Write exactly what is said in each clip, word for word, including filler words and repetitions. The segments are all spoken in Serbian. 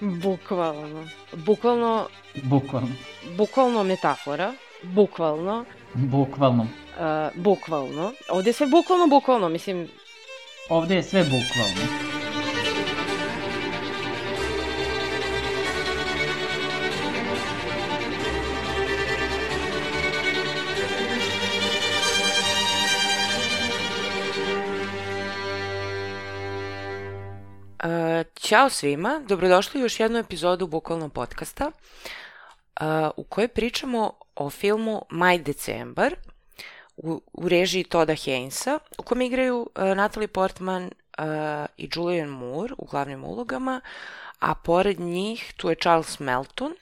Bukvalno. Bukvalno... Bukvalno. Bukvalno metafora. Bukvalno. Bukvalno. Uh, bukvalno. Ovdje je sve bukvalno, bukvalno, mislim... Ovdje je sve bukvalno. Uh, ćao svima, dobrodošli u još jednu epizodu Bukvalno podcasta uh, u kojoj pričamo o filmu Maj Decembar u, u režiji Todda Haynesa, u kojem igraju uh, Natalie Portman uh, i Julianne Moore u glavnim ulogama, a pored njih tu je Charles Melton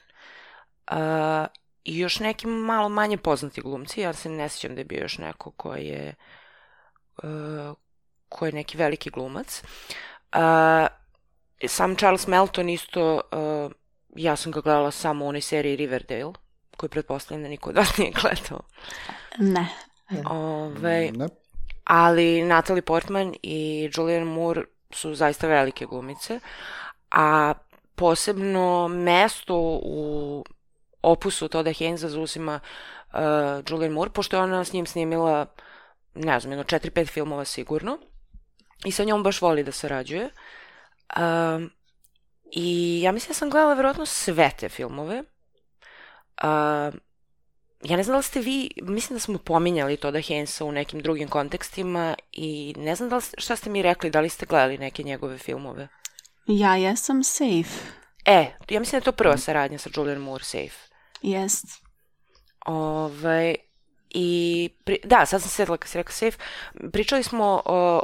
uh, i još neki malo manje poznati glumci. Ja se ne sjećam da je bio još neko ko je, uh, ko je neki veliki glumac. Uh, sam Charles Melton isto, uh, ja sam ga gledala samo u onoj seriji Riverdale, koju pretpostavljam da niko od vas nije gledao. Ne. Ove, ne. Ali Natalie Portman i Julianne Moore su zaista velike glumice, a posebno mesto u opusu Todda Haynesa zauzima uh, Julianne Moore, pošto je ona s njim snimila, ne znam, jedno četiri pet filmova sigurno. I sa njom baš voli da sarađuje. Um, I ja mislim da sam gledala vjerojatno sve te filmove. Um, ja ne znam da li ste vi, mislim da smo pominjali Todda Haynesa u nekim drugim kontekstima i ne znam da li, šta ste mi rekli, da li ste gledali neke njegove filmove. Ja jesam Safe. E, ja mislim da je to prva saradnja sa Julianne Moore, Safe. Jest. Ove, I, pri, da, sad sam sjetila kad si rekao Safe, pričali smo, o,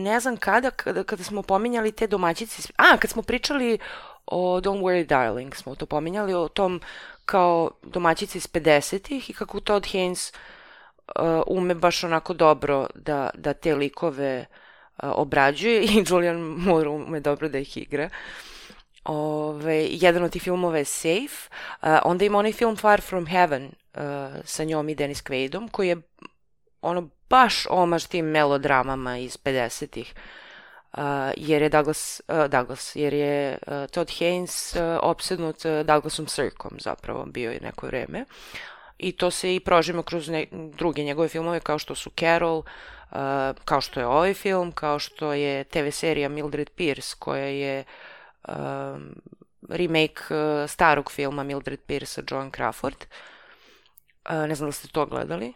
ne znam kada, kada, kada smo pominjali te domaćice, a, kad smo pričali o Don't Worry Darling, smo to pominjali, o tom kao domaćici iz pedesetih i kako Todd Haynes uh, ume baš onako dobro da, da te likove uh, obrađuje i Julianne Moore ume dobro da ih igra. Ove, jedan od tih filmova je Safe, uh, onda ima onaj film Far From Heaven uh, sa njom i Dennis Quaidom, koji je ono baš omaž tim melodramama iz pedesetih, uh, jer je Douglas, uh, Douglas jer je uh, Todd Haynes uh, opsednut uh, Douglasom Sirkom zapravo bio je neko vreme i to se i prožima kroz ne, druge njegove filmove kao što su Carol, uh, kao što je ovaj film, kao što je te ve serija Mildred Pierce koja je Um, remake uh, starog filma Mildred Pierce sa Joan Crawford. Uh, ne znam da ste to gledali.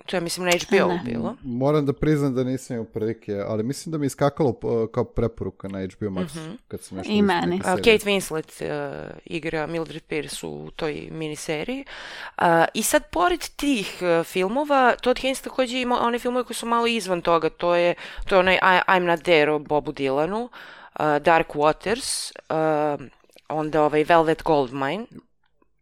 To je, mislim, na ha be o bilo. Moram da priznam da nisam imao prilike, ali mislim da mi je iskakalo uh, kao preporuka na ha be o Max. Uh-huh. Kad sam nešto I meni. Uh, Kate Winslet uh, igra Mildred Pierce u toj miniseriji. Uh, I sad, pored tih uh, filmova, Todd Haynes također ima one filmove koji su malo izvan toga. To je, to je onaj I, I'm Not There o Bobu Dylanu. Uh, Dark Waters, uh, onda ovaj Velvet Goldmine.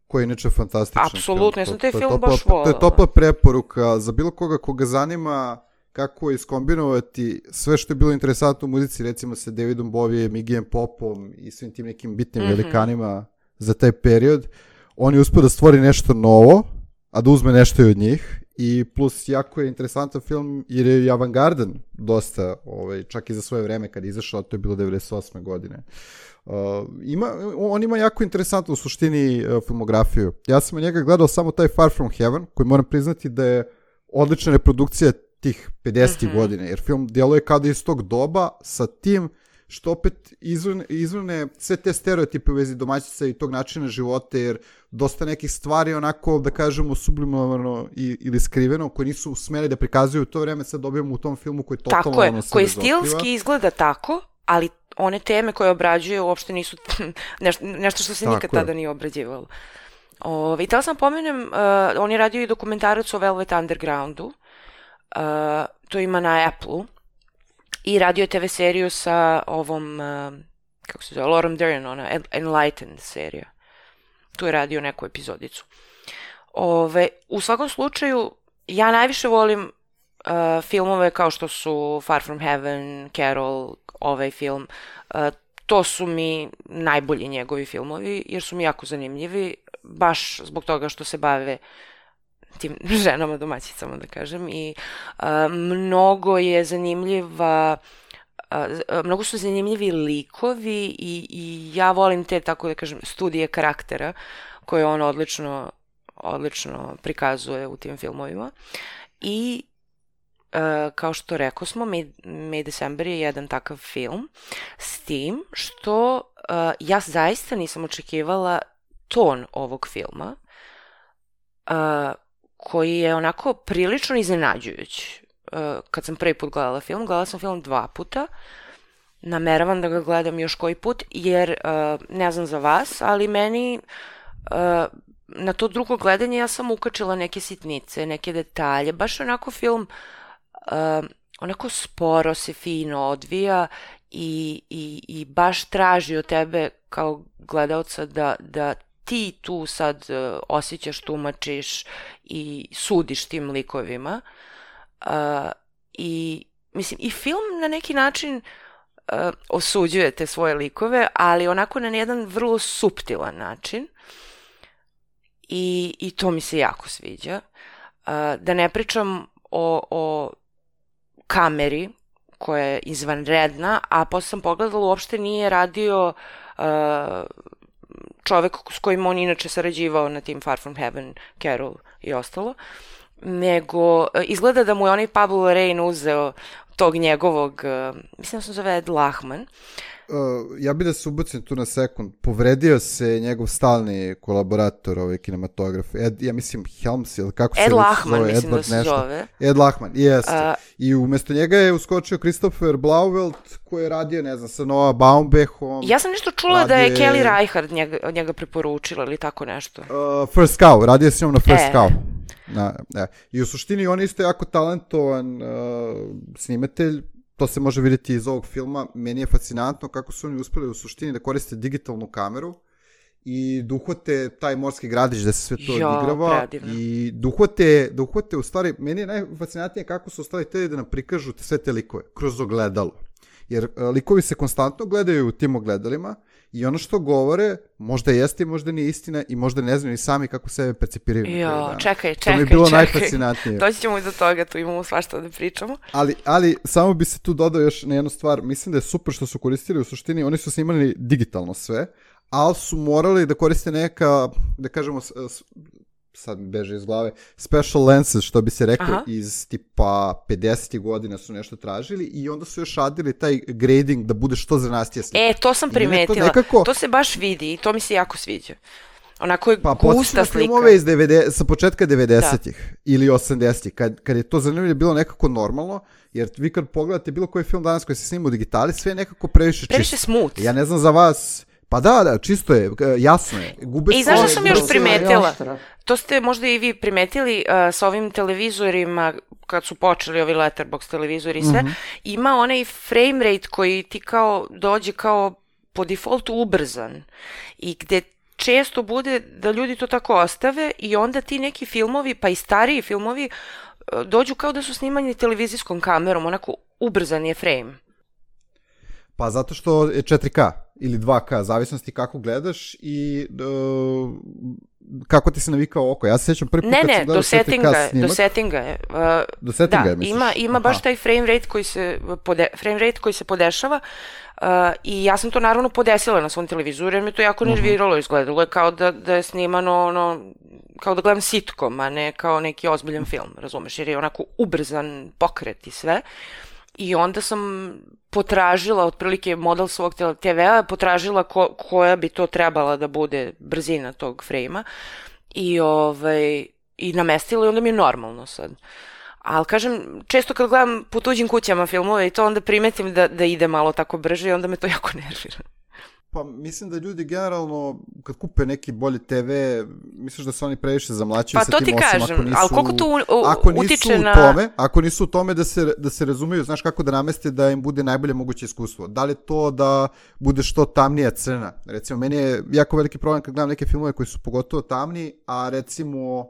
Koji je inače fantastičan. Apsolutno, ja sam taj film topla, baš volila. To je topla preporuka za bilo koga koga zanima kako iskombinovati sve što je bilo interesantno u muzici, recimo sa Davidom Bowijem, Iggyjem Popom i svim tim nekim bitnim mm-hmm. velikanima za taj period. On je uspio da stvori nešto novo, a da uzme nešto i od njih. I plus jako je interesantan film jer je i avangardan dosta, ovaj, čak i za svoje vreme kad je izašao, to je bilo devedeset osme godine. Uh, ima, on ima jako interesantnu u suštini uh, filmografiju. Ja sam od njega gledao samo taj Far From Heaven, koji moram priznati da je odlična reprodukcija tih pedesetih mm-hmm. godina, jer film djeluje kao da je iz tog doba sa tim što opet izvrne, izvrne sve te stereotipe u vezi domaćica i tog načina života, jer dosta nekih stvari onako, da kažemo, sublimovano i, ili skriveno, koje nisu smeli da prikazuju u to vreme, sad dobijemo u tom filmu koji totalno tako je, ono sve koji razotkriva. Stilski izgleda tako, ali one teme koje obrađuje uopšte nisu nešto, nešto što se tako nikad je. Tada nije obrađivalo. Ove, I tada sam pomenem, uh, on je radio i dokumentarac o Velvet Undergroundu, uh, to ima na Apple-u, i radio je te ve seriju sa ovom, uh, kako se zove, Lauren Dern, ona Enlightened serija. Tu je radio neku epizodicu. Ove, u svakom slučaju, ja najviše volim uh, filmove kao što su Far From Heaven, Carol, ovaj film. Uh, to su mi najbolji njegovi filmovi, jer su mi jako zanimljivi, baš zbog toga što se bave tim ženama domaćicama, da kažem, i uh, mnogo je zanimljiva uh, mnogo su zanimljivi likovi i, i ja volim te, tako da kažem, studije karaktera koje on odlično, odlično prikazuje u tim filmovima. I Uh, kao što rekao smo, May, May December je jedan takav film, s tim što uh, ja zaista nisam očekivala ton ovog filma, uh, koji je onako prilično iznenađujući. Uh, kad sam prvi put gledala film, gledala sam film dva puta, nameravam da ga gledam još koji put, jer uh, ne znam za vas, ali meni uh, na to drugo gledanje ja sam ukačila neke sitnice, neke detalje, baš onako film Uh, onako sporo se fino odvija i, i, i baš traži od tebe kao gledaoca da, da ti tu sad uh, osjećaš, tumačiš i sudiš tim likovima. Uh, I mislim, i film na neki način uh, osuđuje te svoje likove, ali onako na jedan vrlo suptilan način. I, i to mi se jako sviđa. Uh, da ne pričam o, o kameri koja je izvanredna, a posle sam pogledala, uopšte nije radio uh, čovek s kojim on inače sarađivao na tim Far From Heaven, Carol i ostalo, nego uh, izgleda da mu je onaj Pablo Larraín uzeo tog njegovog, uh, mislim da se zove Ed Lachman. Uh, ja bih da se ubacim tu na sekund. Povredio se njegov stalni kolaborator, ovaj kinematograf. Ed, ja mislim Helms, ili kako se Ed Lachman, zove? mislim Edward da se nešto. zove. Ed Lachman, jeste. Uh, I umjesto njega je uskočio Christopher Blauvelt, koji je radio, ne znam, sa Noah Baumbachom. Ja sam nešto čula radi... da je Kelly Reichardt njega, njega preporučila ili tako nešto. Uh, First Cow, radio s njom na First e. Cow. Na, ne. I u suštini on je isto jako talentovan uh, snimatelj. To se može vidjeti iz ovog filma. Meni je fascinantno kako su oni uspeli u suštini da koriste digitalnu kameru i da uhvate taj morski gradić da se sve to jo, odigrava. predivno. I da uhvate, da uhvate u stvari, meni je najfascinantnije kako su ostali te da nam prikažu sve te likove kroz ogledalo. Jer uh, likovi se konstantno gledaju u tim ogledalima i ono što govore možda jeste i možda nije istina i možda ne znaju ni sami kako sebe percipiraju. Jo, čekaj, čekaj, to mi je bilo čekaj. najfascinantnije. Doći ćemo i do toga, tu imamo svašta da pričamo. Ali, ali samo bi se tu dodao još na jednu stvar. Mislim da je super što su koristili u suštini. Oni su snimali digitalno sve, ali su morali da koriste neka, da kažemo, sad mi beže iz glave, special lenses, što bi se reklo, aha, iz tipa pedesetih godina su nešto tražili i onda su još radili taj grading da bude što zranastije slika. E, to sam primetila. To, nekako... to se baš vidi i to mi se jako sviđa. Onako je pa, gusta slika. Filmove iz devedesetih, sa početka devedesetih ili osamdesetih, kad, kad je to zanimljivo bilo nekako normalno, jer vi kad pogledate bilo koji film danas koji se snima u digitali, sve je nekako previše, previše čisto. smooth. Ja ne znam za vas... Pa da, da, čisto je, jasno je. Gube I znaš što sam još primetila? To ste možda i vi primetili uh, sa ovim televizorima, kad su počeli ovi letterbox televizori i sve, mm-hmm, ima onaj frame rate koji ti kao dođe kao po defaultu ubrzan i gde često bude da ljudi to tako ostave i onda ti neki filmovi, pa i stariji filmovi, uh, dođu kao da su snimani televizijskom kamerom, onako ubrzan je frame. Pa zato što je četiri K ili dva K, zavisnosti kako gledaš i uh, kako ti se navikao oko. Ja se sjećam prvi put ne, kad ne, sam gledao četiri K snimak. Ne, ne, do settinga je. Uh, do settinga da, je, misliš? Ima, ima baš taj frame rate koji se, pode, frame rate koji se podešava uh, i ja sam to naravno podesila na svom televizoru jer me to jako nerviralo, izgledalo je kao da, da je snimano ono, kao da gledam sitcom, a ne kao neki ozbiljan film, razumeš, jer je onako ubrzan pokret i sve. I onda sam potražila, otprilike model svog te vea, potražila ko, koja bi to trebala da bude brzina tog frejma i, ovaj, i namestila i onda mi je normalno sad. Ali kažem, često kad gledam po tuđim kućama filmove i to onda primetim da, da ide malo tako brže i onda me to jako nervira. Pa mislim da ljudi generalno kad kupe neki bolji te ve, misliš da se oni previše zamlaćuju pa sa tim osim kažem, ako nisu, ali koliko tu u, ako nisu utiče na... u tome, ako nisu u tome da se, da se razumiju, znaš kako da nameste da im bude najbolje moguće iskustvo. Da li to da bude što tamnija crna? Recimo, meni je jako veliki problem kad gledam neke filmove koji su pogotovo tamni, a recimo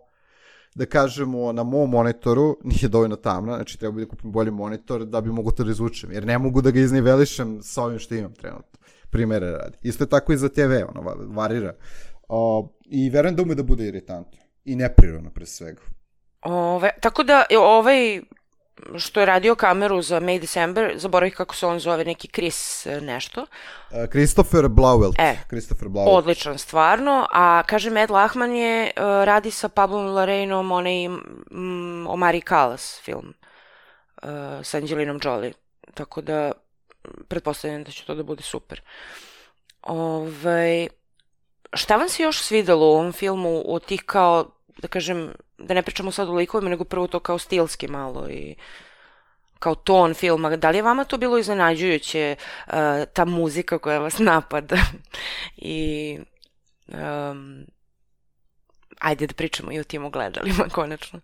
da kažemo na mom monitoru nije dovoljno tamna, znači treba bi da kupim bolji monitor da bi mogu to da izvučem, jer ne mogu da ga iznivelišem sa ovim što imam trenutno. Primere radi. Isto je tako i za te ve, ono, varira. Uh, I verujem da ume da bude iritantno. I neprirodno, pre svega. Ove, tako da, ovaj, što je radio kameru za May December, zaboravih kako se on zove, neki Chris nešto. Uh, Christopher Blauvelt. E, Christopher Blauvelt. Odličan, stvarno. A, kaže, Matt Lahman je, uh, radi sa Pablom Larrainom onaj mm, Omari Callas film uh, sa Angelinom Jolie. Tako da, pretpostavljam da će to da bude super. Ove, šta vam se još svidelo u ovom filmu od tih kao, da kažem, da ne pričamo sad o likovima, nego prvo to kao stilski malo i kao ton filma. Da li je vama to bilo iznenađujuće, uh, ta muzika koja vas napada? I um, ajde da pričamo i o tim ogledalima, konačno.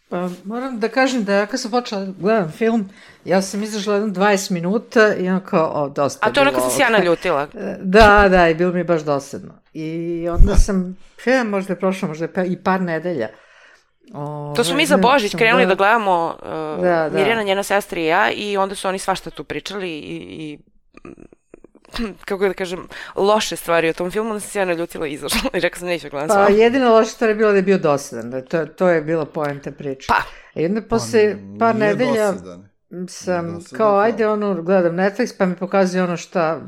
Pa, moram da kažem da ja kad sam počela da gledam film, ja sam izašla jedno dvadeset minuta i ono kao, o, dosta. A to je ono kad sam se ja naljutila. Da, da, i bilo mi je baš dosadno. I onda sam, ja, možda je prošlo, možda je i par nedelja. O, to su mi za Božić krenuli da gledamo, uh, da, da. Mirjana, njena sestra i ja, i onda su oni svašta tu pričali i, i kako da kažem, loše stvari o tom filmu, onda sam se ja naljutila i izašla i rekla sam neću gledam pa, s vama. Pa jedina loša stvar je bila da je bio dosadan, to, to je bila poenta priče. Pa. I onda posle par nedelja dosadan. sam dosadan kao, film. ajde ono, gledam Netflix pa mi pokazuje ono šta,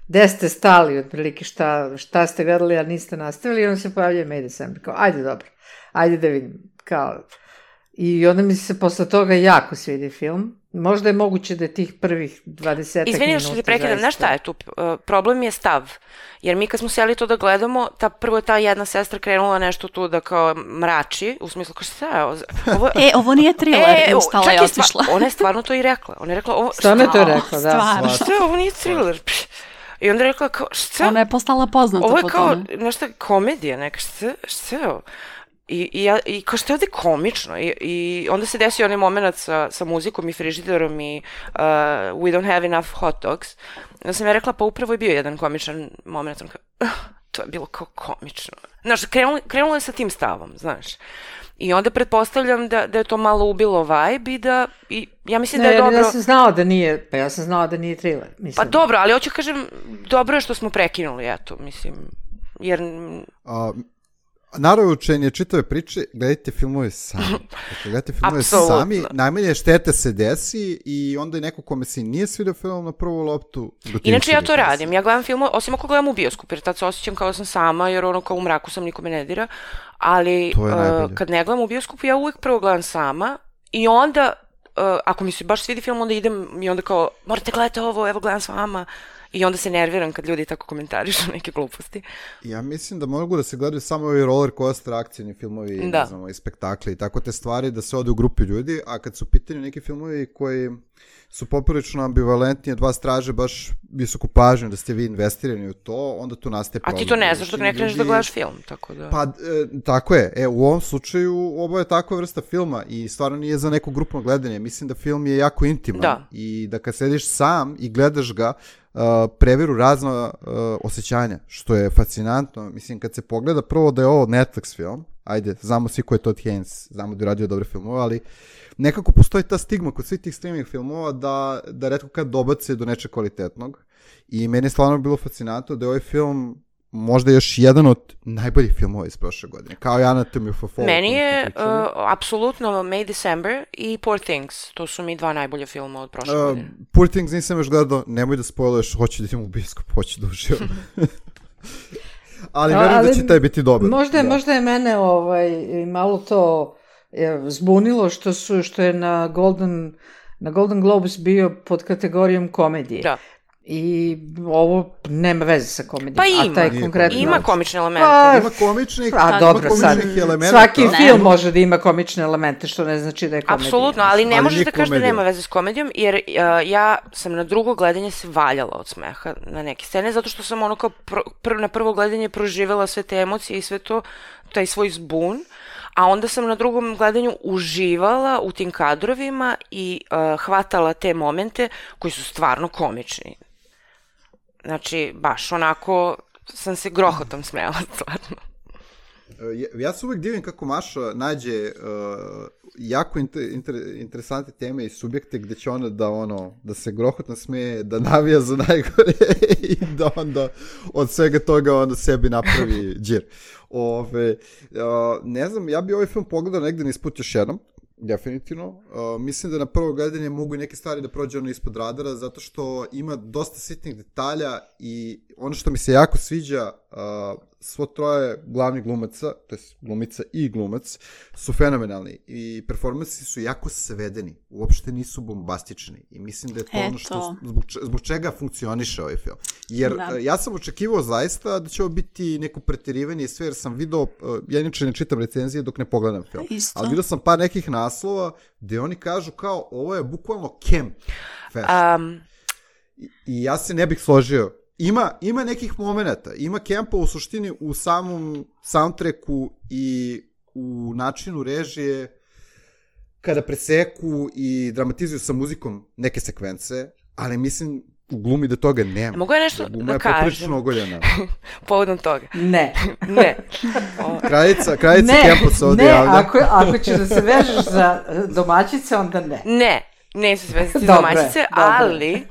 gde ste stali otprilike, šta, šta ste gledali, a niste nastavili i onda se pojavljuje May December, kao, ajde dobro, ajde da vidim, kao, i onda mi se posle toga jako svidi film. Možda je moguće da je tih prvih dvadeset minuta. Izvini što te prekidam, znaš šta je tu? Uh, problem je stav. Jer mi kad smo sjeli to da gledamo, ta, prvo je ta jedna sestra krenula nešto tu da kao mrači, u smislu kao šta je ovo? ovo... E, ovo nije thriller, e, ustala je otišla. Stva... Ona je stvarno to i rekla. Ona je rekla, ovo... Stvarno je to rekla, da. Stvarno. Šta je, ovo nije thriller. I onda je rekla kao, šta? Ona je postala poznata ovo je po kao, tome. nešto komedija neka, šta, šta je ovo? I, i, ja, i kao što je ovde komično I, i onda se desio onaj moment sa, sa muzikom i frižiderom i uh, We don't have enough hot dogs. Onda sam ja rekla, pa upravo je bio jedan komičan moment. Kao, uh, to je bilo kao komično. Znaš, krenulo, krenulo je sa tim stavom, znaš. I onda pretpostavljam da, da je to malo ubilo vibe i da, i ja mislim ne, da je dobro... Ja sam znala da nije, pa ja sam znala da nije thriller. Mislim. Pa dobro, ali hoću kažem, dobro je što smo prekinuli, eto, mislim, jer... A, naravno čitave priče, gledajte filmove sami. Dakle, gledajte filmove Apsolutno. sami, najmanje štete se desi i onda je neko kome se nije svidio film na prvu loptu. Inače ja to radim, ja gledam film, osim ako gledam u bioskopu, jer tad se osjećam kao da sam sama, jer ono kao u mraku sam, nikome ne dira, ali uh, kad ne gledam u bioskopu, ja uvijek prvo gledam sama i onda, uh, ako mi se baš svidi film, onda idem i onda kao, morate gledati ovo, evo gledam s vama. I onda se nerviram kad ljudi tako komentarišu neke gluposti. Ja mislim da mogu da se gledaju samo ovi roller coaster akcijni filmovi, da. ne znam, i spektakli i tako te stvari, da se ode u grupi ljudi, a kad su u pitanju neki filmovi koji su poprilično ambivalentni, dva straže baš visoku pažnju da ste vi investirani u to, onda tu nastaje problem. A ti to ne znaš dok ne kreneš da gledaš film, tako da... Pa, e, tako je. E, u ovom slučaju ovo je takva vrsta filma i stvarno nije za neko grupno gledanje. Mislim da film je jako intiman. Da. I da kad sediš sam i gledaš ga, Uh, preveru razna uh, osjećanja, što je fascinantno. Mislim, kad se pogleda prvo da je ovo Netflix film, ajde, znamo svi ko je Todd Haynes, znamo da je radio dobre filmove, ali nekako postoji ta stigma kod svih tih streaming filmova da, da retko kad dobace do nečeg kvalitetnog. I meni je stvarno bilo fascinantno da je ovaj film možda još jedan od najboljih filmova iz prošle godine, kao i Anatomy of a Fall. Meni je uh, apsolutno May December i Poor Things, to su mi dva najbolja filma od prošle uh, godine. Poor Things nisam još gledao, nemoj da spoiluješ, hoću da idem u bioskop, hoću da uživam. Ali verujem da će taj biti dobar. Možda, da. možda je mene ovaj, malo to je, zbunilo što, su, što je na Golden, na Golden Globes bio pod kategorijom komedije. Da. I ovo nema veze sa komedijom. Pa ima, a taj konkretno... ima komične elemente. Pa, ima komičnih, a, dobro, komičnih elemenata. Svaki ne. film može da ima komične elemente, što ne znači da je komedija. Apsolutno, ali ne ali možeš da kažeš da komedija. nema veze s komedijom, jer uh, ja sam na drugo gledanje se valjala od smeha na neke scene, zato što sam ono kao pr pr na prvo gledanje proživela sve te emocije i sve to, taj svoj zbun, a onda sam na drugom gledanju uživala u tim kadrovima i uh, hvatala te momente koji su stvarno komični. Znači, baš onako sam se grohotom smejala, stvarno. Ja, ja se uvijek divim kako Maša nađe uh, jako inter, inter, interesantne teme i subjekte gde će ona da, ono, da se grohotno smeje, da navija za najgore i da onda od svega toga onda sebi napravi džir. Ove, uh, ne znam, ja bi ovaj film pogledao negde nisput još jednom, definitivno. Uh, mislim da na prvo gledanje mogu i neke stvari da prođe ono ispod radara, zato što ima dosta sitnih detalja i ono što mi se jako sviđa, uh, svo troje glavnih glumaca, to je glumica i glumac, su fenomenalni i performansi su jako svedeni, uopšte nisu bombastični i mislim da je to Eto. ono što, zbog, zbog čega funkcioniše ovaj film. Jer da. ja sam očekivao zaista da će ovo biti neko preterivanje i sve, jer sam video, ja inače ne čitam recenzije dok ne pogledam film, Isto. ali video sam par nekih naslova gde oni kažu kao ovo je bukvalno camp fashion. Um. I, I ja se ne bih složio. Ima, ima nekih momenata, ima kempa u suštini u samom soundtracku i u načinu režije kada preseku i dramatizuju sa muzikom neke sekvence, ali mislim u glumi da toga nema. Mogu ja nešto gluma da kažem? Poprilično ogoljena. Povodom toga. Ne. Ne. Kraljica, kraljica kempa se ovdje javlja. Ne, ako, ako ćeš da se vežeš za domaćice, onda ne. Ne, neću se vezati za domaćice, ali...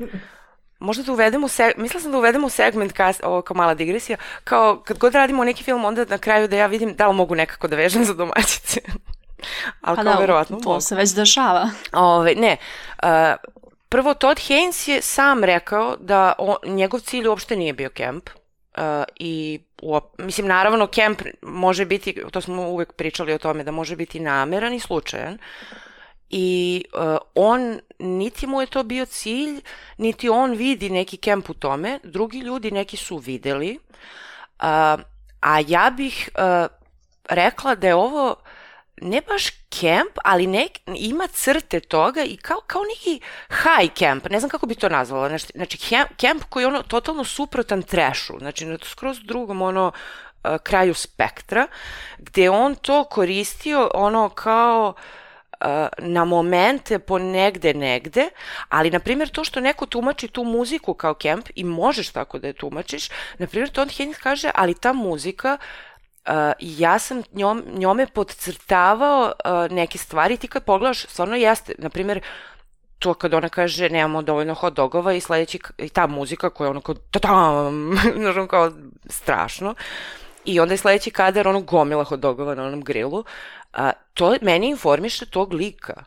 Možda da uvedemo, seg... mislila sam da uvedemo segment, kas... ovo kao mala digresija, kao kad god radimo neki film, onda na kraju da ja vidim da li mogu nekako da vežem za domaćice. Ali pa kao da, verovatno to mogu. se već dešava. Ove, ne, uh, prvo Todd Haynes je sam rekao da on, njegov cilj uopšte nije bio kemp. Uh, i uop... mislim, naravno, kemp može biti, to smo uvek pričali o tome, da može biti nameran i slučajan. I uh, on, niti mu je to bio cilj, niti on vidi neki kemp u tome, drugi ljudi neki su videli, uh, a ja bih uh, rekla da je ovo ne baš kemp, ali nek, ima crte toga i kao, kao neki high camp, ne znam kako bi to nazvala, znači, znači kemp koji je ono totalno suprotan trashu, znači na skroz drugom ono uh, kraju spektra, gde on to koristio ono kao na momente po negde negde, ali na primjer to što neko tumači tu muziku kao kemp i možeš tako da je tumačiš, na primjer Todd Haynes kaže, ali ta muzika uh, ja sam njom, njome podcrtavao uh, neke stvari, ti kad pogledaš stvarno jeste, na primjer to kad ona kaže nemamo dovoljno hot dogova i sledeći, i ta muzika koja je ono kao ta-tam, znači kao strašno. I onda je sledeći kadar ono gomila hot dogova na onom grilu. A, to meni informiše tog lika.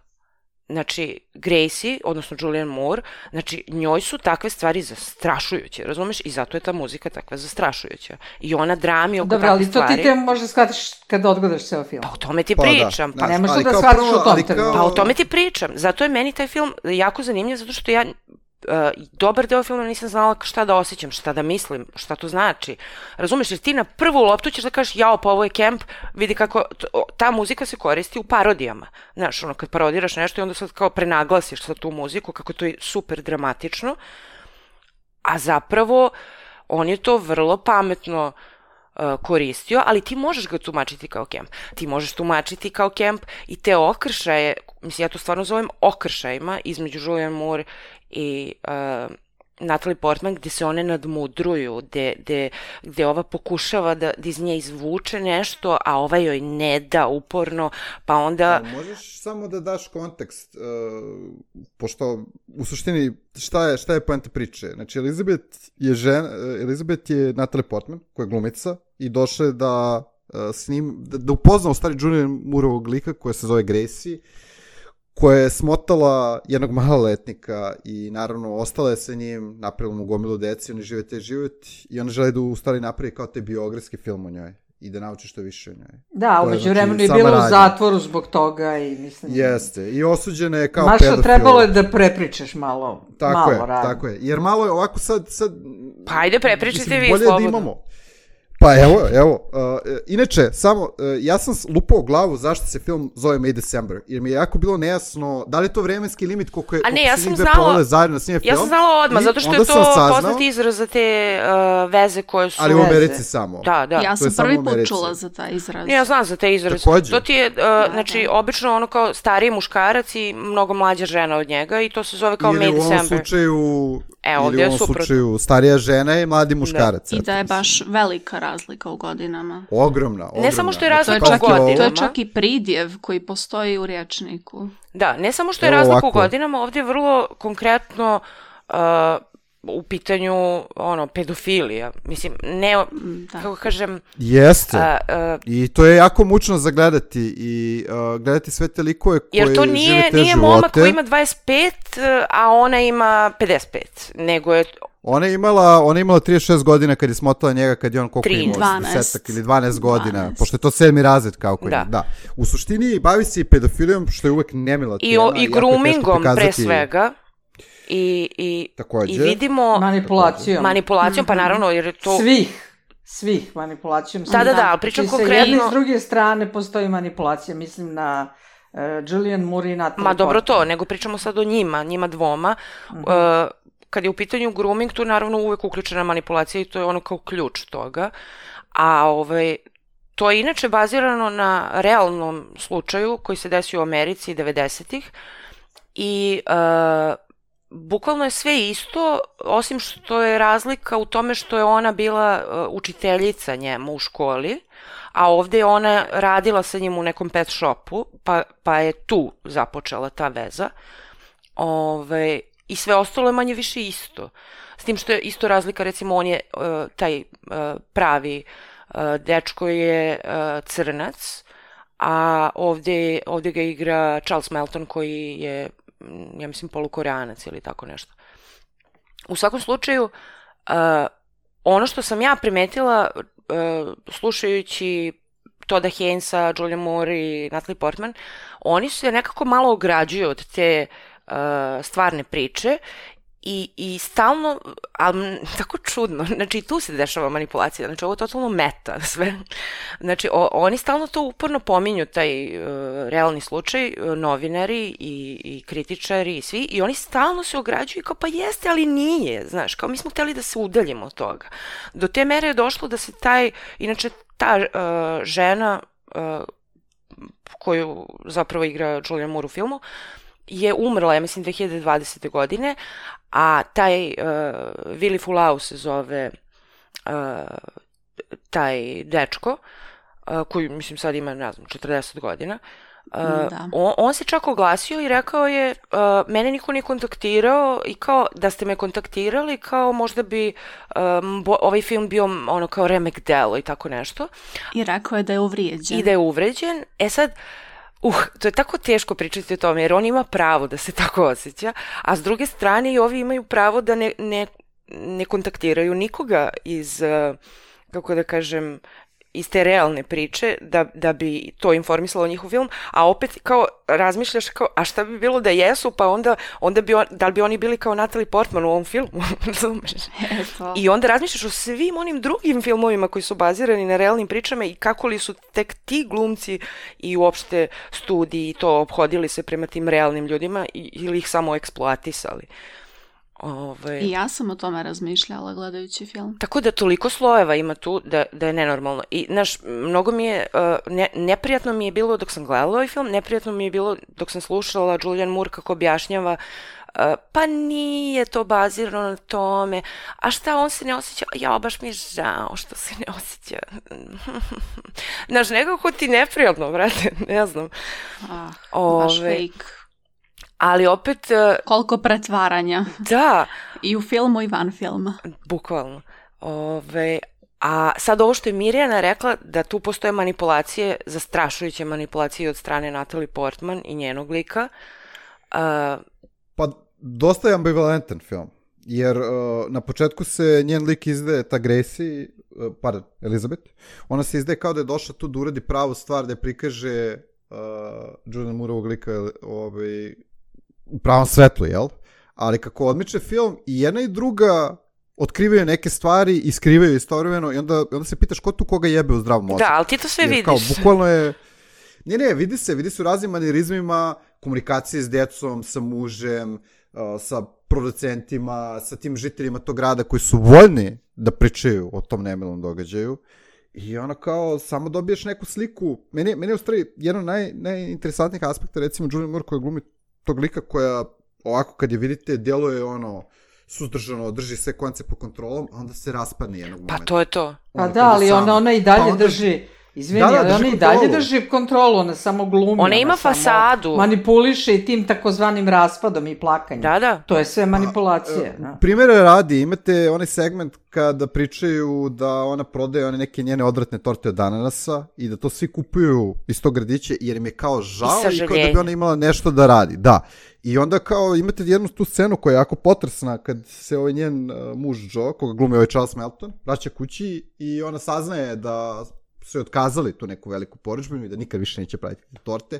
Znači, Gracie, odnosno Julianne Moore, znači, njoj su takve stvari zastrašujuće, razumeš? I zato je ta muzika takva zastrašujuća. I ona drami oko Dobro, takve stvari. Dobro, ali to ti te možda shvatiš kad odgledaš ceo film. Pa o tome ti pa, pričam. Da, pa ne možeš da shvatiš u tom trenutku. Pa o tome ti pričam. Zato je meni taj film jako zanimljiv, zato što ja... Uh, dobar deo filma nisam znala šta da osjećam, šta da mislim, šta to znači. Razumeš, jer ti na prvu loptu ćeš da kažeš jao, pa ovo je kemp, vidi kako ta muzika se koristi u parodijama. Znaš, ono, kad parodiraš nešto i onda sad kao prenaglasiš sa tu muziku, kako to je super dramatično, a zapravo on je to vrlo pametno uh, koristio, ali ti možeš ga tumačiti kao kemp. Ti možeš tumačiti kao kemp i te okršaje, mislim, ja to stvarno zovem okršajima između Julianne Moore i uh, Natalie Portman, gde se one nadmudruju, gde, gde, gde ova pokušava da, da iz nje izvuče nešto, a ova joj ne da uporno, pa onda... A možeš samo da daš kontekst, uh, pošto u suštini šta je, šta je poenta priče? Znači, Elizabeth je, žena, Elizabeth je Natalie Portman, koja je glumica, i došla je da, uh, s njim, da, da upozna u stvari Julianne Mooreovog lika, koja se zove Gracie, koja je smotala jednog maloletnika i naravno ostala je sa njim, napravila mu gomilu deci, oni žive te život i ona želi da u stvari napravi kao te biografski film o njoj i da nauči što više o njoj. Da, umeđu vremenu je bilo u zatvoru zbog toga i mislim... Jeste, i osuđena je kao Maša, pedofil. trebalo je da prepričaš malo, tako malo je, radi. tako je, jer malo je ovako sad... sad pa ajde, prepričajte vi bolje slobodno. Da imamo. Pa evo, evo, uh, inače, samo, uh, ja sam lupao glavu zašto se film zove May December, jer mi je jako bilo nejasno, da li je to vremenski limit koliko je... A ne, ja sam znala, zajedno snije film. Ja sam znala odmah, zato što je to poznat izraz za te uh, veze koje su... Ali u Americi samo. Da, da. Ja sam prvi put čula za taj izraz. Ne, ja znam za taj izraz. Takođe. To ti je, uh, da, znači, da. Obično ono kao stariji muškarac i mnogo mlađa žena od njega i to se zove kao May December. Ili u ovom slučaju... E, ili u ovom slučaju starija žena i mladi muškarac. Da. I da je baš velika razlika u godinama. Ogromna, ogromna. Ne samo što je razlika u godinama. To je čak i pridjev koji postoji u rječniku. Da, ne samo što je razlika u godinama, ovdje je vrlo konkretno uh, u pitanju, ono, pedofilija. Mislim, ne, Da. kako kažem... Jeste. A, a, I to je jako mučno za gledati i uh, gledati sve te likove koji jer to žive nije, te nije živote. momak koji ima dvadeset pet, a ona ima pedeset pet, nego je... Ona je imala, ona je imala trideset šest godina kad je smotala njega, kad je on koliko Tri, imao, dvanaest. desetak ili dvanaest godina, dvanaest. pošto je to sedmi razred kao koji Da. je. Da. U suštini bavi se i pedofilijom, što je uvek nemila I, tema. o, jako i je teško groomingom pre prikazati. svega. I, i, Takođe. i vidimo Manipulacijom. manipulacijom, pa naravno, jer je to... Svih. Svih manipulacijom. Da, da, da, ali pričam Znači, sa jedne i konkretno... s druge strane postoji manipulacija. Mislim na uh, Julian Moore i Natalie Ma dobro Portman. to, nego pričamo sad o njima, njima dvoma. Uh, kad je u pitanju grooming, tu je naravno uvek uključena manipulacija i to je ono kao ključ toga. A ovaj, to je inače bazirano na realnom slučaju koji se desio u Americi devedesetih i uh, bukvalno je sve isto, osim što je razlika u tome što je ona bila uh, učiteljica njemu u školi, a ovde je ona radila sa njim u nekom pet shopu, pa, pa je tu započela ta veza. Ove, I sve ostalo je manje više isto. S tim što je isto razlika, recimo on je uh, taj uh, pravi uh, dečko je uh, crnac, a ovde, ovde ga igra Charles Melton koji je, ja mislim, polukoreanac ili tako nešto. U svakom slučaju, uh, ono što sam ja primetila uh, slušajući Todda Haynesa, Julia Moore i Natalie Portman, oni se nekako malo ograđuju od te uh, stvarne priče i, i stalno, ali tako čudno, znači i tu se dešava manipulacija, znači ovo je totalno meta sve. Znači o, oni stalno to uporno pominju, taj uh, realni slučaj, uh, novinari i, i kritičari i svi, i oni stalno se ograđuju kao pa jeste, ali nije, znaš, kao mi smo hteli da se udaljimo od toga. Do te mere je došlo da se taj, inače ta uh, žena uh, koju zapravo igra Julian Moore u filmu je umrla, ja mislim, dve hiljade dvadesete. godine, a taj uh, Willy Fulau se zove uh, taj dečko, uh, koji, mislim, sad ima, ne znam, četrdeset godina, Uh, Da. on, on se čak oglasio i rekao je uh, mene niko nije kontaktirao i kao da ste me kontaktirali kao možda bi um, bo, ovaj film bio ono kao remek delo i tako nešto. I rekao je da je uvrijeđen. I da je uvređen. E sad, uh, to je tako teško pričati o tome jer on ima pravo da se tako osjeća, a s druge strane i ovi imaju pravo da ne, ne, ne kontaktiraju nikoga iz, uh, kako da kažem, iz te realne priče, da, da bi to informisalo njihov film, a opet kao razmišljaš kao, a šta bi bilo da jesu, pa onda, onda bi on, da li bi oni bili kao Natalie Portman u ovom filmu, razumeš? Eto. I onda razmišljaš o svim onim drugim filmovima koji su bazirani na realnim pričama i kako li su tek ti glumci i uopšte studiji to obhodili se prema tim realnim ljudima ili ih samo eksploatisali. Ove... I ja sam o tome razmišljala gledajući film. Tako da toliko slojeva ima tu da, da je nenormalno. I, znaš, mnogo mi je, uh, ne, neprijatno mi je bilo dok sam gledala ovaj film, neprijatno mi je bilo dok sam slušala Julian Moore kako objašnjava uh, pa nije to bazirano na tome, a šta on se ne osjeća, ja baš mi je žao što se ne osjeća. Znaš, nekako ti neprijatno, brate, ne znam. Ah, Ove... baš fake. Ali opet... Uh, Koliko pretvaranja. da. I u filmu i van filma. Bukvalno. Ove, a sad ovo što je Mirjana rekla, da tu postoje manipulacije, zastrašujuće manipulacije od strane Natalie Portman i njenog lika. Uh, Pa, dosta je ambivalentan film, jer uh, na početku se njen lik izdaje, ta Gracie, uh, pardon, Elizabeth, ona se izdaje kao da je došla tu da uradi pravu stvar, da je prikaže uh, Julian Mooreovog lika ovaj, u pravom svetlu, jel? Ali kako odmiče film, i jedna i druga otkrivaju neke stvari i skrivaju istovremeno i onda, onda se pitaš ko tu koga jebe u zdravom mozgu. da, ali ti to sve Jer vidiš. kao, bukvalno je... Ne, ne, vidi se, vidi se u raznim manirizmima, komunikacije s djecom, sa mužem, uh, sa producentima, sa tim žiteljima tog grada koji su voljni da pričaju o tom nemilom događaju. I ono kao, samo dobiješ neku sliku. Meni, meni je u stvari jedan od naj, najinteresantnijih aspekta, recimo Julian Moore koja glumi tog lika koja, ovako kad je vidite, djeluje ono suzdržano, drži sve konce pod kontrolom, a onda se raspadne jednog momenta. Pa to je to. Pa Ono, da, kad je ali sam. ona, ona i dalje Pa onda- drži Izvini, Da, da, ali drži ona i dalje kontrolu. drži kontrolu, ona samo glumi. Ona ima samo fasadu. manipuliše i tim takozvanim raspadom i plakanjem. Da, da. To je sve manipulacije. Da. Primjera radi, imate onaj segment kada pričaju da ona prodaje one neke njene odvratne torte od ananasa i da to svi kupuju iz tog gradića jer im je kao žao i, i kao da bi ona imala nešto da radi. Da. I onda kao imate jednu tu scenu koja je jako potresna kad se ovaj njen uh, muž Joe, koga glumi ovaj Charles Melton, vraća kući i ona saznaje da su je otkazali tu neku veliku porudžbinu i da nikad više neće praviti torte.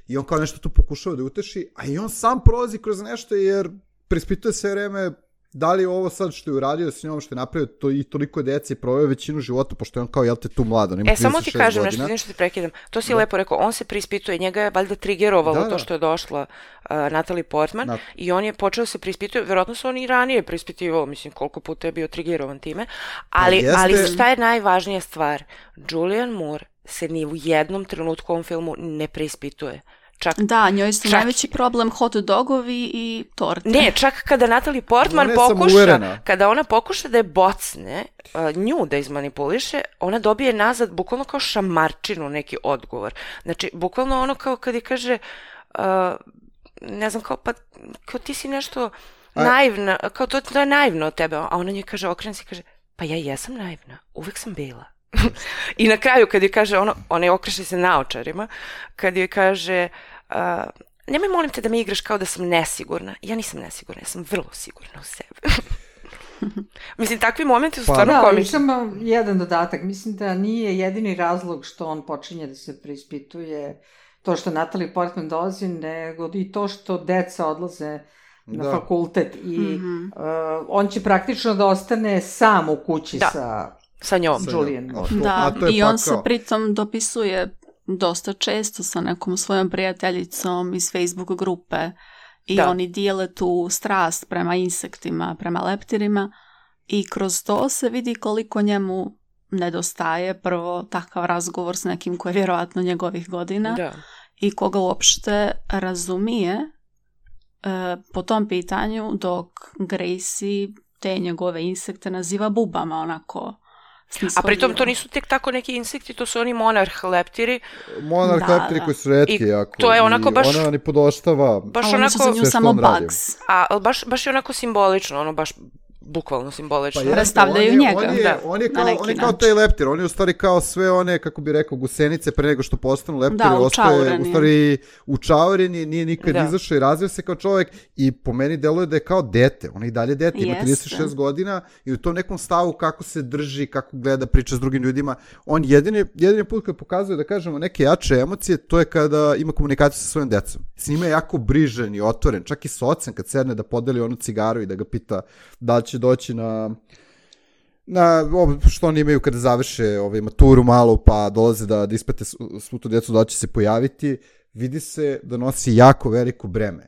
I on kao nešto tu pokušava da uteši, a i on sam prolazi kroz nešto jer preispituje sve vreme da li ovo sad što je uradio s njom, što je napravio to i toliko dece i proveo većinu života, pošto je on kao, jel te, tu mlad, on ima E, samo ti kažem godina. nešto, nešto ti prekidam. To si da. lepo rekao, on se preispituje, njega je valjda trigerovalo da, da. to što je došla uh, Natalie Portman Nat... i on je počeo se preispituje, verovatno se on i ranije preispitivao, mislim, koliko puta je bio trigerovan time, ali, jeste... ali šta je najvažnija stvar? Julianne Moore se ni u jednom trenutku u ovom filmu ne preispituje. Čak, da, njoj su čak, najveći problem hot dogovi i torte. Ne, čak kada Natalie Portman pokuša, kada ona pokuša da je bocne, uh, nju da izmanipuliše, ona dobije nazad bukvalno kao šamarčinu neki odgovor. Znači, bukvalno ono kao kad je kaže, uh, ne znam, kao, pa, kao ti si nešto A... naivna, kao to, to je naivno od tebe, a ona njoj kaže, okrene se i kaže, pa ja jesam naivna, uvek sam bila. I na kraju kad je kaže, ono, ona je okreše se naočarima, kad je kaže, uh, nemoj molim te da mi igraš kao da sam nesigurna. Ja nisam nesigurna, ja sam vrlo sigurna u sebe. Mislim, takvi momenti su stvarno pa, komični. Da, samo jedan dodatak. Mislim da nije jedini razlog što on počinje da se preispituje to što Natalie Portman dolazi, nego i to što deca odlaze na da. fakultet i mm-hmm. uh, on će praktično da ostane sam u kući da. sa... sa njom. Julianne. Da, i on se pritom dopisuje dosta često sa nekom svojom prijateljicom iz Facebook grupe i da. oni dijele tu strast prema insektima, prema leptirima i kroz to se vidi koliko njemu nedostaje prvo takav razgovor s nekim koji je vjerojatno njegovih godina da. i koga uopšte razumije e, po tom pitanju dok Gracie te njegove insekte naziva bubama onako. A pritom to nisu tek tako neki insekti, to su oni monarh leptiri. Monarh da, leptiri da. koji su retki jako. To je onako baš... Ona ni podoštava. Baš onako, oni su za nju samo bugs. A baš, baš je onako simbolično, ono baš bukvalno simbolično. Pa predstavljaju on je, njega. On je, da, on je kao, on je kao taj leptir, on je u stvari kao sve one, kako bi rekao, gusenice pre nego što postanu leptiri, da, ostaje u stvari učaureni, nije nikad da. izašao i razvio se kao čovjek i po meni deluje da je kao dete, on je i dalje dete, ima trideset šest godina i u tom nekom stavu kako se drži, kako gleda, priča s drugim ljudima, on jedini, jedini put kad pokazuje da kažemo neke jače emocije, to je kada ima komunikaciju sa svojim decom. S njima je jako brižan i otvoren, čak i s ocem kad sedne da podeli onu cigaru i da ga pita da li će doći na na što oni imaju kada završe ovaj, maturu malo pa dolaze da, da ispate svu tu djecu da će se pojaviti, vidi se da nosi jako veliko breme.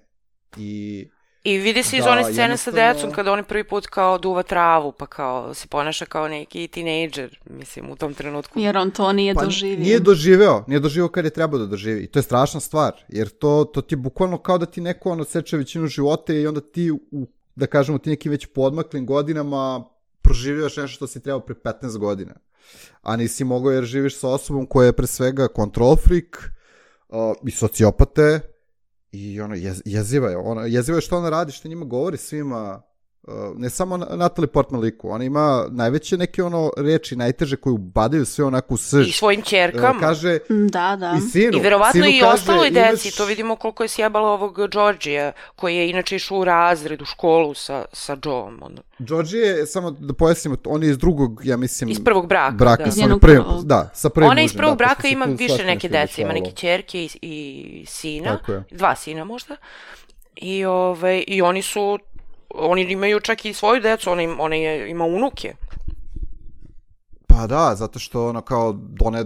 I, I vidi se da, iz one scene jednostavno... sa decom kada oni prvi put kao duva travu pa kao se ponaša kao neki tinejdžer, mislim, u tom trenutku. Jer on to nije pa, doživio. Nije doživeo, nije doživeo kad je trebao da doživi. I to je strašna stvar, jer to, to ti je bukvalno kao da ti neko ono seče većinu života i onda ti u da kažemo ti nekim već podmaklim godinama proživljaš nešto što si trebao pre petnaest godina. A nisi mogao jer živiš sa osobom koja je pre svega control freak uh, i sociopate i ono, jez, jeziva je. Ona, jeziva je što ona radi, što njima govori svima, uh, ne samo Natalie Portman liku, ona ima najveće neke ono reči, najteže koje ubadaju sve onako u srž. I svojim ćerkama. Uh, kaže, da, da. I sinu. I verovatno sinu i kaže, ostaloj deci, imaš... to vidimo koliko je sjebala ovog Georgija, koji je inače išao u razred, u školu sa, sa Joeom. Ono. Georgie je, samo da pojasnimo, on je iz drugog, ja mislim... Iz prvog braka, braka da. Sa prvim, da, sa prvim Ona mužem, iz prvog da, braka ima više neke dece, ima neke ćerke i, i sina, dva sina možda. I, ove, i oni su, oni imaju čak i svoju decu, ona, im, ona je, ima unuke. Pa da, zato što ona kao, ona je,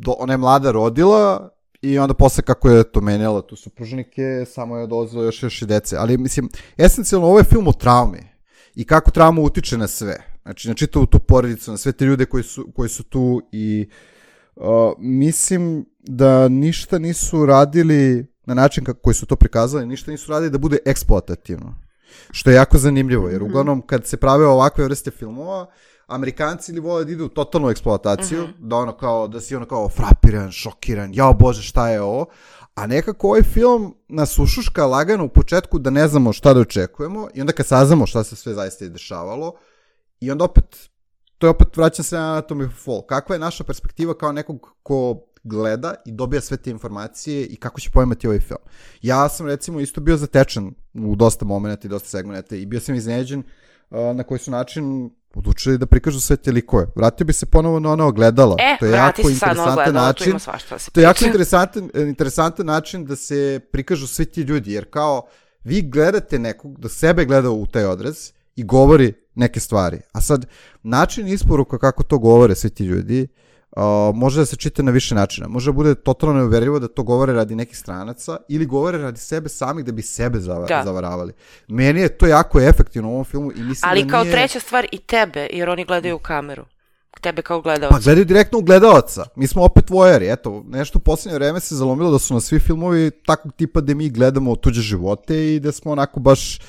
ona je mlada rodila i onda posle kako je to menjala tu supružnike, samo je dolazilo još još i dece. Ali mislim, esencijalno ovo je film o traumi i kako trauma utiče na sve. Znači, na čitavu tu porodicu, na sve te ljude koji su, koji su tu i uh, mislim da ništa nisu radili na način kako koji su to prikazali, ništa nisu radili da bude eksploatativno. Što je jako zanimljivo, jer uglavnom kad se prave ovakve vrste filmova, Amerikanci ili vole da idu u totalnu eksploataciju, mm-hmm. da ono kao, da si ono kao frapiran, šokiran, jao bože šta je ovo, a nekako ovaj film nas ušuška lagano u početku da ne znamo šta da očekujemo i onda kad saznamo šta se sve zaista je dešavalo i onda opet, to je opet vraćam se na Anatomy of Fall. Kakva je naša perspektiva kao nekog ko gleda i dobija sve te informacije i kako će pojmati ovaj film. Ja sam recimo isto bio zatečen u dosta momenta i dosta segmenta i bio sam iznenađen uh, na koji su način odlučili da prikažu sve te likove. Vratio bi se ponovo na ono ogledala. E, to je vrati jako se sad na ogledala, tu ima svašta da se To je jako interesantan, interesantan način da se prikažu svi ti ljudi, jer kao vi gledate nekog, da sebe gleda u taj odraz i govori neke stvari. A sad, način isporuka kako to govore svi ti ljudi, Uh, može da se čita na više načina. Može da bude totalno neuverljivo da to govore radi nekih stranaca ili govore radi sebe samih da bi sebe zava- da. zavaravali. Meni je to jako efektivno u ovom filmu i mislim ali da kao nije... treća stvar i tebe, jer oni gledaju u kameru. Tebe kao gledalca. Pa gledaju direktno u gledalaca. Mi smo opet vojeri. Eto, nešto u posljednje vreme se zalomilo da su na svi filmovi takvog tipa da mi gledamo tuđe živote i da smo onako baš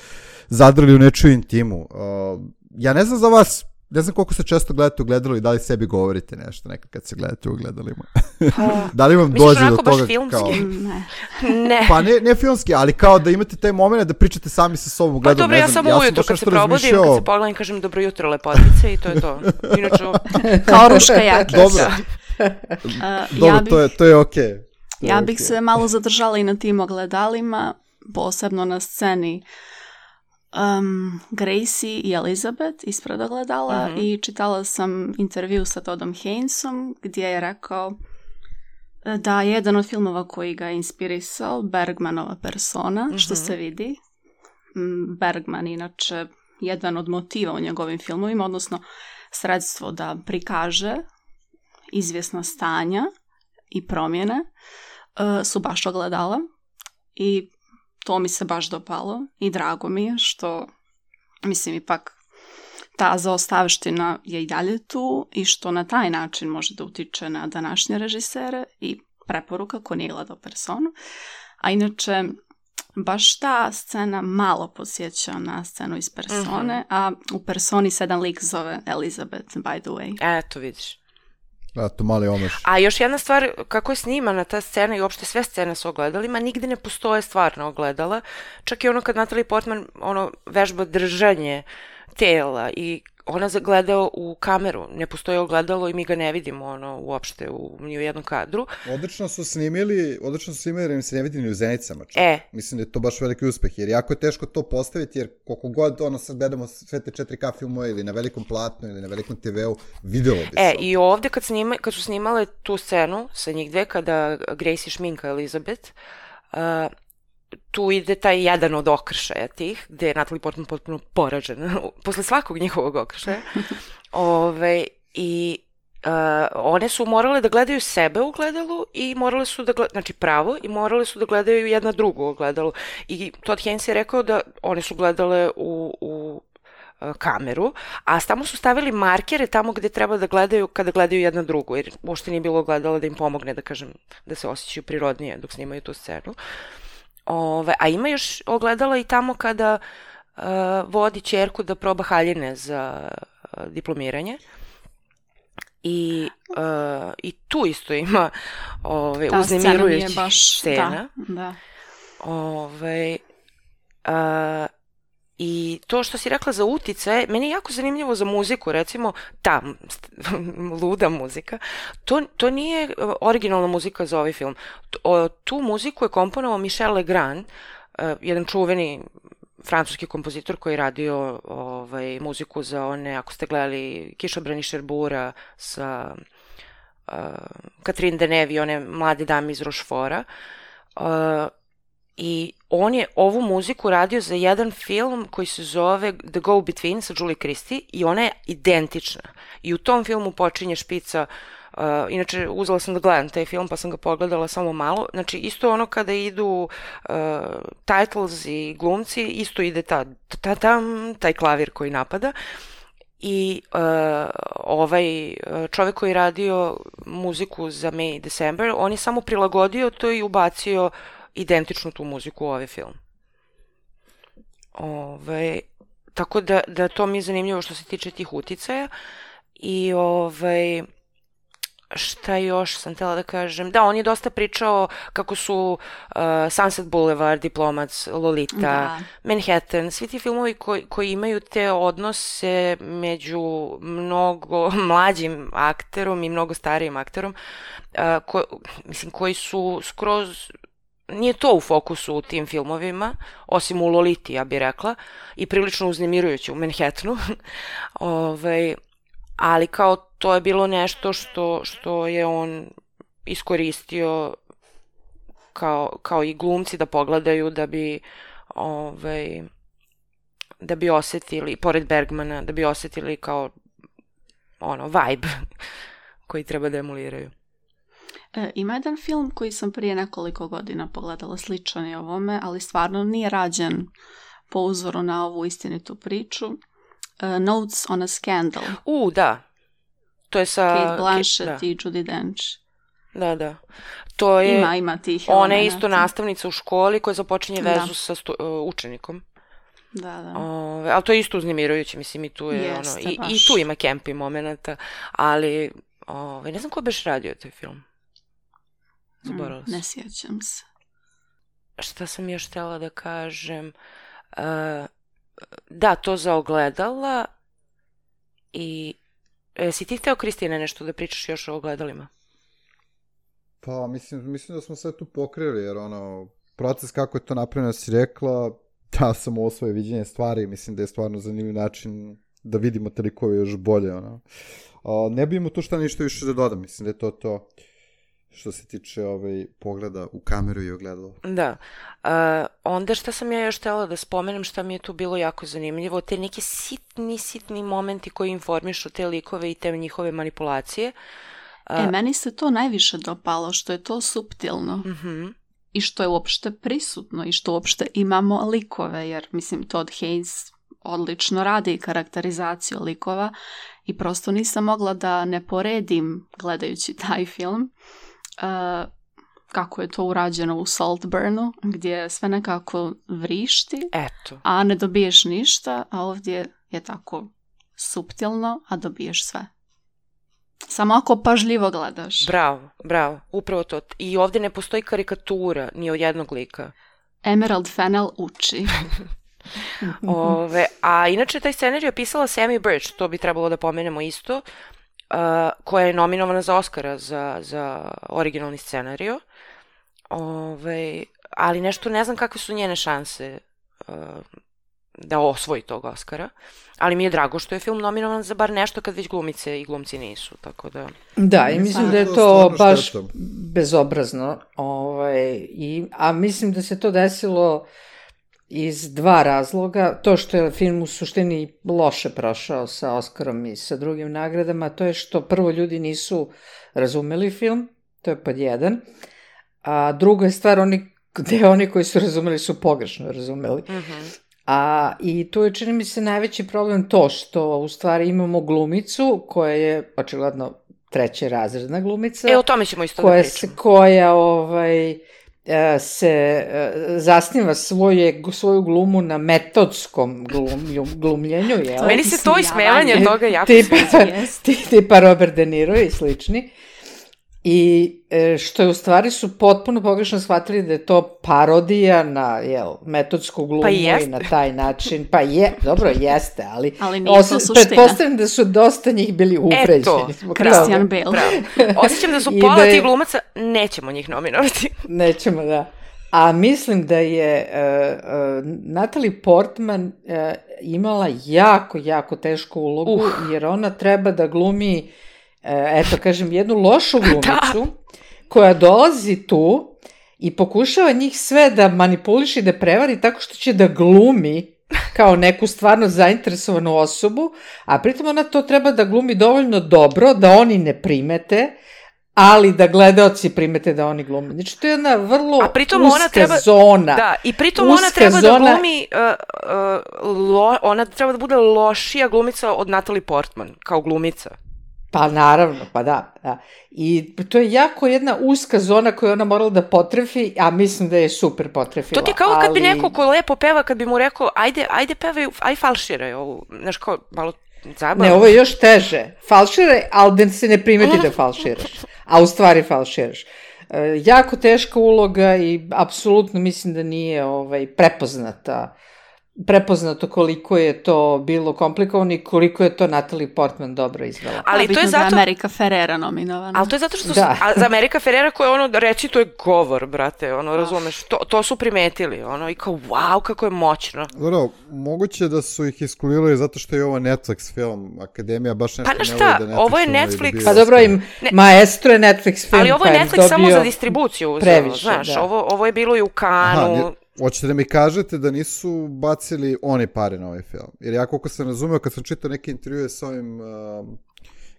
zadrli u nečiju intimu. Uh, ja ne znam za vas, ne znam koliko se često gledate u gledalo i da li sebi govorite nešto nekad kad se gledate u gledalima. Da li vam dođe do toga kao... Ne. ne. Pa ne, ne filmski, ali kao da imate taj moment da pričate sami sa sobom u gledalu. Pa dobro, ja samo ja ujutru kad se probudim, razmišljao... kad se pogledam kažem dobro jutro lepotice i to je to. Inače... Kao Ruška Jakić. Dobro, uh, dobro ja bih, to je, to je okej. Okay. Ja bih okay. se malo zadržala i na tim ogledalima, posebno na sceni Um, Gracie i Elizabeth ispred ogledala mm-hmm. i čitala sam intervju sa Toddom Haynesom gdje je rekao da je jedan od filmova koji ga je inspirisao Bergmanova Persona, mm-hmm. što se vidi. Bergman inače jedan od motiva u njegovim filmovima, odnosno sredstvo da prikaže izvjesna stanja i promjene uh, su baš ogledala i to mi se baš dopalo i drago mi je što, mislim, ipak ta zaostavština je i dalje tu i što na taj način može da utiče na današnje režisere i preporuka ko nije gledao Personu. A inače, baš ta scena malo podsjeća na scenu iz Persone, mm-hmm. a u Personi se jedan lik zove Elizabeth, by the way. Eto, vidiš. Da, to mali omaš. A još jedna stvar, kako je snimana ta scena i uopšte sve scene sa ogledalima, nigde ne postoje stvarna ogledala. Čak i ono kad Natalie Portman ono, vežba držanje tela i ona gleda u kameru, ne postoji ogledalo i mi ga ne vidimo ono, uopšte u, ni u jednom kadru. Odlično su snimili, odlično su snimili jer im se ne vidi ni u zenicama. Čak. E. Mislim da je to baš veliki uspeh, jer jako je teško to postaviti, jer koliko god ono sad gledamo sve te četiri K filmove ili na velikom platnu ili na velikom te veu, videlo bi se. E, i ovde kad, snima, kad su snimale tu scenu sa njih dve, kada Gracie šminka Elizabeth, uh, tu ide taj jedan od okršaja tih, gde je Natalie Portman potpuno poražena posle svakog njihovog okršaja. Ove, i uh, one su morale da gledaju sebe u gledalu i morale su da gledaju, znači pravo, i morale su da gledaju jedna drugu u gledalu. I Todd Haynes je rekao da one su gledale u, u uh, kameru, a tamo su stavili markere tamo gde treba da gledaju kada gledaju jedna drugu, jer uopšte nije bilo gledala da im pomogne, da kažem, da se osjećaju prirodnije dok snimaju tu scenu. Ove, a ima još ogledala i tamo kada uh, vodi ćerku da proba haljine za uh, diplomiranje. I, uh, i tu isto ima ove, uznemirujućih baš, scena. Da, da. Ove, uh, I to što si rekla za utice, meni je jako zanimljivo za muziku, recimo ta luda muzika, to, to nije originalna muzika za ovaj film. Tu muziku je komponovao Michel Legrand, jedan čuveni francuski kompozitor koji je radio ovaj, muziku za one, ako ste gledali Kišobrani Šerbura sa uh, Catherine Deneuve i one mlade dame iz Rochefora. Uh, I on je ovu muziku radio za jedan film koji se zove The Go Between sa Julie Christie i ona je identična. I u tom filmu počinje špica, uh, inače uzela sam da gledam taj film pa sam ga pogledala samo malo, znači isto ono kada idu uh, titles i glumci, isto ide ta, ta, tam, taj klavir koji napada. I uh, ovaj čovjek koji je radio muziku za May i December, on je samo prilagodio to i ubacio identičnu tu muziku u ovaj film. Ove, tako da, da to mi je zanimljivo što se tiče tih uticaja. I ovaj... Šta još sam htjela da kažem? Da, on je dosta pričao kako su uh, Sunset Boulevard, Diplomac, Lolita, da. Manhattan, svi ti filmovi koji, koji imaju te odnose među mnogo mlađim akterom i mnogo starijim akterom, uh, ko, mislim, koji su skroz... Nije to u fokusu u tim filmovima, osim u Loliti, ja bih rekla, i prilično uznemirujuće u Manhattanu. ovaj... Ali kao to je bilo nešto što, što je on iskoristio kao, kao i glumci da pogledaju da bi ovaj, da bi osetili, pored Bergmana, da bi osetili kao ono, vibe koji treba da emuliraju. E, ima jedan film koji sam prije nekoliko godina pogledala, sličan je ovome, ali stvarno nije rađen po uzoru na ovu istinitu priču. Uh, Notes on a Scandal. U, da. To je sa... Kate Blanchett i Judi Dench. Da, da. To je... Ima, ima tih Ona elemenata. je isto nastavnica u školi koja započinje vezu da. sa stu, uh, učenikom. Da, da. Ove, ali to je isto uznemirujuće, mislim, i tu je Jeste, ono... I, baš. I tu ima campi momenata, ali... Ove, ne znam ko beš radio taj film. Zaboravila sam. Ne sjećam se. Šta sam još htjela da kažem... Uh, Da, to za ogledala i... E, si ti hteo, Kristine, nešto da pričaš još o ogledalima? Pa, mislim, mislim da smo sve tu pokrili, jer ono, proces kako je to napravljeno, si rekla, da sam ovo svoje viđenje stvari, mislim da je stvarno zanimljiv način da vidimo te likove još bolje, ono. A, ne bi imao tu šta ništa više da dodam, mislim da je to to što se tiče ovaj, pogleda u kameru i ogledalo. Da. Uh, onda šta sam ja još htjela da spomenem, šta mi je tu bilo jako zanimljivo, te neke sitni, sitni momenti koji informišu te likove i te njihove manipulacije. Uh, e, meni se to najviše dopalo, što je to suptilno. Uh-huh. I što je uopšte prisutno i što uopšte imamo likove, jer mislim Todd Haynes odlično radi karakterizaciju likova i prosto nisam mogla da ne poredim gledajući taj film uh, kako je to urađeno u Saltburnu, gdje sve nekako vrišti, Eto. a ne dobiješ ništa, a ovdje je tako suptilno, a dobiješ sve. Samo ako pažljivo gledaš. Bravo, bravo, upravo to. I ovdje ne postoji karikatura ni od jednog lika. Emerald Fennell uči. Ove, a inače taj scenarij je pisala Sammy Birch, to bi trebalo da pomenemo isto, uh, koja je nominovana za Oscara za, za originalni scenariju. Ove, ali nešto ne znam kakve su njene šanse uh, da osvoji tog Oscara. Ali mi je drago što je film nominovan za bar nešto kad već glumice i glumci nisu, tako da... Da, i mislim da je to baš bezobrazno. Ovaj, i, a mislim da se to desilo iz dva razloga. To što je film u suštini loše prošao sa Oskarom i sa drugim nagradama, to je što prvo ljudi nisu razumeli film, to je pod jedan, a druga je stvar, oni, gde oni koji su razumeli su pogrešno razumeli. Mm-hmm. A, i tu je, čini mi se, najveći problem to što u stvari imamo glumicu koja je očigledno treće razredna glumica. E, o tome ćemo isto koja da se, pričamo. koja ovaj, se zasniva svoje, svoju glumu na metodskom glum, glumljenju. Jel? Meni se to ismevanje toga jako tipa, sviđa. Tipa Robert De Niro i slični. I što je u stvari su potpuno pogrešno shvatili da je to parodija na jel, metodsku glumu pa i na taj način. Pa je, dobro, jeste, ali, ali nije to suština. Pretpostavljam da su dosta njih bili uvređeni. Eto, Christian Bale. Osjećam da su pola da je, tih glumaca, nećemo njih nominovati. Nećemo, da. A mislim da je uh, uh, Natalie Portman uh, imala jako, jako tešku ulogu, uh. jer ona treba da glumi eto, kažem, jednu lošu glumicu koja dolazi tu i pokušava njih sve da manipuliši, da prevari tako što će da glumi kao neku stvarno zainteresovanu osobu, a pritom ona to treba da glumi dovoljno dobro da oni ne primete, ali da gledaoci primete da oni glume. Znači, to je jedna vrlo a pritom uska ona treba, zona. Da, i pritom ona treba zona, da glumi, uh, uh, lo, ona treba da bude lošija glumica od Natalie Portman, kao glumica. Pa naravno, pa da, da. I to je jako jedna uska zona koju ona morala da potrefi, a mislim da je super potrefila. To ti kao kad ali... bi neko ko lepo peva, kad bi mu rekao, ajde, ajde pevaj, aj falširaj ovu, znaš kao, malo zabavno. Ne, ovo je još teže. Falšire, ali da se ne primeti da falširaš. A u stvari falširaš. E, jako teška uloga i apsolutno mislim da nije ovaj, prepoznata prepoznato koliko je to bilo komplikovano i koliko je to Natalie Portman dobro izvela. Ali to je zato... da je America Ferrera nominovana. Ali to je zato što... Da. Su, za America Ferrera koja ono, reći to je govor, brate, ono, razumeš, to, to su primetili, ono, i kao, wow, kako je moćno. Dobro, moguće da su ih iskulirali zato što je ovo Netflix film, Akademija baš nešto pa ne šta, voli da Netflix ovo je Netflix... Pa dobro, im ne, Maestro je Netflix film, ali ovo je Netflix samo za distribuciju, previše, znaš, da. ovo, ovo je bilo i u Kanu... Aha, hoćete da mi kažete da nisu bacili oni pare na ovaj film? Jer ja koliko sam razumeo, kad sam čitao neke intervjue s ovim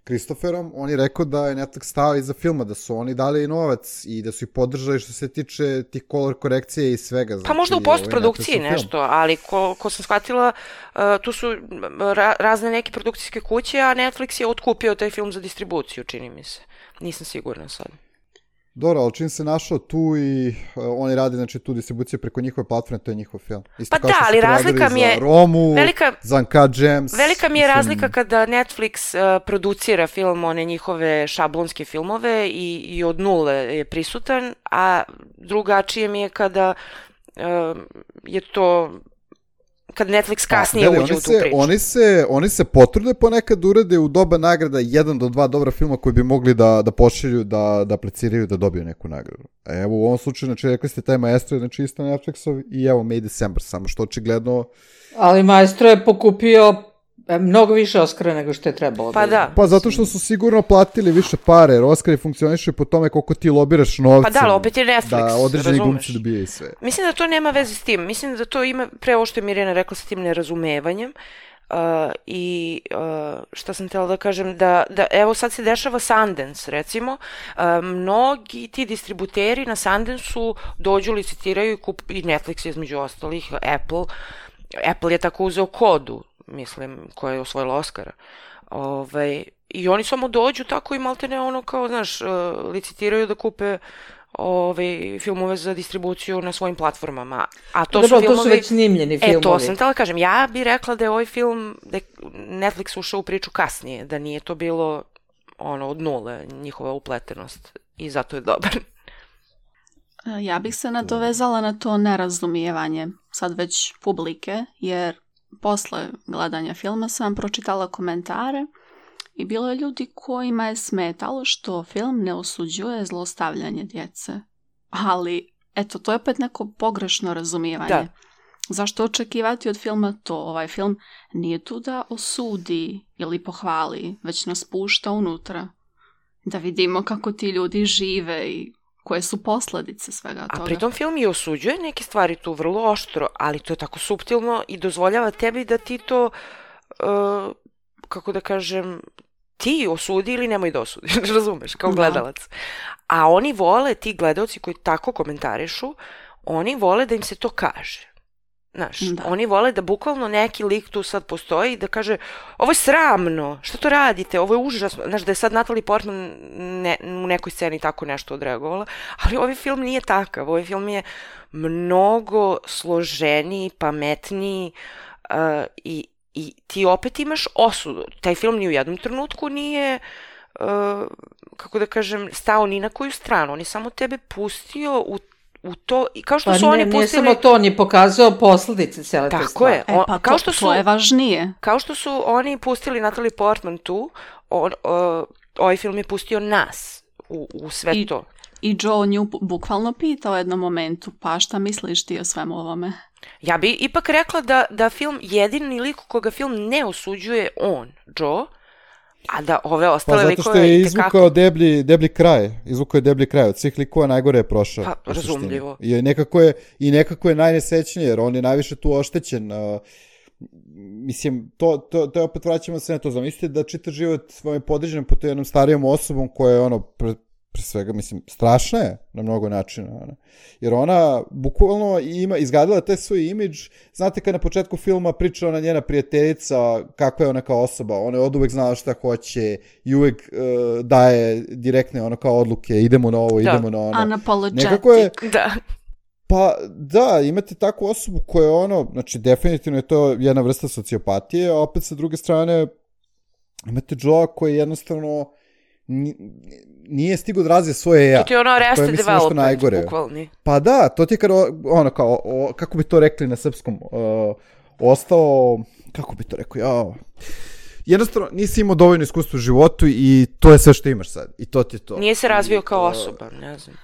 Kristoferom, um, on je rekao da je Netflix stao iza filma, da su oni dali novac i da su ih podržali što se tiče tih color korekcije i svega. Znači, pa možda u postprodukciji nešto, film. Ali ko, ko sam shvatila, uh, tu su ra- razne neke produkcijske kuće, a Netflix je otkupio taj film za distribuciju, čini mi se. Nisam sigurna sad. Dobro, ali čim se našao tu i uh, oni radi znači, tu distribuciju preko njihove platforme, to je njihov film. Isto pa da, ali razlika mi je... Za Romu, velika, za Uncut Gems. Velika mi je mislim... razlika kada Netflix uh, producira film, one njihove šablonske filmove i, i od nule je prisutan, a drugačije mi je kada uh, je to... kad Netflix kasnije a, uđe u tu se, priču. Oni se, oni se potrude ponekad urede u doba nagrada jedan do dva dobra filma koji bi mogli da, da pošilju, da, da apliciraju, da dobiju neku nagradu. Evo u ovom slučaju, znači rekli ste taj Maestro, znači isto Netflixov i evo May December, samo što očigledno... Ali Maestro je pokupio mnogo više Oscara nego što je trebalo. Pa da. Pa zato što su sigurno platili više pare, jer Oscari funkcionišu po tome koliko ti lobiraš novcem. Pa da, opet je Netflix, da određeni razumeš. Glumci dobije i sve. Mislim da to nema veze s tim. Mislim da to ima, pre ovo što je Mirjana rekla, sa tim nerazumevanjem. Uh, I uh, šta sam htjela da kažem, da, da evo sad se dešava Sundance, recimo. Uh, mnogi ti distributeri na Sundance-u dođu, licitiraju i, kup, i Netflix između ostalih, Apple. Apple je tako uzeo Kodu, mislim, koja je osvojila Oscara. Ovaj, i oni samo dođu tako i maltene ono kao, znaš, licitiraju da kupe ove filmove za distribuciju na svojim platformama. A to Dobro, su filmovi... to su već snimljeni filmovi. E, to sam htjela kažem. Ja bih rekla da je ovaj film, da je Netflix ušao u priču kasnije, da nije to bilo ono od nule, njihova upletenost. I zato je dobar. Ja bih se nadovezala na to nerazumijevanje sad već publike, jer posle gledanja filma sam pročitala komentare i bilo je ljudi kojima je smetalo što film ne osuđuje zlostavljanje djece. Ali, eto, to je opet neko pogrešno razumijevanje. Da. Zašto očekivati od filma to? Ovaj film nije tu da osudi ili pohvali, već nas pušta unutra. Da vidimo kako ti ljudi žive i koje su posljedice svega toga. A pritom film i osuđuje neke stvari tu vrlo oštro, ali to je tako suptilno i dozvoljava tebi da ti to, uh, kako da kažem, ti osudi ili nemoj da osudiš, razumeš, kao gledalac. Da. A oni vole, ti gledalci koji tako komentarišu, oni vole da im se to kaže. Znaš, da. Oni vole da bukvalno neki lik tu sad postoji i da kaže ovo je sramno, što to radite, ovo je užasno. Znaš, da je sad Natalie Portman ne, u nekoj sceni tako nešto odreagovala, ali ovaj film nije takav. Ovaj film je mnogo složeniji, pametniji uh, i, i ti opet imaš osudu. Taj film ni u jednom trenutku nije, uh, kako da kažem, stao ni na koju stranu. On je samo tebe pustio u u to, i kao što pa su ne, oni pustili... Nije samo to, on je pokazao posljedice cijele te stvari. Tako je. E, pa kao to, što su, to je važnije. Kao što su oni pustili Natalie Portman tu, on, uh, ovaj film je pustio nas u, u sve I, to. I Joe nju bukvalno pitao u jednom momentu, pa šta misliš ti o svemu ovome? Ja bi ipak rekla da, da film, jedini lik koga film ne osuđuje on, Joe, a da ove ostale likove... Pa zato što je izvukao deblji, deblji kraj, izvukao je deblji kraj, od svih likova najgore je prošao. Pa, razumljivo. I nekako je, i nekako je najnesrećnije, jer on je najviše tu oštećen. Uh, mislim, to, to, to je opet vraćamo se na to. Zamislite da čitav život vam je podređen po jednom starijom osobom koja je ono... Pre, pre svega, mislim, strašna je na mnogo načina. Ona. Jer ona bukvalno ima, izgradila taj svoj imidž. Znate kad na početku filma priča ona njena prijateljica kakva je ona kao osoba. Ona je od uvek znala šta hoće i uvek uh, daje direktne ono kao odluke. Idemo na ovo, da. idemo na ono. Unapologetic. Nekako je, da. Pa da, imate takvu osobu koja je ono, znači definitivno je to jedna vrsta sociopatije, a opet sa druge strane imate Joe koji jednostavno nije stigo da razvije svoje ja. To ti je ono Arrested Development, bukvalni. Pa da, to ti je kada, ono kao, o, kako bi to rekli na srpskom, uh, ostao, kako bi to rekao, jao, jednostavno nisi imao dovoljno iskustva u životu i to je sve što imaš sad. I to ti je to. Nije se razvio kao osoba, ne znam.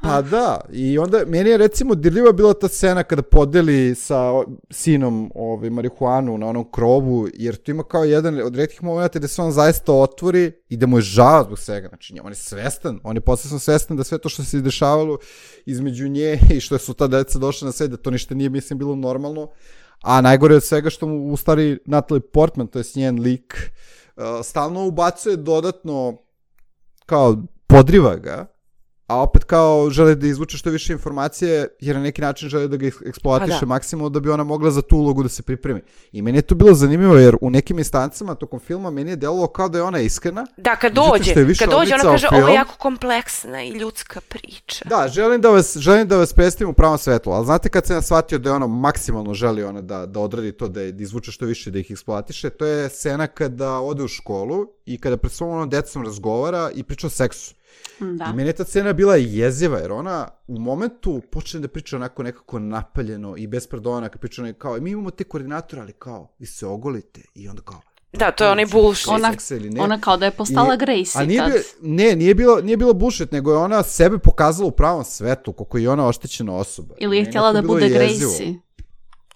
Pa da, i onda meni je recimo dirljiva bila ta scena kada podeli sa sinom ovaj, marihuanu na onom krovu, jer tu ima kao jedan od retkih momenta gde se on zaista otvori i da mu je žao zbog svega. Znači, on je svestan, on je posebno svestan da sve to što se izdešavalo između nje i što su ta deca došla na sve, da to ništa nije, mislim, bilo normalno. A najgore od svega što mu u stvari Natalie Portman, to je njen lik, uh, stalno ubacuje dodatno, kao podriva ga, a opet kao žele da izvuče što više informacije, jer na neki način žele da ga eksploatiše da. maksimalno da bi ona mogla za tu ulogu da se pripremi. I meni je to bilo zanimljivo, jer u nekim instancama tokom filma meni je delovalo kao da je ona iskrena. Da, kad dođe, kad dođe ona kaže, ovo je jako kompleksna i ljudska priča. Da, želim da vas, želim da vas predstavim u pravom svetlu, ali znate kad sam ja shvatio da je ona maksimalno želi ona da, da odradi to, da, je, da izvuče što više, da ih eksploatiše, to je scena kada ode u školu i kada pred svom onom decom razgovara i priča o seksu. Da. I meni je ta scena bila jeziva, jer ona u momentu počne da priča onako nekako napaljeno i bez pardona, kad priča onako kao, mi imamo te koordinatore, ali kao, vi se ogolite i onda kao... Da, to je onaj bullshit. Ona, ona kao da je postala Gracie nije tad. Bio, ne, nije bilo, nije bilo bullshit, nego je ona sebe pokazala u pravom svetu, kako je ona oštećena osoba. Ili je htjela da bude jezivo. Gracie.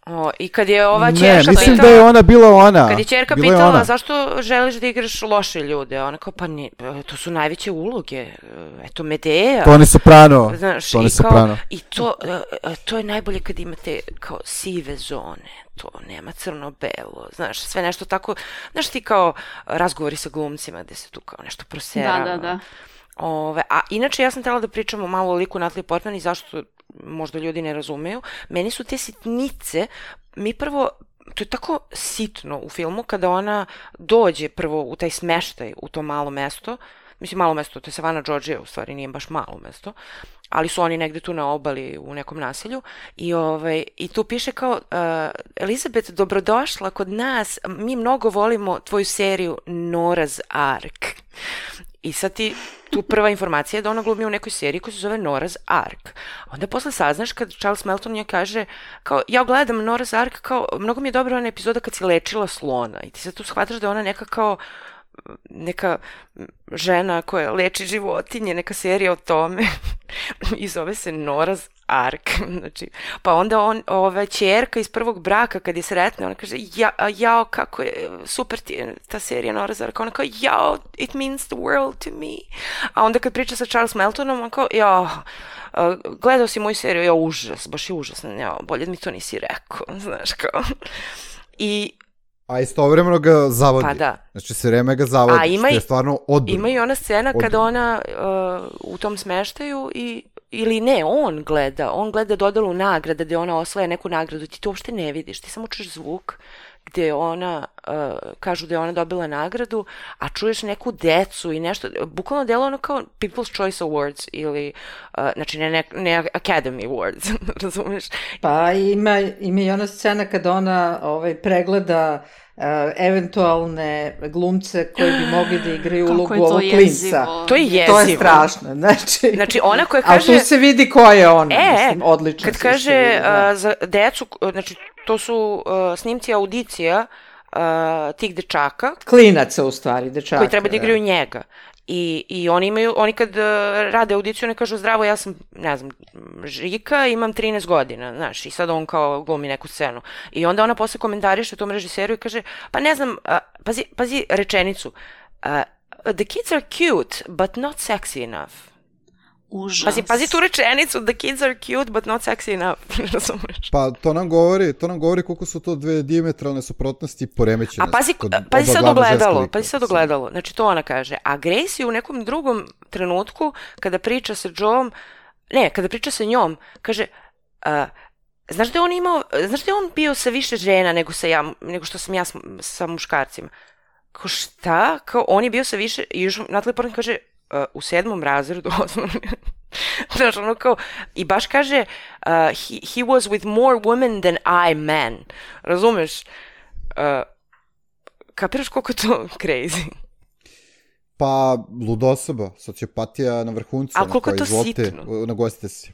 O, i kad je ova ćerka pitala... Ne, mislim pitala, da je ona bila ona. Kad je ćerka bila pitala ona. Zašto želiš da igraš loše ljude, ona kao, pa ne, to su najveće uloge, eto Medea. Toni Soprano. Znaš, Toni i, kao, Soprano. I to, to je najbolje kad imate kao sive zone, to nema crno-belo, znaš, sve nešto tako, znaš ti kao razgovori sa glumcima gde se tu kao nešto proserava. Da, da, da. Ove, a inače ja sam htjela da pričamo malo o liku Natalie Portman i zašto možda ljudi ne razumeju. Meni su te sitnice, mi prvo, to je tako sitno u filmu kada ona dođe prvo u taj smeštaj u to malo mesto, mislim malo mesto, to je Savannah, Georgia, u stvari nije baš malo mesto, ali su oni negde tu na obali u nekom naselju i, ovaj, i tu piše kao uh, Elizabeth, dobrodošla kod nas, mi mnogo volimo tvoju seriju Nora's Ark. I sad ti, tu prva informacija je da ona glumi u nekoj seriji koja se zove Nora's Ark. Onda posle saznaš kad Charles Melton njoj kaže, kao, ja gledam Nora's Ark, kao, mnogo mi je dobra ona epizoda kad si lečila slona. I ti sad tu shvataš da ona neka kao, neka žena koja leči životinje, neka serija o tome. I zove se Nora's Ark. Znači, pa onda on, ova ćerka iz prvog braka, kad je sretna, ona kaže, ja, jao, kako je super ti je ta serija Nora's Ark. Ona kao, jao, it means the world to me. A onda kad priča sa Charles Meltonom, on kao, jao, gledao si moju seriju, ja, užas, baš je užasno, jao, bolje mi to nisi rekao, znaš kao. I a istovremeno ga zavodi. Pa da. Znači se vreme ga zavodi, a ima što je stvarno odbrano. Ima i ona scena odbrano. Kada ona uh, u tom smeštaju i ili ne, on gleda, on gleda dodelu nagrada gde ona osvaja neku nagradu, ti to uopšte ne vidiš, ti samo čuješ zvuk gde ona, uh, kažu da je ona dobila nagradu, a čuješ neku decu i nešto, bukvalno delo ono kao People's Choice Awards ili, uh, znači ne, ne, ne Academy Awards, razumiješ? Pa ima, ima i ona scena kada ona ovaj, pregleda uh, eventualne glumce koji bi mogli da igraju ulogu ovog klinca. To je jezivo. To je strašno. Znači, znači ona koja kaže... Ali tu se vidi ko je ona, e, mislim, odlično. Kad kaže vidi, da. uh, za decu, znači to su uh, snimci audicija uh, tih dečaka. Klinaca u stvari, dečaka. Koji treba da igraju da. njega. I, i oni imaju, oni kad uh, rade audiciju, ne kažu zdravo, ja sam, ne znam, Žika, imam trinaest godina, znaš, i sad on kao glumi neku scenu. I onda ona posle komentariše tom režiseru i kaže, pa ne znam, uh, pazi, pazi rečenicu, uh, the kids are cute, but not sexy enough. Užas. Pazi, pazi tu rečenicu, the kids are cute, but not sexy enough. Razumeš? Pa to nam govori, to nam govori koliko su to dve dijametralne suprotnosti i poremećenosti. A pazi, pazi sad ogledalo, pazi sad ogledalo. Znači to ona kaže. A Gracie u nekom drugom trenutku, kada priča sa Joeom, ne, kada priča sa njom, kaže, uh, znaš da je on imao, znaš da je on bio sa više žena nego, sa ja, nego što sam ja sa, sa muškarcima? Kao šta? Kao on je bio sa više, i još Natalie Portman kaže, Uh, u sedmom razredu osnovne. Znaš, ono kao, i baš kaže uh, he, he was with more women than I men. Razumeš? Uh, kapiraš koliko je to crazy? Pa, luda osoba, sociopatija na vrhuncu. Ali koliko je to sitno? Nagostite se.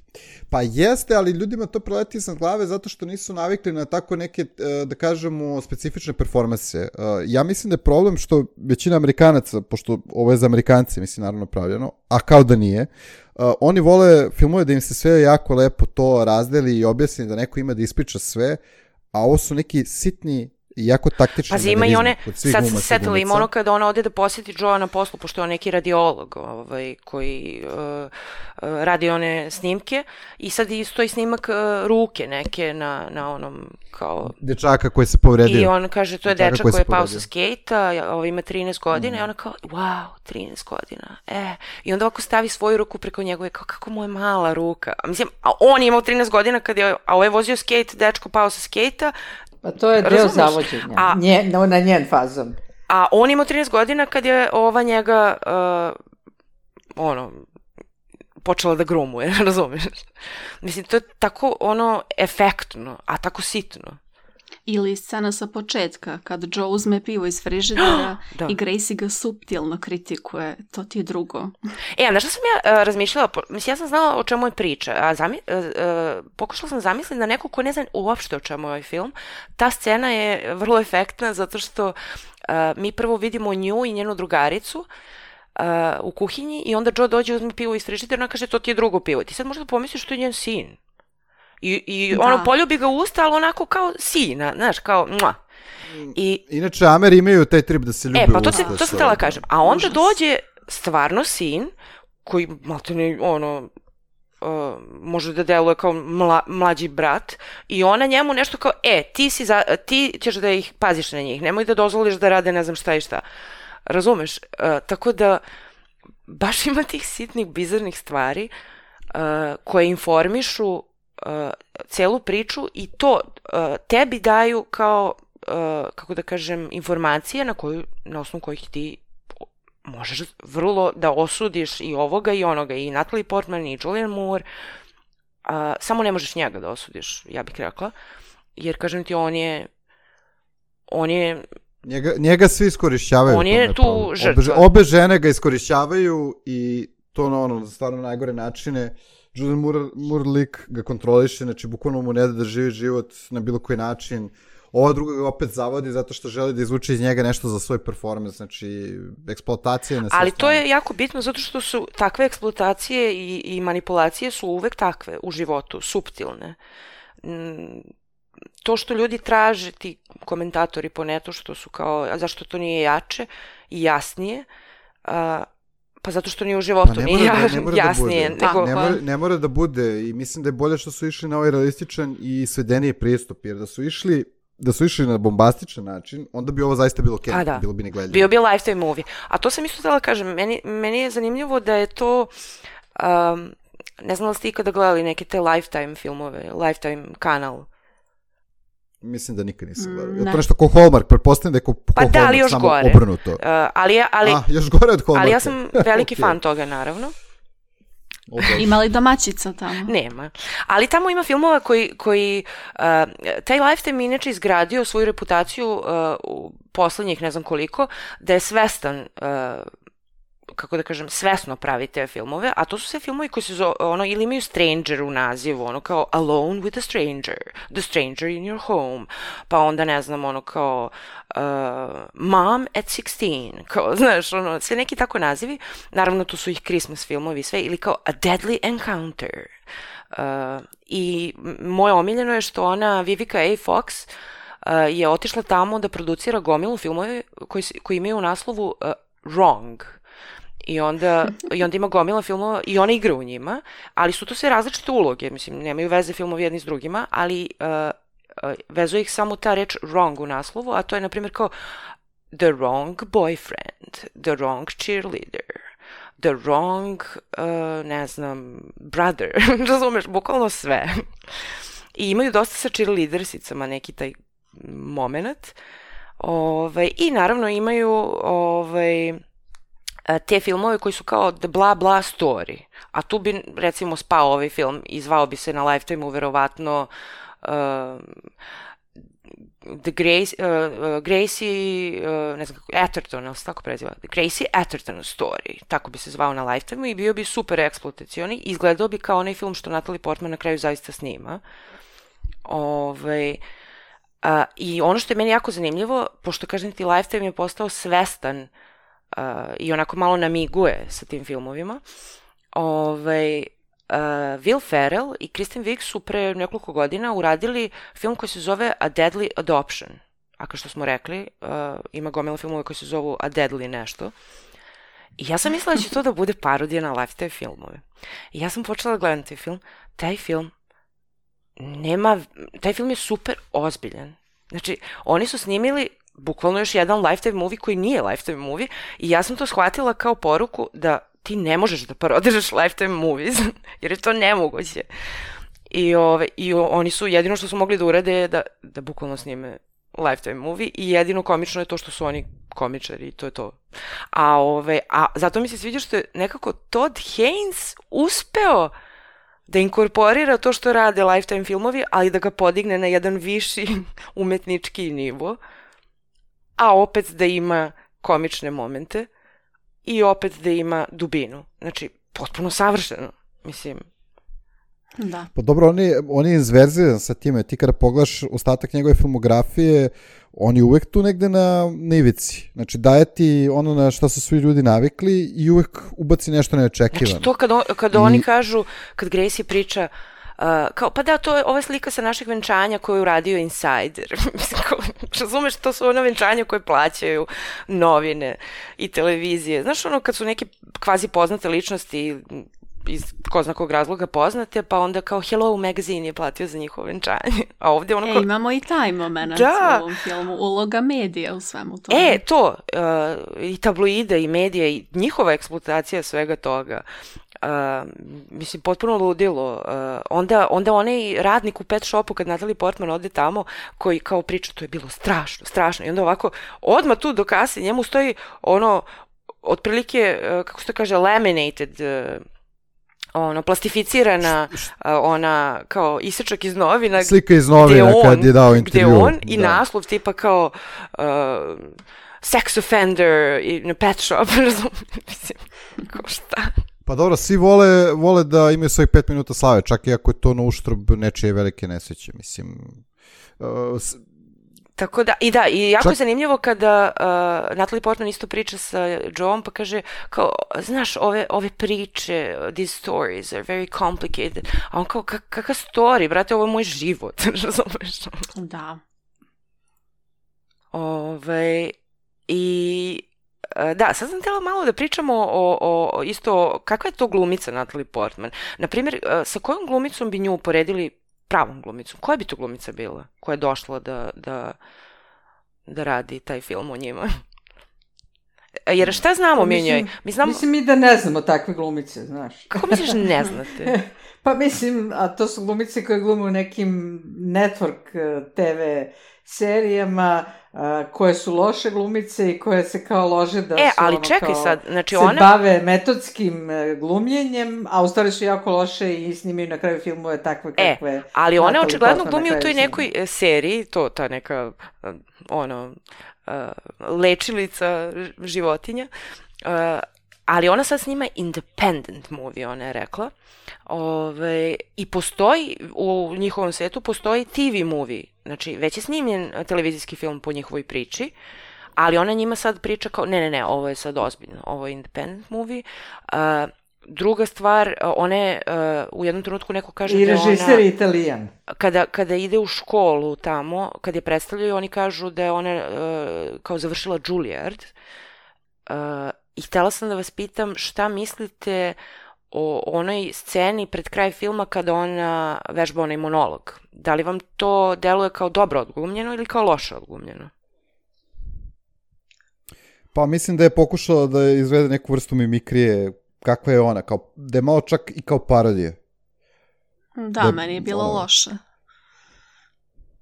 Pa jeste, ali ljudima to preleti iznad glave zato što nisu navikli na tako neke, da kažemo, specifične performanse. Ja mislim da je problem što većina Amerikanaca, pošto ovo je za Amerikance, mislim, naravno pravljeno, a kao da nije, oni vole filmove da im se sve jako lepo to razdeli i objasni, da neko ima da ispriča sve, a ovo su neki sitni i jako taktični manerizmi. Pazi, ima i one, sad se setila, ima ono kada ona ode da posjeti Joea na poslu, pošto je on neki radiolog ovaj, koji uh, uh, radi one snimke i sad isto i snimak uh, ruke neke na, na onom kao... Dečaka koji se povredio. I on kaže, to je dečak koji, koji je pao sa skejta, ovaj ima trinaest godina mm. i ona kao, wow, trinaest godina, e. I onda ovako stavi svoju ruku preko njegove, kao, kako mu je mala ruka. A mislim, a on je imao trinaest godina kad je, a ovaj vozio skejt, dečko pao sa skejta. Pa to je deo Razumeš? Zavođenja, a, Nje, no, na njen fazon. A on imao trinaest godina kad je ova njega, uh, ono, počela da grumuje, razumiješ? Mislim, to je tako, ono, efektno, a tako sitno. Ili scena sa početka, kad Joe uzme pivo iz frižidera i Gracie ga suptilno kritikuje, to ti je drugo. E, znaš što sam ja uh, razmišljala, mislim, ja sam znala o čemu je priča, a zami, uh, uh, pokušala sam zamisliti da neko ko ne zna uopšte o čemu je ovaj film, ta scena je vrlo efektna zato što uh, mi prvo vidimo nju i njenu drugaricu uh, u kuhinji i onda Joe dođe uzme pivo iz frižidera i ona kaže, to ti je drugo pivo. Ti sad možda pomisliš što je njen sin. I, i ono, poljubi ga u usta, ali onako kao sina, znaš, kao, mua. I, Inače, Ameri imaju taj trip da se ljube e, pa to, u usta. To, to sam htjela kažem. A onda Užas. Dođe stvarno sin, koji, maltene, ono, uh, može da deluje kao mla, mlađi brat, i ona njemu nešto kao, e, ti, si za, ti ćeš da ih paziš na njih, nemoj da dozvoliš da rade ne znam šta i šta. Razumeš? Uh, tako da, baš ima tih sitnih, bizarnih stvari uh, koje informišu Uh, celu priču i to uh, tebi daju kao, uh, kako da kažem, informacije na, koju, na osnovu kojih ti možeš vrlo da osudiš i ovoga i onoga, i Natalie Portman i Julianne Moore, uh, samo ne možeš njega da osudiš, ja bih rekla, jer kažem ti, on je on je njega, njega svi iskorišćavaju, on je tu žrtva. Obe, obe žene ga iskorišćavaju i to na ono, stvarno najgore načine. Julianne Moore, Moore lik ga kontroliše, znači bukvalno mu ne da da živi život na bilo koji način. Ova druga ga opet zavodi zato što želi da izvuče iz njega nešto za svoj performance, znači eksploatacija na sve Ali strane. To je jako bitno zato što su takve eksploatacije i, i manipulacije su uvek takve u životu, suptilne. To što ljudi traže, ti komentatori po netu, što su kao, a zašto to nije jače i jasnije, a, pa zato što nije u životu, pa nije da, ne jasnije. Da nego... ne, mora, ne mora da bude i mislim da je bolje što su išli na ovaj realističan i svedeniji pristup, jer da su išli da su išli na bombastičan način, onda bi ovo zaista bilo Ken, da. Bilo bi negledljivo. Bio bi lifetime movie. A to sam isto htjela kažem, meni, meni je zanimljivo da je to, um, ne znam da ste ikada gledali neke te Lifetime filmove, Lifetime kanal. Mislim da nikad nisam gledao. Je to nešto ko Hallmark, pretpostavljam da je ko, ko pa da, Hallmark, još samo gore. Obrnuto. Uh, ali, ali, A, još gore od Hallmarka. Ali ja sam veliki okay. fan toga, naravno. Ima li domaćica tamo? Nema. Ali tamo ima filmova koji, koji uh, taj Lifetime inače izgradio svoju reputaciju uh, u poslednjih ne znam koliko, da je svestan, uh, kako da kažem, svesno pravi te filmove, a to su sve filmovi koji se zove, ono, ili imaju Stranger u nazivu, ono kao Alone with a Stranger, The Stranger in Your Home, pa onda ne znam, ono kao uh, Mom at sixteen, kao, znaš, ono, sve neki tako nazivi, naravno tu su ih Christmas filmovi sve, ili kao A Deadly Encounter. Uh, I moje omiljeno je što ona, Vivica A. Fox, uh, je otišla tamo da producira gomilu filmove koji, koji imaju u naslovu uh, Wrong. I onda, I onda ima gomila filmova i ona igra u njima, ali su to sve različite uloge, mislim, nemaju veze filmovi jedni s drugima, ali uh, uh, vezuje ih samo ta reč wrong u naslovu, a to je, na primjer, kao the wrong boyfriend, the wrong cheerleader, the wrong, uh, ne znam, brother, razumeš, bukvalno sve. I imaju dosta sa cheerleadersicama neki taj moment. Ovaj, I naravno imaju ovaj, te filmove koji su kao the bla bla story. A tu bi, recimo, spao ovaj film i zvao bi se na Lifetime-u verovatno uh, The Grace, uh, Gracie, uh, ne znam kako, Atherton, ali se tako preziva, The Gracie Atherton Story, tako bi se zvao na Lifetime i bio bi super eksploatacioni i izgledao bi kao onaj film što Natalie Portman na kraju zaista snima. Ove, uh, I ono što je meni jako zanimljivo, pošto kažem ti Lifetime je postao svestan uh, i onako malo namiguje sa tim filmovima, ove, Uh, Will Ferrell i Kristen Wiig su pre nekoliko godina uradili film koji se zove A Deadly Adoption. A kao što smo rekli, uh, ima gomila filmova koji se zovu A Deadly nešto. I ja sam mislila da će to da bude parodija na Lifetime filmove. I ja sam počela da gledam taj film. Taj film nema... Taj film je super ozbiljan. Znači, oni su snimili bukvalno još jedan Lifetime movie koji nije Lifetime movie i ja sam to shvatila kao poruku da ti ne možeš da parodiraš Lifetime movies, jer je to nemoguće. I, ove, i oni su, jedino što su mogli da urade je da, da bukvalno snime Lifetime movie i jedino komično je to što su oni komičari i to je to. A, ove, a zato mi se sviđa što je nekako Todd Haynes uspeo da inkorporira to što rade Lifetime filmovi, ali da ga podigne na jedan viši umetnički nivo, a opet da ima komične momente i opet da ima dubinu. Znači, potpuno savršeno, mislim. Da. Pa dobro, on je, on je izverziran sa time. Ti kada pogledaš ostatak njegove filmografije, on je uvek tu negde na, na ivici. Znači, daje ti ono na šta su svi ljudi navikli i uvek ubaci nešto neočekivano. Znači, to kad, on, kad I... oni kažu, kad Gracie priča, uh, kao, pa da, to je ova slika sa našeg venčanja koju je uradio Insider. Mislim, kao, razumeš, to su ona venčanja koje plaćaju novine i televizije. Znaš, ono, kad su neke kvazi poznate ličnosti iz ko zna kog razloga poznate, pa onda kao Hello Magazine je platio za njihovo venčanje. A ovdje ono... E, ko... imamo i taj moment da. U ovom filmu, uloga medija u svemu tome. E, to, uh, i tabloida i medija i njihova eksploatacija svega toga. Uh, mislim, potpuno ludilo. Uh, onda, onda onaj radnik u pet shopu, kad Natalie Portman ode tamo, koji kao priča, to je bilo strašno, strašno. I onda ovako, odmah tu do kase, njemu stoji ono, otprilike, uh, kako se to kaže, laminated, uh, ono, plastificirana, uh, ona, kao isečak iz novina. Slika iz novina on, kad je dao intervju. Gde on i da. naslov tipa kao uh, sex offender in a pet shop, mislim, kao šta? Pa dobro, svi vole, vole da imaju svojih pet minuta slave, čak i ako je to na uštrb nečije velike nesreće, mislim. Uh, s... Tako da, i da, i jako čak... je zanimljivo kada uh, Natalie Portman isto priča sa Joeom, pa kaže, kao, znaš, ove, ove priče, these stories are very complicated, a on kao, kak, kakav story, brate, ovo je moj život, razumeš? Da. Ove, i... Da, sad sam htjela malo da pričamo o, o isto, kakva je to glumica Natalie Portman. Naprimjer, sa kojom glumicom bi nju uporedili pravom glumicom? Koja bi to glumica bila koja je došla da, da, da radi taj film o njima? Jer šta znamo pa, mi o njoj? Mi znamo... Mislim mi da ne znamo takve glumice, znaš. Kako misliš ne znate? Pa mislim, a to su glumice koje glume u nekim network te ve serijama, a, koje su loše glumice i koje se kao lože da e, su ali ono čekaj kao, sad, znači se ona... bave metodskim glumljenjem, a u stvari su jako loše i snimaju na kraju filmove takve kakve... E, ali ona očigledno glumi u toj nekoj snimaju. Seriji, to ta neka ono, uh, lečilica životinja, uh, ali ona sad snima independent movie, ona je rekla. Ove, i postoji, u njihovom svetu postoji te ve movie, znači već je snimljen televizijski film po njihovoj priči, ali ona njima sad priča kao, ne, ne, ne, ovo je sad ozbiljno, ovo je independent movie. Uh, druga stvar, ona je, uh, u jednom trenutku neko kaže I da ona... I režiser je Italijan. Kada, kada ide u školu tamo, kad je predstavljaju, oni kažu da je ona uh, kao završila Juilliard. Uh, I htjela sam da vas pitam šta mislite o onoj sceni pred kraj filma kada ona vežba onaj monolog. Da li vam to deluje kao dobro odglumljeno ili kao loše odglumljeno? Pa mislim da je pokušala da izvede neku vrstu mimikrije, kakva je ona, kao, da je malo čak i kao parodije. Da, da meni je bilo ono... loše.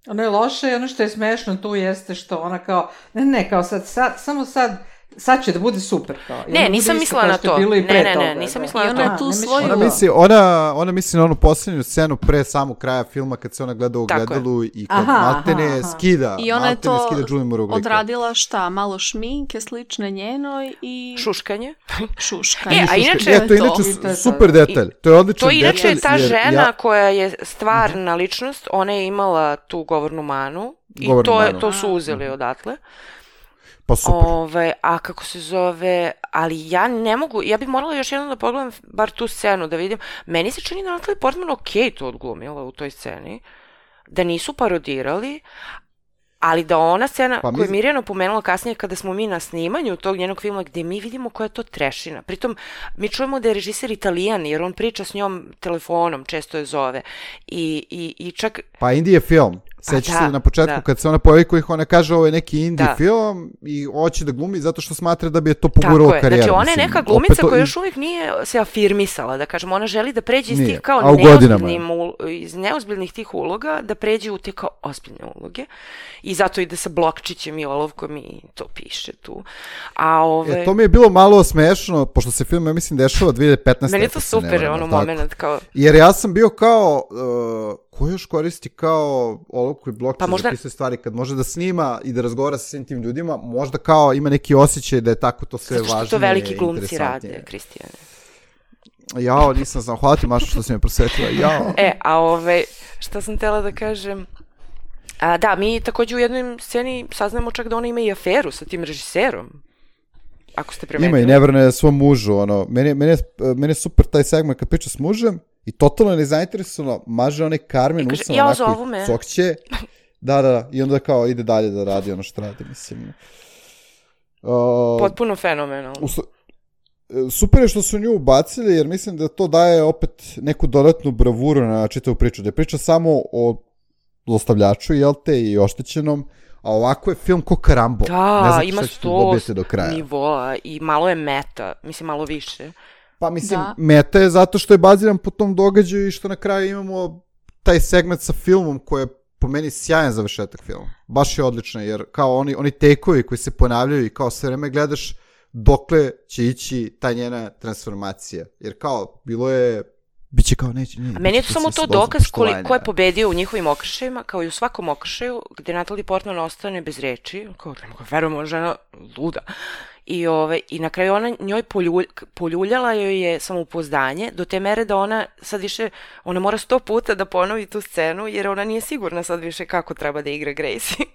Ono je loše i ono što je smešno tu jeste što ona kao, ne, ne, kao sad, sad samo sad sad će da bude super kao. Ne, nisam mislila na to. Ne, ne, ne, nisam mislila na to. Ona tu svoju... Ona misli, ona, ona misli na onu posljednju scenu pre samog kraja filma kad se ona gleda u gledalu i kad maltene skida. I ona je to odradila šta? Malo šminke slične njenoj i... Šuškanje. Šuškanje. E, a inače... E, to je inače super detalj. To je odličan detalj. To inače je ta žena koja je stvarna ličnost, ona je imala tu govornu manu i to, je, to su uzeli odatle. Pa super. Ove, a kako se zove, ali ja ne mogu, ja bih morala još jednom da pogledam bar tu scenu da vidim. Meni se čini da Natalie Portman ok to odglumila u toj sceni, da nisu parodirali, ali da ona scena pa koju je Mirjana pomenula kasnije kada smo mi na snimanju tog njenog filma gde mi vidimo koja je to trešina. Pritom mi čujemo da je režiser Italijan jer on priča s njom telefonom, često je zove. I, i, i čak... Pa indie film. Sećaš se na početku da. Kad se ona pojavi kojih ona kaže ovo je neki indie da. Film i hoće da glumi zato što smatra da bi je to poguralo karijeru. Znači ona je neka glumica koja još uvijek nije se afirmisala, da kažem, ona želi da pređe iz tih kao iz neozbiljnih tih uloga, da pređe u te kao ozbiljne uloge i zato ide sa blokčićem i olovkom i to piše tu. A ove... E, to mi je bilo malo smešno, pošto se film, ja mislim, dešava dvije hiljade petnaeste. Meni je to super, ono moment kao... Jer ja sam bio kao... Uh, ko još koristi kao olovku i blokčić pa možda... za pisne stvari kad može da snima i da razgovara sa svim tim ljudima, možda kao ima neki osjećaj da je tako to sve važnije i interesantnije. Zato što to veliki glumci rade, Kristijane. Jao, nisam znam, hvala ti Maša što si me prosvetila, jao. E, a ove, šta sam tela da kažem, a, da, mi također u jednoj sceni saznamo čak da ona ima i aferu sa tim režiserom. Ako ste primetili. Ima i ne vrne svom mužu, ono, meni, meni, je, meni je super taj segment kad priča s mužem, i totalno nezainteresovano maže onaj Carmen kaže, usam ja onako i cokće. Da, da, da. I onda kao ide dalje da radi ono što radi, mislim. Uh, Potpuno fenomenalno. Super je što su nju ubacili, jer mislim da to daje opet neku dodatnu bravuru na čitavu priču. Da je priča samo o zlostavljaču, jel te, i oštećenom, a ovako je film ko Karambo. Da, ne ima sto nivoa i malo je meta, mislim malo više. Pa mislim, da. Meta je zato što je baziran po tom događaju i što na kraju imamo taj segment sa filmom koji je po meni sjajan završetak filma. Baš je odlično, jer kao oni, oni tekovi koji se ponavljaju i kao sve vreme gledaš dokle će ići ta njena transformacija. Jer kao, bilo je... Biće kao neće... Ne, a meni je to samo to dokaz koli, ko je pobedio u njihovim okršajima, kao i u svakom okršaju, gde Natalie Portman ostane bez reči, kao verujem, žena luda. I, ove, I na kraju ona njoj poljulj, poljuljala joj je samopouzdanje do te mere da ona sad više, ona mora sto puta da ponovi tu scenu jer ona nije sigurna sad više kako treba da igra Gracie.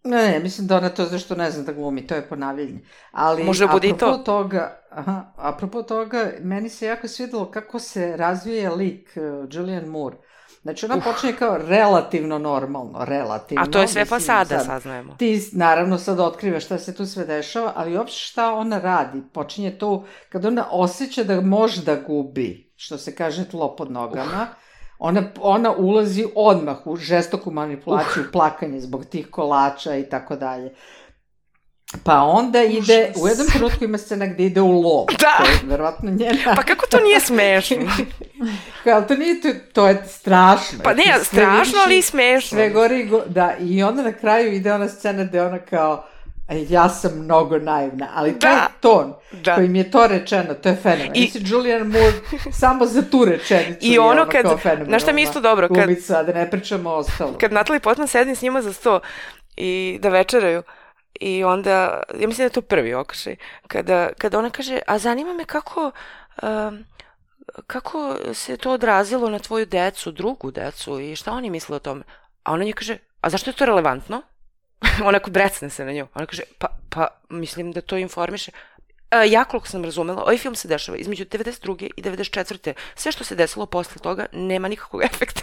Ne, ne, mislim da ona to zašto ne zna da glumi, to je ponavljanje. Ali može bude i to. Toga, aha, apropo toga, meni se jako svidjelo kako se razvija lik uh, Julianne Moore. Znači ona uh. počinje kao relativno normalno, relativno. A to je sve fasada, sad, saznajemo. Ti naravno sad otkrivaš šta se tu sve dešava, ali uopšte šta ona radi. Počinje to kad ona osjeća da može da gubi, što se kaže tlo pod nogama. Uh. Ona, ona ulazi odmah u žestoku manipulaciju, uh. plakanje zbog tih kolača i tako dalje. Pa onda ide, užas. U jednom trenutku ima scena gdje ide u lov. Da. To je verovatno njena... Pa kako to nije smešno? Kao to nije, to, to je strašno. Pa ne, strašno, ali i smešno. Sve gori, go, da, i onda na kraju ide ona scena gdje ona kao, ja sam mnogo naivna, ali to je ton da. Kojim je to rečeno, to je fenomen. I si Julianne Moore samo za tu rečenicu i ono kad, znaš šta mi isto dobro, kad, glumica, da ne pričamo o ostalo. Kad Natalie Portman sedi s njima za sto i da večeraju, i onda, ja mislim da je to prvi okršaj, kada, kada ona kaže, a zanima me kako, um, kako se to odrazilo na tvoju decu, drugu decu i šta oni misle o tome. A ona nje kaže, a zašto je to relevantno? Onako brecne se na nju. Ona kaže, pa, pa mislim da to informiše. A, ja koliko sam razumela, ovaj film se dešava između devedeset druge i devedeset četvrte Sve što se desilo posle toga nema nikakvog efekta.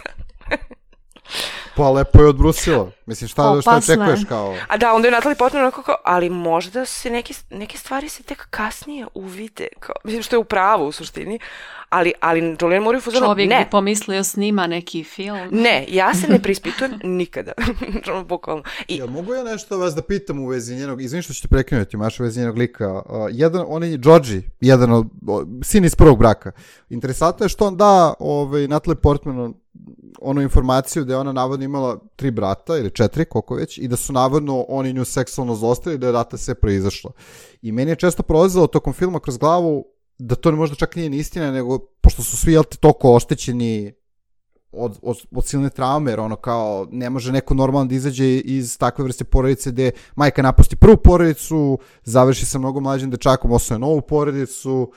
Pa lepo je odbrusilo. Mislim, šta, šta očekuješ kao... A da, onda je Natalie Portman onako kao, ali možda se neke, neke stvari se tek kasnije uvide. Kao, mislim, što je u pravu u suštini. Ali, ali Julianne Moore je fuzano, ne. Čovjek bi pomislio snima neki film. Ne, ja se ne prispitujem nikada. Bukvalno. I... Ja, mogu ja nešto vas da pitam u vezi njenog, izvini što ćete prekinuti, Maša, u vezi njenog lika. Uh, jedan, on je Georgie, jedan od, o, sin iz prvog braka. Interesantno je što on da ovaj, Natalie Portman onu informaciju da je ona navodno imala tri brata ili četiri, koliko već, i da su navodno oni nju seksualno zlostavili, da je rata sve proizašlo. I meni je često prolazilo tokom filma kroz glavu da to možda čak nije ni istina, nego pošto su svi, jel te, toliko oštećeni od, od, od silne traume, jer ono kao ne može neko normalno da izađe iz takve vrste porodice gde majka napusti prvu porodicu, završi sa mnogo mlađim dečakom, osvoje novu porodicu.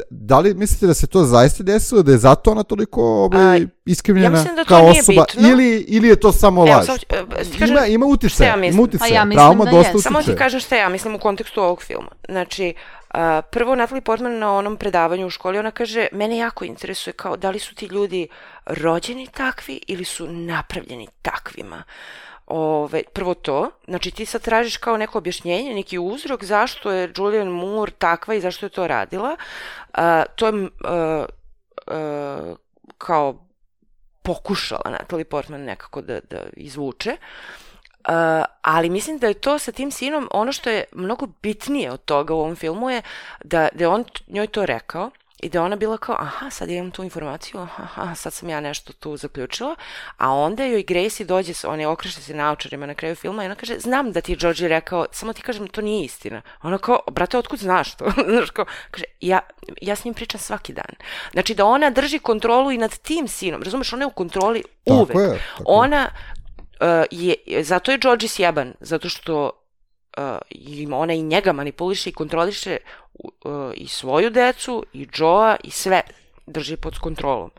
Da li mislite da se to zaista desilo, da je zato ona toliko ovaj, iskrivljena ja kao osoba, ili, ili je to samo laž? Evo, sam, kažem, ima, ima utice, ja ima utice, ja trauma da dosta utice. Samo ti kažem šta ja mislim u kontekstu ovog filma. Znači, uh, prvo Natalie Portman na onom predavanju u školi, ona kaže, mene jako interesuje kao da li su ti ljudi rođeni takvi ili su napravljeni takvima. Ove, prvo to, znači ti sad tražiš kao neko objašnjenje, neki uzrok zašto je Julianne Moore takva i zašto je to radila. Uh, to je uh, uh, kao pokušala Natalie Portman nekako da, da izvuče. Uh, ali mislim da je to sa tim sinom, ono što je mnogo bitnije od toga u ovom filmu je da, da je on njoj to rekao i da ona bila kao, aha, sad imam tu informaciju, aha, sad sam ja nešto tu zaključila, a onda joj Gracie dođe, on je okreše se naočarima na kraju filma i ona kaže, znam da ti je Georgie rekao, samo ti kažem, to nije istina. Ona kao, brate, otkud znaš to? Znaš kao, kaže, ja, ja s njim pričam svaki dan. Znači da ona drži kontrolu i nad tim sinom, razumeš, ona je u kontroli uvek. Tako je, tako ona uh, je, zato je Georgie sjeban, zato što uh, ona i njega manipuliše i kontroliše uh, i svoju decu, i Joea, i sve drži pod kontrolom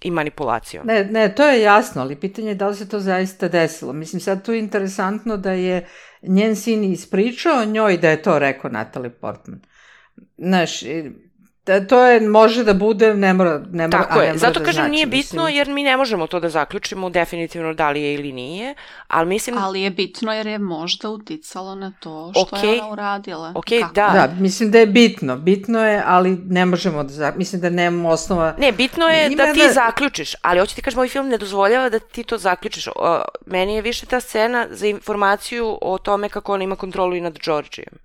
i manipulacijom. Ne, ne, to je jasno, ali pitanje je da li se to zaista desilo. Mislim, sad tu je interesantno da je njen sin ispričao njoj da je to rekao Natalie Portman. Znaš, da, to je, može da bude, ne mora, ne mora, Tako je, ne mora zato da kažem znači, nije bitno mislim. Jer mi ne možemo to da zaključimo definitivno da li je ili nije, ali mislim... Ali je bitno jer je možda uticalo na to što okay. je ona uradila. Ok, Kako? da. Da, mislim da je bitno, bitno je, ali ne možemo da, mislim da nemamo osnova... Ne, bitno je Ima da ti da... zaključiš, ali hoću ti kažem, ovaj film ne dozvoljava da ti to zaključiš. O, meni je više ta scena za informaciju o tome kako ona ima kontrolu i nad Georgijem.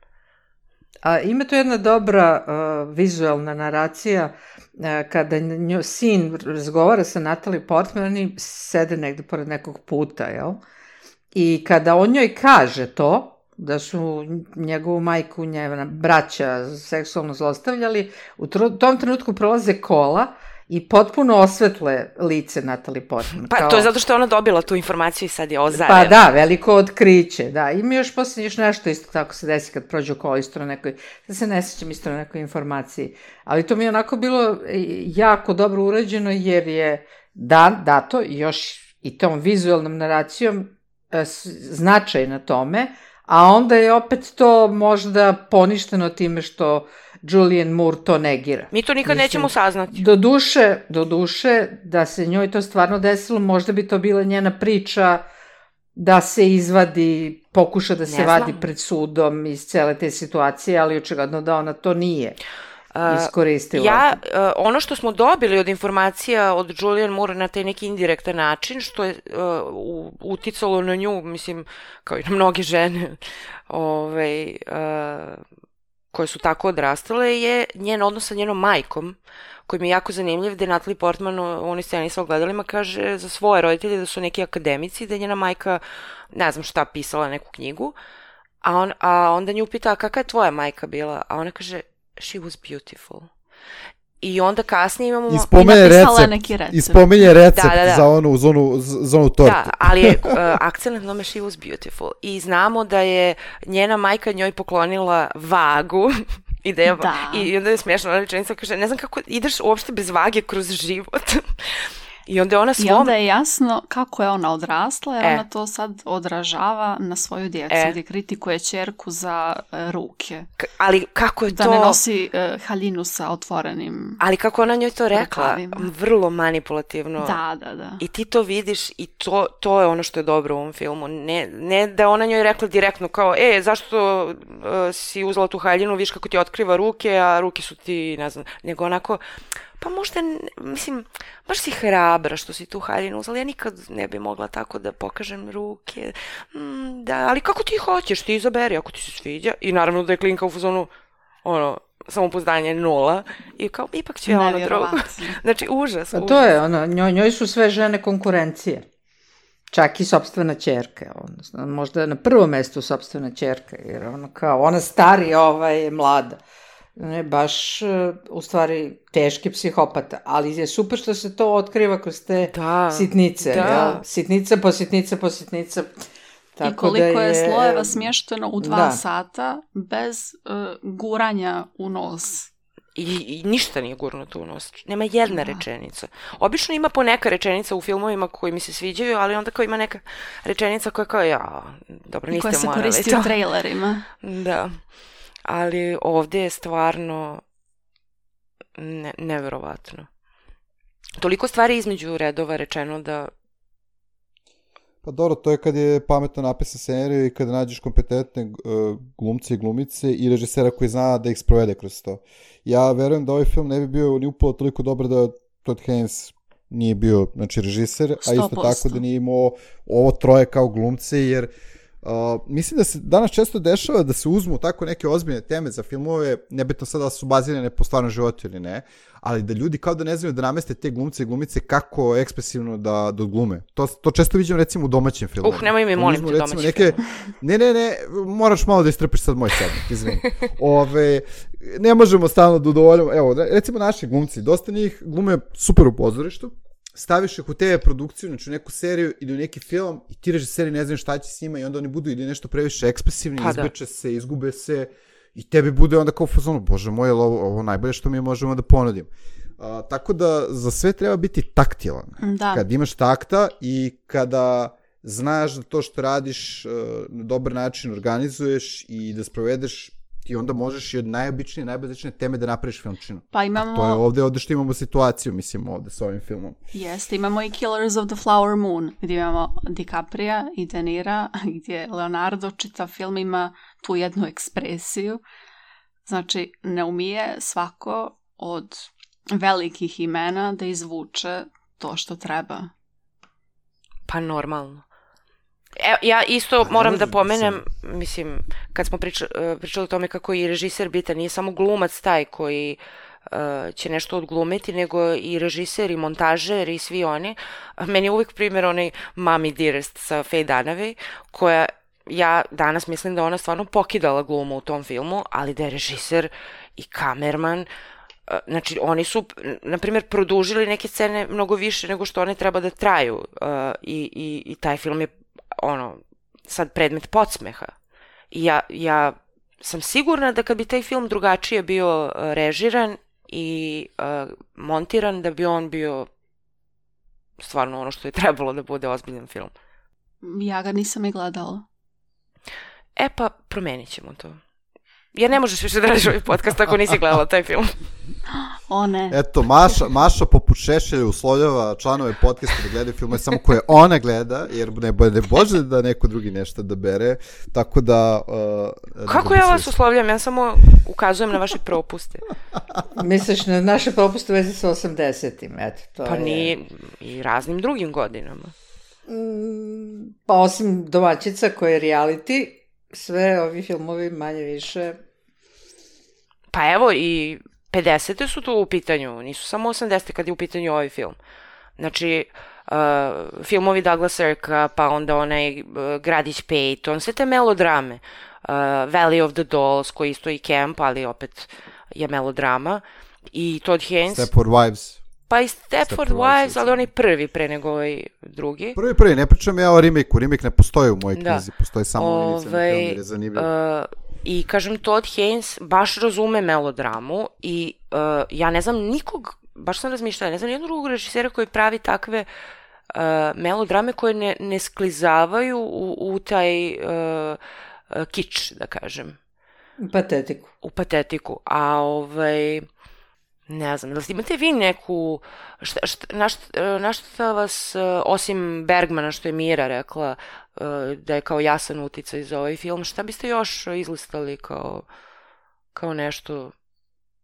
A ima tu jedna dobra uh, vizualna naracija uh, kada njo, sin razgovara sa Natalie Portman, oni sede negde pored nekog puta, jel? I kada on njoj kaže to, da su njegovu majku, njena braća seksualno zlostavljali, u tr- tom trenutku prolaze kola i potpuno osvetle lice Natalie Portman. Pa kao... to je zato što ona dobila tu informaciju i sad je ozarena. Pa da, veliko otkriće, da. Ima još poslije još nešto isto tako se desi kad prođe okolo isto na nekoj, da se ne sjećam isto na nekoj informaciji. Ali to mi je onako bilo jako dobro urađeno jer je da, dato još i tom vizualnom naracijom značaj na tome, a onda je opet to možda poništeno time što Julianne Moore to negira. Mi to nikad Mislim, nećemo saznati. Do duše, do duše, da se njoj to stvarno desilo, možda bi to bila njena priča da se izvadi, pokuša da se vadi pred sudom iz cele te situacije, ali očigledno da ona to nije iskoristila. Uh, ja, uh, ono što smo dobili od informacija od Julianne Moore na taj neki indirektan način, što je uh, uticalo na nju, mislim, kao i na mnoge žene, ovaj... Uh, koje su tako odrastale, je njen odnos sa njenom majkom, koji mi je jako zanimljiv, da je Natalie Portman u onoj sceni sa ogledalima kaže za svoje roditelje da su neki akademici, da je njena majka, ne znam šta, pisala neku knjigu, a, on, a onda nju pita, kakva je tvoja majka bila? A ona kaže, she was beautiful. I onda kasnije imamo... Ispomenje recept, recept. Ispomenje recept da, da, da. za onu, za onu, za onu tortu. Da, ali je uh, akcent na tome she was beautiful. I znamo da je njena majka njoj poklonila vagu i da je, da. I onda je smiješno, ona rečenica kaže, ne znam kako ideš uopšte bez vage kroz život. I onda, ona svom... I onda je jasno kako je ona odrasla, jer e. ona to sad odražava na svoju djecu, e. gdje kritikuje ćerku za uh, ruke. K- ali kako je da to... Da ne nosi uh, haljinu sa otvorenim... Ali kako ona njoj to rekla, rukavima. Vrlo manipulativno. Da, da, da. I ti to vidiš i to, to je ono što je dobro u ovom filmu. Ne, ne da ona njoj rekla direktno kao, e, zašto uh, si uzela tu haljinu, viš kako ti otkriva ruke, a ruke su ti, ne znam, nego onako... Pa možda, mislim, baš si hrabra što si tu haljinu uzela, ja nikad ne bi mogla tako da pokažem ruke, mm, da, ali kako ti hoćeš, ti izaberi, ako ti se sviđa, i naravno da je klinka u fazonu, ono, samopouzdanje nula i kao ipak će ono drugo. Znači, užas, pa užas. to je, ono, njoj, njoj su sve žene konkurencije. Čak i sopstvena ćerka, odnosno, možda na prvom mestu sopstvena ćerka, jer ono kao, ona starija, ova je mlada. Ne, baš, u stvari, teški psihopata, ali je super što se to otkriva kroz te da, sitnice, da. Ja? Sitnica po sitnica po sitnica. Tako I koliko da je, je slojeva smješteno u dva da. sata bez uh, guranja u nos. I, I ništa nije gurnuto u nos. Nema jedna da. rečenica. Obično ima po neka rečenica u filmovima koji mi se sviđaju, ali onda kao ima neka rečenica koja kao, ja, dobro, niste morali. Koja se koristi u trailerima. Da. Ali ovdje je stvarno ne, neverovatno. Toliko stvari između redova rečeno da... Pa dobro, to je kad je pametno napisan scenarij i kad nađeš kompetentne uh, glumce i glumice i režisera koji zna da ih sprovede kroz to. Ja verujem da ovaj film ne bi bio ni upalo toliko dobar da Todd Haynes nije bio, znači, režiser, a isto tako da nije imao ovo troje kao glumce, jer Uh, mislim da se danas često dešava da se uzmu tako neke ozbiljne teme za filmove, nebitno sada da su bazirane po stvarnom životu ili ne, ali da ljudi kao da ne znaju da nameste te glumce i glumice kako ekspresivno da, da glume. To, to često vidim recimo u domaćim filmovima. Uh, nemoj mi molim te domaći neke... film. Ne, ne, ne, moraš malo da istrpiš sad moj sednik, izvini. Ove, ne možemo stalno da udovoljamo. Evo, recimo naši glumci, dosta njih glume super u pozorištu, staviš ih u te ve produkciju, znači u neku seriju ili u neki film i ti režiseri ne znaju šta će s njima i onda oni budu ili nešto previše ekspresivni, pa izbeče da. se, izgube se i tebi bude onda kao u fazonu, bože moj, ovo, ovo najbolje što mi možemo da ponudimo. A, tako da za sve treba biti taktilan. Da. Kad imaš takta i kada znaš da to što radiš uh, na dobar način organizuješ i da sprovedeš, i onda možeš i od najobičnije, najbazičnije teme da napraviš filmčinu. Pa imamo... A to je ovde, ovde što imamo situaciju, mislim, ovde s ovim filmom. Jeste, imamo i Killers of the Flower Moon, gdje imamo DiCaprija i De Nira, gdje Leonardo čitav film ima tu jednu ekspresiju. Znači, ne umije svako od velikih imena da izvuče to što treba. Pa normalno. E, ja isto moram da pomenem, mislim, kad smo pričali, pričali o tome kako je i režiser bitan, nije samo glumac taj koji uh, će nešto odglumiti, nego i režiser i montažer i svi oni. Meni je uvijek primjer onaj Mommy Dearest sa Faye Dunaway, koja ja danas mislim da ona stvarno pokidala glumu u tom filmu, ali da je režiser i kamerman. Znači, oni su, na primjer, produžili neke scene mnogo više nego što one treba da traju uh, i, i, i taj film je ono, sad predmet podsmeha. I ja, ja sam sigurna da kad bi taj film drugačije bio uh, režiran i uh, montiran, da bi on bio stvarno ono što je trebalo da bude ozbiljan film. Ja ga nisam i gledala. E pa, promenit ćemo to. Jer ne možeš više da radiš ovaj podcast ako nisi gledala taj film. O ne. Eto, Maša, Maša poput Šešelja uslovljava članove podcasta da gledaju filme samo koje ona gleda, jer ne, ne bože da neko drugi nešto da bere, tako da... Uh, Kako ja vas uslovljam? Ja samo ukazujem na vaše propuste. Misliš na naše propuste u vezi sa osamdesetim, eto. To pa je... ni i raznim drugim godinama. Mm, pa osim Domaćica koje je reality, sve ovi filmovi manje više... Pa evo i pedesete su tu u pitanju, nisu samo osamdesete kad je u pitanju ovaj film. Znači, uh, filmovi Douglas Sirka, pa onda onaj uh, Gradić Peyton, sve te melodrame. Uh, Valley of the Dolls, koji isto i camp, ali opet je melodrama. I Todd Haynes... Stepford Wives. Pa i Stepford, Stepford Wives, ali onaj prvi pre nego ovaj drugi. Prvi, prvi, ne pričam ja o remake-u, remake ne postoji u mojoj knjizi, postoji samo Ove, inicijalni film, jer je zanimljiv. Uh, I kažem, Todd Haynes baš razume melodramu i uh, ja ne znam nikog, baš sam razmišljala, ne znam jednog drugog režisera koji pravi takve uh, melodrame koje ne, ne sklizavaju u, u taj uh, uh, kič, da kažem. U patetiku. U patetiku, a ovaj... Ne znam, da li imate vi neku, šta, šta, na, šta, na šta vas, osim Bergmana što je Mira rekla, da je kao jasan uticaj za ovaj film, šta biste još izlistali kao, kao nešto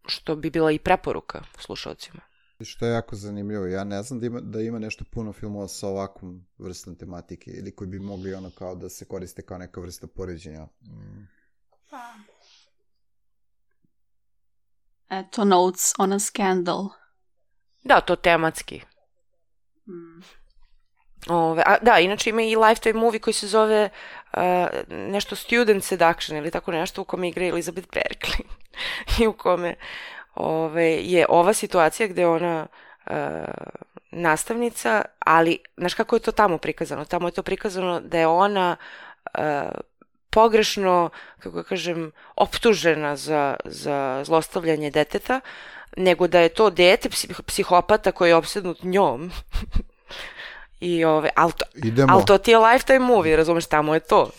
što bi bila i preporuka slušalcima? Što je jako zanimljivo, ja ne znam da ima, da ima nešto puno filmova sa ovakvom vrstom tematike ili koji bi mogli ono kao da se koriste kao neka vrsta poređenja. Mm. Pa... Eto, Notes on a Scandal. Da, to tematski. Mm. Ove, a, da, inače ima i Lifetime movie koji se zove uh, nešto Student Seduction ili tako nešto, u kome igra Elizabeth Berkley. I u kome ove, je ova situacija gde ona uh, nastavnica, ali znaš kako je to tamo prikazano? Tamo je to prikazano da je ona uh, pogrešno, kako kažem, optužena za, za zlostavljanje deteta, nego da je to dete psihopata koji je opsednut njom. I ove, ali to, al to ti je Lifetime movie, razumeš, tamo je to.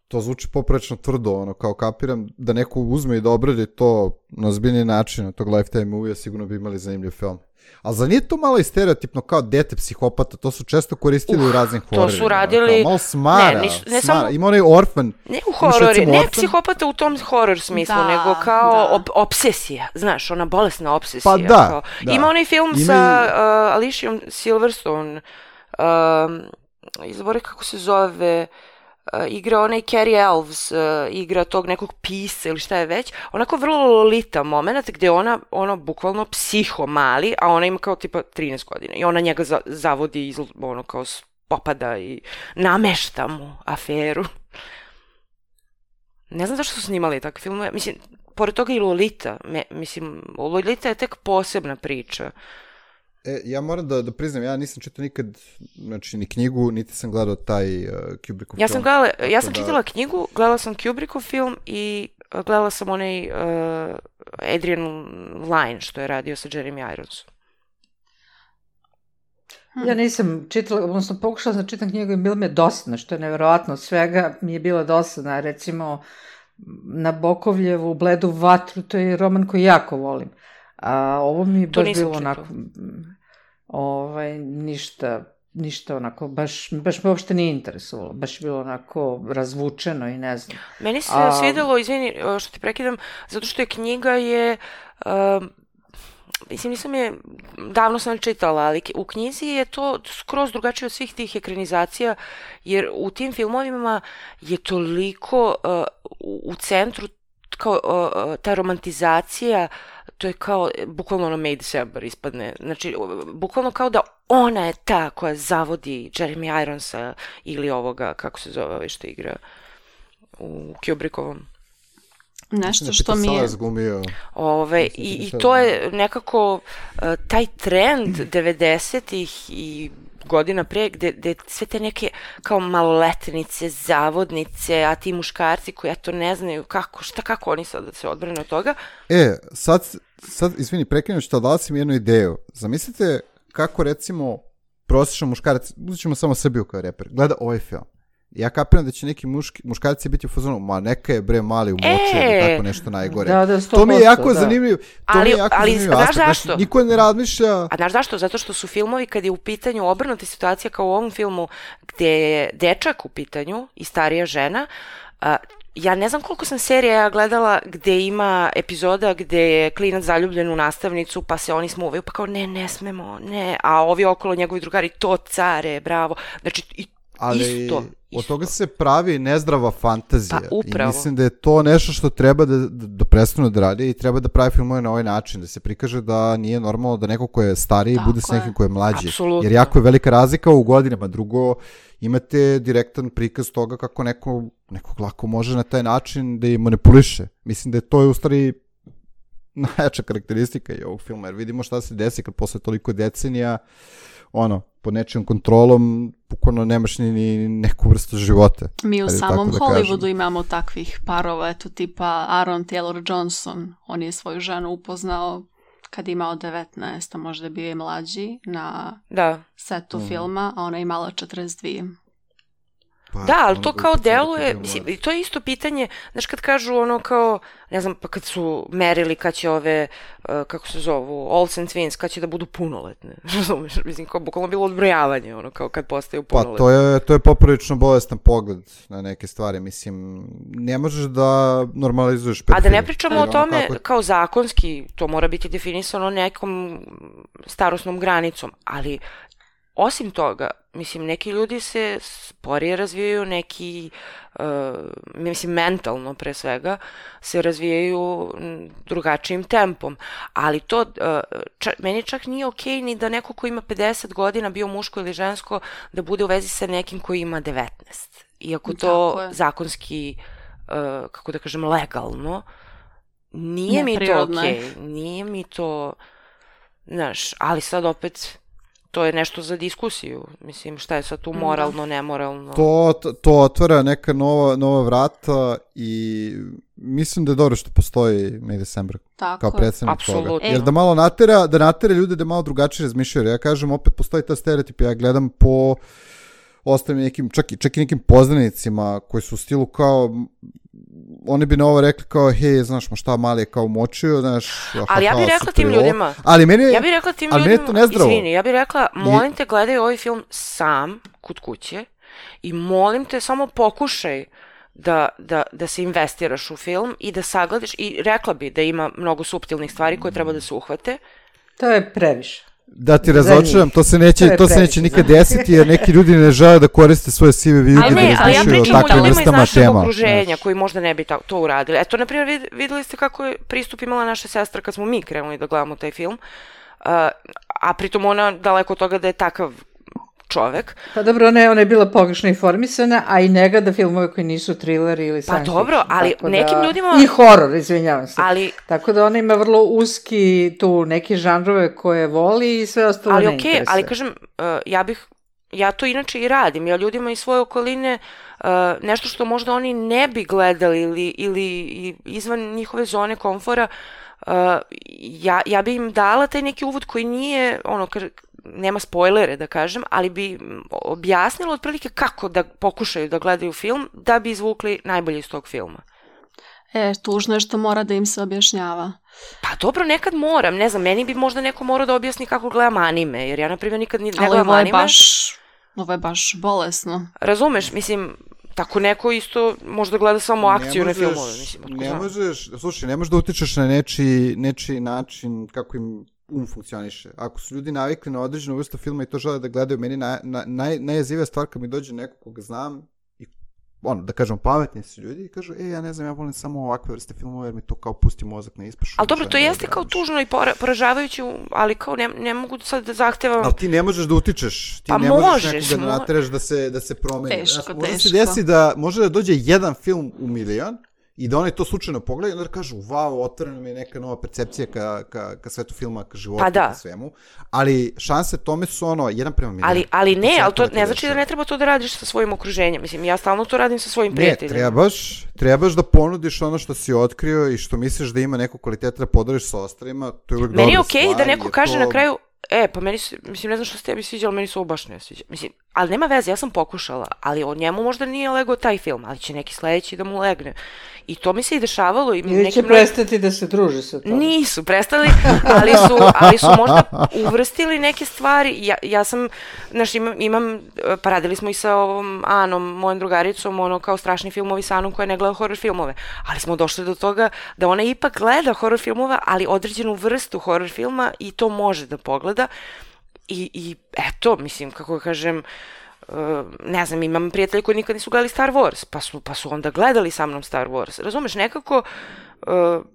To zvuči poprečno tvrdo, ono, kao kapiram da neko uzme i da obradi to na ozbiljni način od tog Lifetime movie, sigurno bi imali zanimljiv film. Ali za nije to malo i stereotipno kao dete psihopata, to su često koristili uh, u raznim hororima. To su radili... Kao, malo smara, ne, niš, ne smara. Samo... Ima onaj Orphan. Ne u horori, ne Orphan. Psihopata u tom horor smislu, da, nego kao da. op, obsesija, znaš, ona bolesna obsesija. Pa da, kao. da. Ima onaj film Ima sa i... uh, Aliciom Silverstone, um, izbori kako se zove... Uh, igra onaj Cary Elves, uh, igra tog nekog pisa ili šta je već, onako vrlo lolita moment gde ona, ono, bukvalno psiho mali, a ona ima kao tipa trinaest godina i ona njega za, zavodi, iz, ono, kao popada i namešta mu aferu. Ne znam zašto su snimali takve filmove, mislim, pored toga i Lolita, me, mislim, Lolita je tek posebna priča. E, ja moram da, da priznam, ja nisam čitao nikad, znači, ni knjigu, niti sam gledao taj uh, Kubrickov ja film. Sam gledala, ja sam da... čitala knjigu, gledala sam Kubrickov film i uh, gledala sam onaj uh, Adrian Lyne što je radio sa Jeremy Ironsom. Ja nisam čitala, odnosno pokušala sam čitam knjigu i bilo mi je dosadno, što je neverovatno, svega mi je bilo dosadno, recimo Nabokovljevu Bledu vatru, to je roman koji jako volim. A ovo mi je baš bilo onako, ovaj, ništa, ništa onako, baš, baš me uopšte nije interesovalo, baš je bilo onako razvučeno i ne znam. Meni se A... svidelo, izvini što ti prekidam, zato što je knjiga je, uh, mislim nisam je, davno sam čitala, ali u knjizi je to skroz drugačije od svih tih ekranizacija, jer u tim filmovima je toliko uh, u, u centru kao uh, ta romantizacija, to je kao, bukvalno ono May December ispadne, znači, bukvalno kao da ona je ta koja zavodi Jeremy Ironsa ili ovoga, kako se zove, što igra u Kubrickovom. Nešto što mi je... Ove, i, I to je nekako uh, taj trend devedesetih i godina pre, gde, gde sve te neke kao maloletnice, zavodnice, a ti muškarci koji eto ne znaju kako, šta, kako oni sad da se odbrane od toga. E, sad, sad izvini, prekrenuo što dala si mi jednu ideju. Zamislite kako recimo prosječan muškarac, uzet ćemo samo Srbiju kao reper, gleda ovaj film. Ja kapiram da će neki muški, muškarci biti u fazonu, ma neka je bre mali u moče e, ili tako nešto najgore. Da, da, sto posto, to mi je jako da. zanimljiv, to ali, mi je jako ali, zanimljiv aspekt. Znaš zašto? Niko ne razmišlja... A znaš zašto? Zato što su filmovi kad je u pitanju obrnuta situacija kao u ovom filmu gde je dečak u pitanju i starija žena, a, ja ne znam koliko sam serija ja gledala gde ima epizoda gde je klinac zaljubljen u nastavnicu pa se oni smuvaju pa kao ne, ne smemo, ne, a ovi okolo njegovi drugari to care, bravo. Znači i ali isto, od isto. toga se pravi nezdrava fantazija. Pa, upravo. I mislim da je to nešto što treba da, da, da prestanu da radi i treba da pravi filmove na ovaj način, da se prikaže da nije normalno da neko ko je stariji tako bude s nekim ko je mlađi. Apsolutno. Jer jako je velika razlika u godinama. Drugo, imate direktan prikaz toga kako neko, nekog lako može na taj način da i manipuliše. Mislim da je to je u stvari najjača karakteristika i ovog filma, jer vidimo šta se desi kad posle toliko decenija ono, pod nečijom kontrolom bukvalno nemaš ni, ni neku vrstu života. Mi u samom da Hollywoodu kažem. Imamo takvih parova, eto tipa Aaron Taylor Johnson, on je svoju ženu upoznao kad je imao devetnaest, a možda je bio i mlađi na da. setu mm. filma, a ona je imala četrdeset dve. Pa, da, ali to kao deluje, mislim, to je isto pitanje, znaš kad kažu ono kao, ne znam, pa kad su merili kad će ove, uh, kako se zovu, Olsen Twins, kad će da budu punoletne, razumiješ, mislim, kao bukvalno bilo odbrojavanje, ono, kao kad postaju punoletne. Pa to je, to je poprilično bolestan pogled na neke stvari, mislim, ne možeš da normalizuješ pedofiliju. A da ne pričamo e, o tome, kako... kao zakonski, to mora biti definisano nekom starosnom granicom, ali osim toga, mislim, neki ljudi se sporije razvijaju, neki, uh, mislim, mentalno pre svega, se razvijaju drugačijim tempom. Ali to, uh, ča, meni čak nije okej ni da neko ko ima pedeset godina, bio muško ili žensko, da bude u vezi sa nekim koji ima devetnaest. Iako to zakonski, uh, kako da kažem, legalno, nije mi to okej. Nije mi to, znaš, ali sad opet... To je nešto za diskusiju. Mislim, šta je sad tu moralno, nemoralno? To, to otvara neka nova, nova vrata i mislim da je dobro što postoji May December kao predstavnik toga. Jer da malo natera, da natera ljude da malo drugačije razmišljaju. Ja kažem, opet postoji ta stereotip. Ja gledam po ostalim nekim, čak i, čak i nekim poznanicima koji su u stilu kao... Oni bi na ovo rekli kao, hej, znaš, ma šta, mali je kao močio, znaš... Ali ja bih rekla tim ljudima, ali meni, ja bih rekla tim ljudima, izvini, ja bih rekla, molim te, gledaj ovaj film sam, kod kuće, i molim te, samo pokušaj da, da, da se investiraš u film i da sagledaš, i rekla bi da ima mnogo suptilnih stvari koje treba da se uhvate. To je previše. Da ti razočaram, to se neće, to, to se neće nikad desiti, jer neki ljudi ne žele da koriste svoje sive vijuge da razmišljaju o takvim vrstama tema. Ali ne, ali ja pričam o ljudima iz našeg okruženja koji možda ne bi ta, to uradili. Eto, na primjer, videli ste kako je pristup imala naša sestra kad smo mi krenuli da gledamo taj film, uh, a pritom ona daleko od toga da je takav čovek. Pa dobro, ona je, ona je bila pogrešno informisana, a i njega da filmove koji nisu thriller ili science fiction. Pa dobro, ali nekim da, ljudima... I horor, izvinjavam se. Ali... Tako da ona ima vrlo uski tu neke žanrove koje voli i sve ostalo ali ne okay, interesuje. Ali kažem, uh, ja bih, ja to inače i radim, ja ljudima iz svoje okoline uh, nešto što možda oni ne bi gledali ili, ili izvan njihove zone komfora, uh, ja, ja bi im dala taj neki uvod koji nije, ono, kar, nema spoilere da kažem, ali bi objasnilo otprilike kako da pokušaju da gledaju film da bi izvukli najbolje iz tog filma. E, tužno je što mora da im se objašnjava. Pa dobro, nekad moram, ne znam, meni bi možda neko morao da objasni kako gledam anime, jer ja na primjer nikad ne gledam anime. Ali ovo je baš, ovo je baš bolesno. Razumeš, mislim, tako neko isto možda gleda samo akciju na filmove. Mislim, ne možeš, slušaj, ne možeš da utičeš na nečiji, nečiji način kako im um funkcioniše. Ako su ljudi navikli na određenu vrstu filma i to žele da gledaju, meni na, na, naj, najjezivija stvar kad mi dođe neko koga znam i ono, da kažem, pametni su ljudi i kažu, e, ja ne znam, ja volim samo ovakve vrste filmova jer mi to kao pusti mozak na ispašu. Ali dobro, to jeste kao tužno i poražavajući, ali kao ne, ne mogu sad da zahtevam... Ali ti ne možeš da utičeš. Ti pa ne možeš, možeš nekoga da nateraš da se, da se promeni. Teško, znači, teško. Može se desi da, može da dođe jedan film u milion i da oni to slučajno pogledaju i onda kažu, wow, otvorena mi je neka nova percepcija ka, ka, ka svetu filma, ka životu, pa da. Ka svemu. Ali šanse tome su ono, jedan prema milijon. Ali, ali ne, ali to ne znači da ne treba to da radiš sa svojim okruženjem. Mislim, ja stalno to radim sa svojim prijateljima. Ne, trebaš, trebaš da ponudiš ono što si otkrio i što misliš da ima neku kvaliteta da podariš sa ostalima. To je uvijek dobra stvar. Meni je okej okay da neko kaže to... na kraju, e, pa meni, mislim, ne znam što se tebi sviđa, ali meni se ovo baš ne sviđa. Mislim, ali nema veze, ja sam pokušala, ali od njemu možda nije legao taj film, ali će neki sledeći da mu legne. I to mi se i dešavalo. I ili će prestati da se druže sa tom. Nisu prestali, ali su, ali su možda uvrstili neke stvari. Ja, ja sam, znaš, imam, imam, pa radili smo i sa ovom Anom, mojom drugaricom, ono kao strašni filmovi sa Anom koja ne gleda horror filmove. Ali smo došli do toga da ona ipak gleda horror filmova, ali određenu vrstu horror filma i to može da pogleda. I, i eto, mislim, kako kažem, Uh, ne znam, imam prijatelji koji nikad nisu gledali Star Wars, pa su, pa su onda gledali sa mnom Star Wars. Razumeš, nekako uh,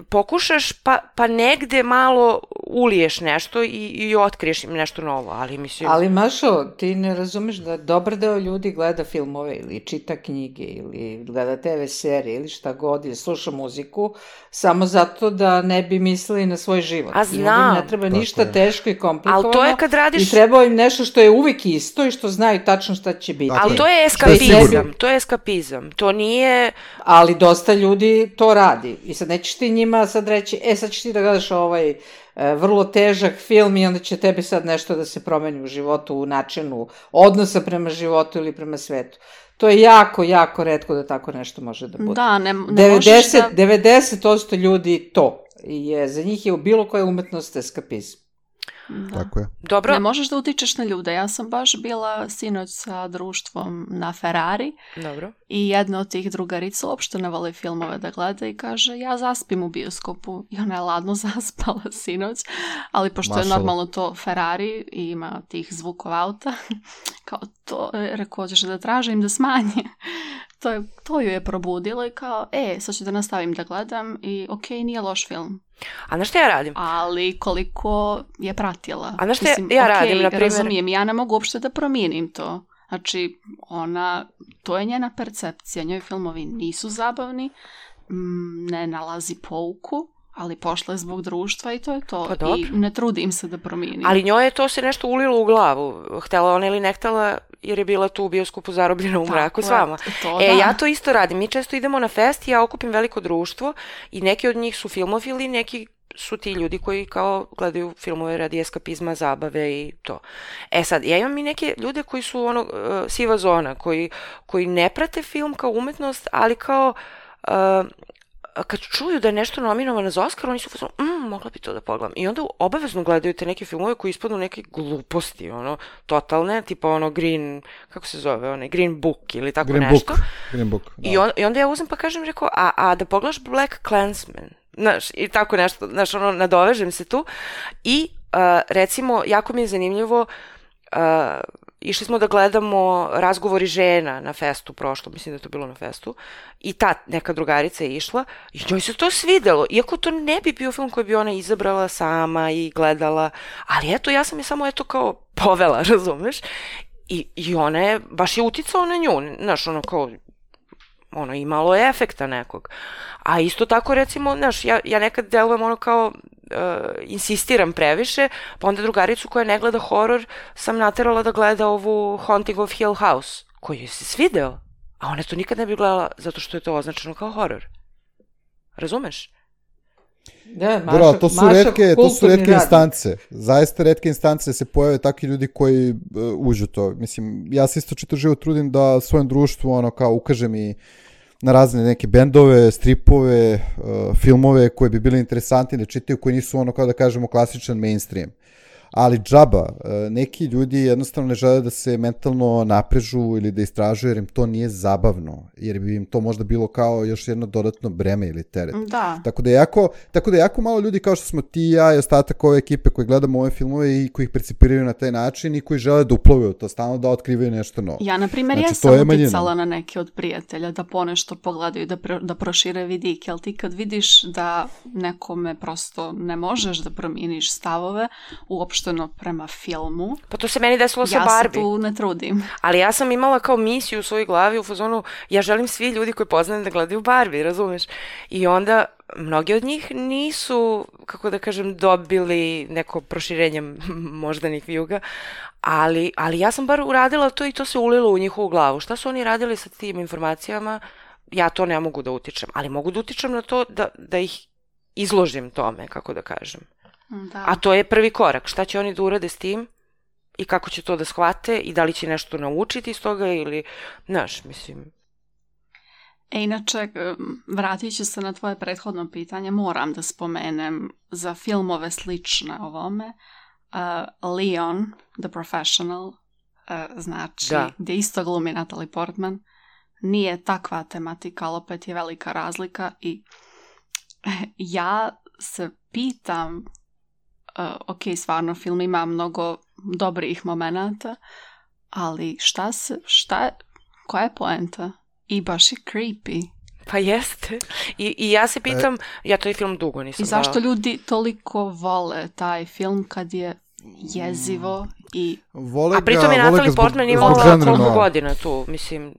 pokušaš pa, pa negde malo uliješ nešto i, i otkriješ im nešto novo, ali mislim... Ali Mašo, ti ne razumeš da dobar deo ljudi gleda filmove ili čita knjige ili gleda te ve serije ili šta god ili sluša muziku samo zato da ne bi mislili na svoj život. A znam. Ne treba ništa je. Teško i komplikovano. Ali to je kad radiš... I treba im nešto što je uvijek isto i što znaju tačno šta će biti. Ali to je eskapizam, to je eskapizam, to nije... Ali dosta ljudi to radi i sad nećeš ti njima sad reći, e sad ćeš ti da gledaš ovaj e, vrlo težak film i onda će tebi sad nešto da se promeni u životu, u načinu odnosa prema životu ili prema svetu. To je jako, jako retko da tako nešto može da bude. Da, ne, ne devedeset, možeš da... devedeset posto ljudi to je, za njih je u bilo koja umetnost eskapizam. Da. Tako je. Dobro. Ne možeš da utičeš na ljude. Ja sam baš bila sinoć sa društvom na Ferrari. Dobro. I jedna od tih drugarica uopšte ne voli filmove da gleda i kaže ja zaspim u bioskopu. I ona je ladno zaspala sinoć. Ali pošto Mašala. je normalno to Ferrari i ima tih zvukova auta, kao to, rekao ćeš da tražim da smanje. To, je, to ju je probudilo i kao, e, sad ću da nastavim da gledam i ok, nije loš film. A znaš šta ja radim? Ali koliko je pratila. A znaš šta Mislim, ja okay, radim, na primjer? Razumijem, ja ne mogu uopšte da promijenim to. Znači, ona, to je njena percepcija. Njoj filmovi nisu zabavni, ne nalazi pouku, ali pošla je zbog društva i to je to. Pa i ne trudim se da promijenim. Ali njoj je to se nešto ulilo u glavu. Htela ona ili ne htela, jer je bila tu u bioskopu zarobljena u mraku s vama. To, e, da. ja to isto radim. Mi često idemo na fest i ja okupim veliko društvo i neki od njih su filmofili, neki su ti ljudi koji kao gledaju filmove radi eskapizma, zabave i to. E sad, ja imam i neke ljude koji su ono uh, siva zona, koji, koji ne prate film kao umetnost, ali kao uh, kad čuju da je nešto nominovano za Oscar, oni su fazonu, mm, mogla bi to da pogledam. I onda obavezno gledaju te neke filmove koji ispadnu neke gluposti, ono, totalne, tipa ono Green, kako se zove, onaj Green Book ili tako Green nešto. Book. Green Book, da. I, on, I onda ja uzem pa kažem, rekao, a, a da pogledaš Black Klansman, znaš, i tako nešto, znaš, ono, nadovežem se tu. I, uh, recimo, jako mi je zanimljivo, uh, išli smo da gledamo Razgovori žena na festu prošlo, mislim da je to bilo na festu, i ta neka drugarica je išla i njoj se to svidelo, iako to ne bi bio film koji bi ona izabrala sama i gledala, ali eto, ja sam je samo eto kao povela, razumeš? I, i ona je, baš je uticao na nju, znaš, ono kao, ono, imalo je efekta nekog. A isto tako, recimo, znaš, ja, ja nekad delujem ono kao, uh, insistiram previše, pa onda drugaricu koja ne gleda horor sam naterala da gleda ovu Haunting of Hill House, koji joj se svideo, a ona to nikad ne bi gledala zato što je to označeno kao horor. Razumeš? Da, Maša, Dobro, to su Maša retke, to su retke radnik. instance. Zaista retke instance se pojave takvi ljudi koji uh, uđu to. Mislim, ja se isto čitav život trudim da svojem društvu ono kao ukažem i na razne neke bendove, stripove, uh, filmove koji bi bili interesantni da čitaju, koji nisu ono kao da kažemo klasičan mainstream. Ali džaba, uh, neki ljudi jednostavno ne žele da se mentalno naprežu ili da istražuju jer im to nije zabavno, jer bi im to možda bilo kao još jedno dodatno breme ili teret. Da. Tako da je jako, tako da je jako malo ljudi kao što smo ti i ja i ostatak ove ekipe koji gledamo ove filmove i koji ih percipiraju na taj način i koji žele da uplove u to, stalno da otkrivaju nešto novo. Ja, na primjer, Znači, ja to je sam manjina. uticala na neke od prijatelja da ponešto pogledaju, da, pro, da prošire vidike, ali ti kad vidiš da nekome prosto ne možeš da promijeniš stavove uopšteno prema filmu, Pa to se meni desilo sa ja Barbie. se tu ne trudim. Ali ja sam imala kao misiju u svojoj glavi u fazonu, ja želim svi ljudi koji poznajem da gledaju Barbie, razumeš? I onda mnogi od njih nisu, kako da kažem, dobili neko proširenje moždanih vijuga, ali, ali ja sam bar uradila to i to se ulilo u njihovu glavu. Šta su oni radili sa tim informacijama? Ja to ne mogu da utičem, ali mogu da utičem na to da, da ih izložim tome, kako da kažem. Da. A to je prvi korak. Šta će oni da urade s tim i kako će to da shvate i da li će nešto naučiti iz toga ili, znaš, mislim... E, inače, vratit ću se na tvoje prethodno pitanje, moram da spomenem za filmove slične ovome. Uh, Leon, The Professional, uh, znači, da. gdje isto glumi Natalie Portman, nije takva tematika, ali opet je velika razlika i ja se pitam, uh, ok, stvarno film ima mnogo dobrih momenata, ali šta se, šta je, koja je poenta? I baš je creepy. Pa jeste. I, i ja se pitam, e, ja to je film dugo nisam I zašto dala. ljudi toliko vole taj film kad je jezivo i... Vole A pritom je Natalie Portman imala koliko godina tu, mislim...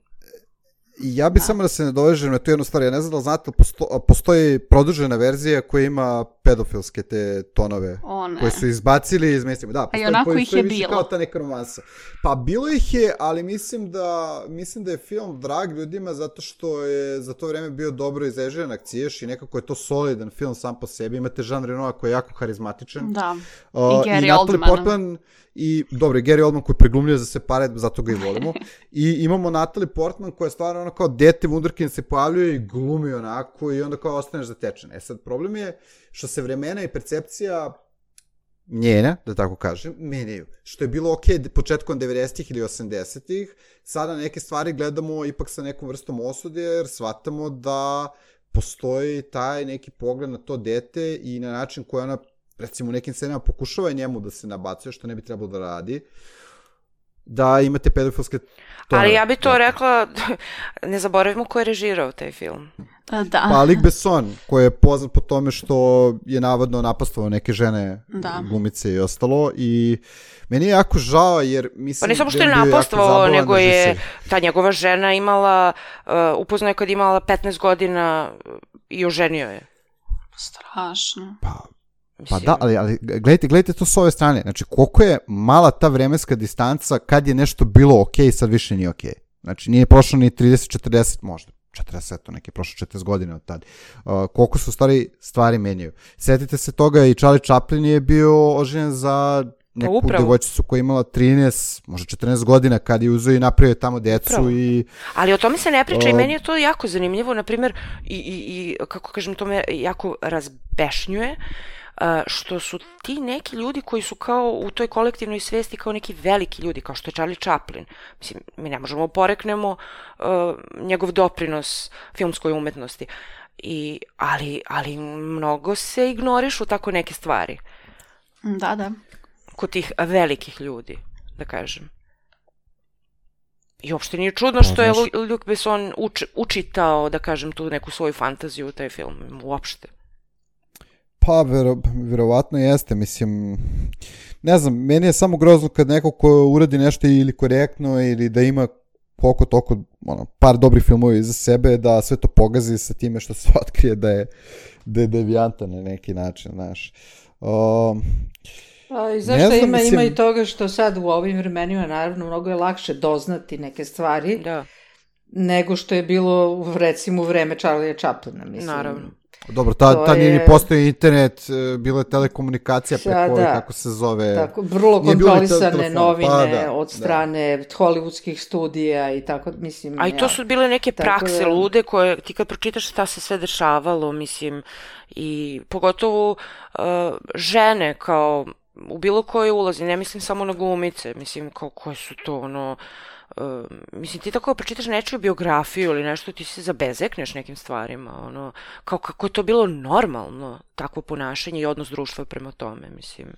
Ja bi samo da se ne dovežem na tu jednu stvar, ja ne znam da li znate, posto, postoji produžena verzija koja ima pedofilske te tonove, One. koje su izbacili iz mainstreama. Da, a i onako ih je bilo. Kao ta neka romansa. Pa bilo ih je, ali mislim da, mislim da je film drag ljudima zato što je za to vreme bio dobro izrežiran akciješ i nekako je to solidan film sam po sebi. Imate Jean Renoir koji je jako harizmatičan. Da, uh, i Gary Oldman. Portman, i dobro, Gary Oldman koji preglumljuje za se pare, zato ga i volimo. I imamo Natalie Portman koja je stvarno ono kao dete wunderkind se pojavljuje i glumi onako i onda kao ostaneš zatečen. E sad, problem je što se vremena i percepcija njena, da tako kažem, menjaju. Što je bilo okej okay početkom devedesetih ili osamdesetih, sada neke stvari gledamo ipak sa nekom vrstom osude, jer shvatamo da postoji taj neki pogled na to dete i na način koji ona, recimo u nekim scenama, pokušava njemu da se nabacuje, što ne bi trebalo da radi, da imate pedofilske tonove. Ali ja bi to rekla, ne zaboravimo ko je režirao taj film. Da. Pa Luc Besson, koji je poznat po tome što je navodno napastovao neke žene, da. Glumice i ostalo, i meni je jako žao, jer mislim... Pa ne samo što je napastovao, nego je ta njegova žena imala, uh, upoznao je kad imala petnaest godina i oženio je. Strašno. Pa... Pa da, ali, ali gledajte, gledajte to s ove strane. Znači, koliko je mala ta vremenska distanca kad je nešto bilo okej, sad više nije okej. Znači, nije prošlo ni trideset četrdeset možda. četrdeset, to neki prošlo četrdeset godina od tada. Uh, koliko su stvari, stvari menjaju. Sjetite se toga, i Charlie Chaplin je bio oženjen za neku devojčicu koja je imala trinaest, možda četrnaest godina kad je uzeo i napravio tamo decu. Upravo. I... Ali o tome se ne priča uh, i meni je to jako zanimljivo. Naprimjer, i, i, i kako kažem, to me jako razbešnjuje. Uh, što su ti neki ljudi koji su kao u toj kolektivnoj svesti kao neki veliki ljudi, kao što je Charlie Chaplin. Mislim, mi ne možemo poreknemo uh, njegov doprinos filmskoj umetnosti. I, ali, ali mnogo se ignorišu tako neke stvari. Da, da. Kod tih velikih ljudi, da kažem. I uopšte nije čudno što je Luc Besson uč, učitao, da kažem, tu neku svoju fantaziju u taj film. Uopšte. Pa, vero, verovatno jeste, mislim, ne znam, meni je samo grozno kad neko ko uradi nešto ili korektno ili da ima koliko toliko, ono, par dobrih filmova iza sebe, da sve to pogazi sa time što se otkrije da je, da je devijantan na neki način, znaš. Um, A, I zašto znam, ima, mislim... ima i toga što sad u ovim vremenima, naravno, mnogo je lakše doznati neke stvari, da. Nego što je bilo, recimo, u vreme Charlie Chaplina, mislim. Naravno. Dobro, ta, ta nije je... ni postoji internet, bila je telekomunikacija preko, da, kako se zove... Tako, vrlo kontrolisane novine pa, da, od strane da. Hollywoodskih studija i tako, mislim... A i to su bile neke prakse da... lude koje, ti kad pročitaš šta se sve dešavalo, mislim, i pogotovo uh, žene kao u bilo koje ulazi, ne mislim samo na glumice, mislim, kao koje su to, ono... Uh, mislim, ti tako pročitaš nečiju biografiju ili nešto, ti se zabezekneš nekim stvarima, ono, kao kako je to bilo normalno, takvo ponašanje i odnos društva prema tome, mislim,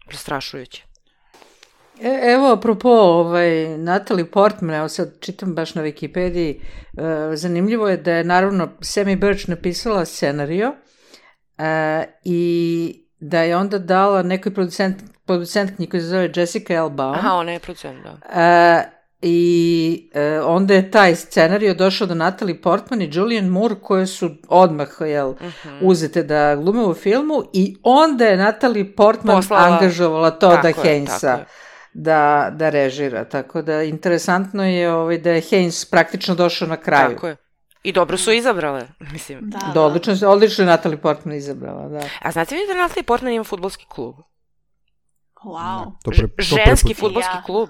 prestrašujuće. E, evo, apropo, ovaj, Natalie Portman, evo sad čitam baš na Wikipediji, uh, zanimljivo je da je, naravno, Sammy Birch napisala scenario uh, i da je onda dala nekoj producent, producentkinji koja se zove Jessica L. Baum. Aha, ona je producent, da. Uh, I uh, onda je taj scenario došao do Natalie Portman i Julianne Moore, koje su odmah, jel, uh-huh. uzete da glume u filmu, i onda je Natalie Portman Poslala... angažovala Todda Haynesa da, da režira. Tako da interesantno je ovaj, da je Haynes praktično došao na kraju. Tako je. I dobro su izabrale, mislim. Da, da. da odlično, odlično je Natalie Portman izabrala, da. A znate vi da Natalie Portman ima fudbalski klub? Wow. To pre, to ženski fudbalski ja. klub.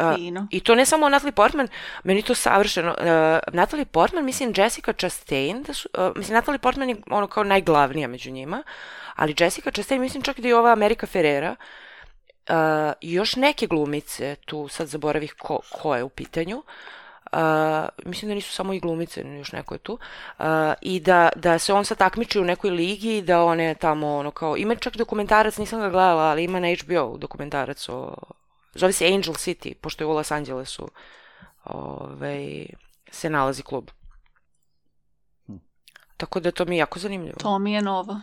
Uh, I to ne samo Natalie Portman, meni to savršeno. Uh, Natalie Portman, mislim Jessica Chastain, da su, uh, mislim Natalie Portman je ono kao najglavnija među njima, ali Jessica Chastain, mislim čak da i ova America Ferrera, uh, i još neke glumice, tu sad zaboravih ko, ko je u pitanju, Uh, mislim da nisu samo i glumice, još neko je tu, uh, i da, da se on sad takmiči u nekoj ligi i da one tamo, ono kao, ima čak dokumentarac, nisam ga gledala, ali ima na H B O dokumentarac o, zove se Angel City, pošto je u Los Angelesu ovaj, se nalazi klub. Hm. Tako da to mi je jako zanimljivo. To mi je novo.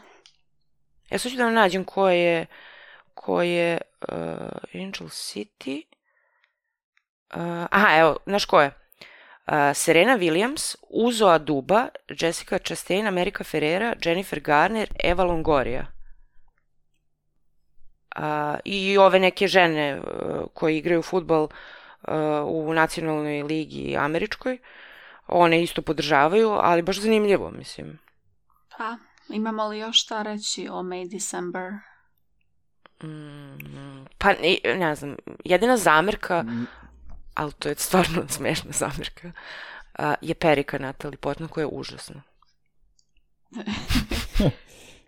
Ja sad ću da nađem ko je, ko je uh, Angel City. Uh, aha, evo, znaš ko je? Uh, Serena Williams, Uzo Aduba, Jessica Chastain, America Ferrera, Jennifer Garner, Eva Longoria. Uh, I ove neke žene uh, koje igraju fudbal uh, u nacionalnoj ligi američkoj, one isto podržavaju, ali baš zanimljivo, mislim. Pa, imamo li još šta reći o May December? Mm, pa, ne, ne znam, jedina zamerka... Mm. ali to je stvarno smešna zamerka, uh, je perika Natalie Portman koja je užasna.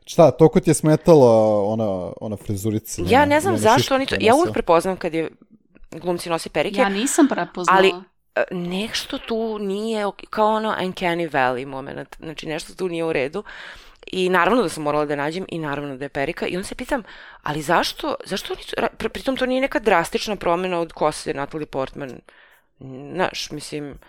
Šta, toliko ti je smetala ona, ona frizurica? Ja ne znam zašto oni to, ja uvijek prepoznam kad je glumci nosi perike. Ja nisam prepoznala. Ali nešto tu nije, kao ono uncanny valley moment, znači nešto tu nije u redu. I naravno da sam morala da nađem i naravno da je perika. I onda se pitam, ali zašto, zašto oni, pritom to nije neka drastična promjena od kose Natalie Portman, znaš, mislim,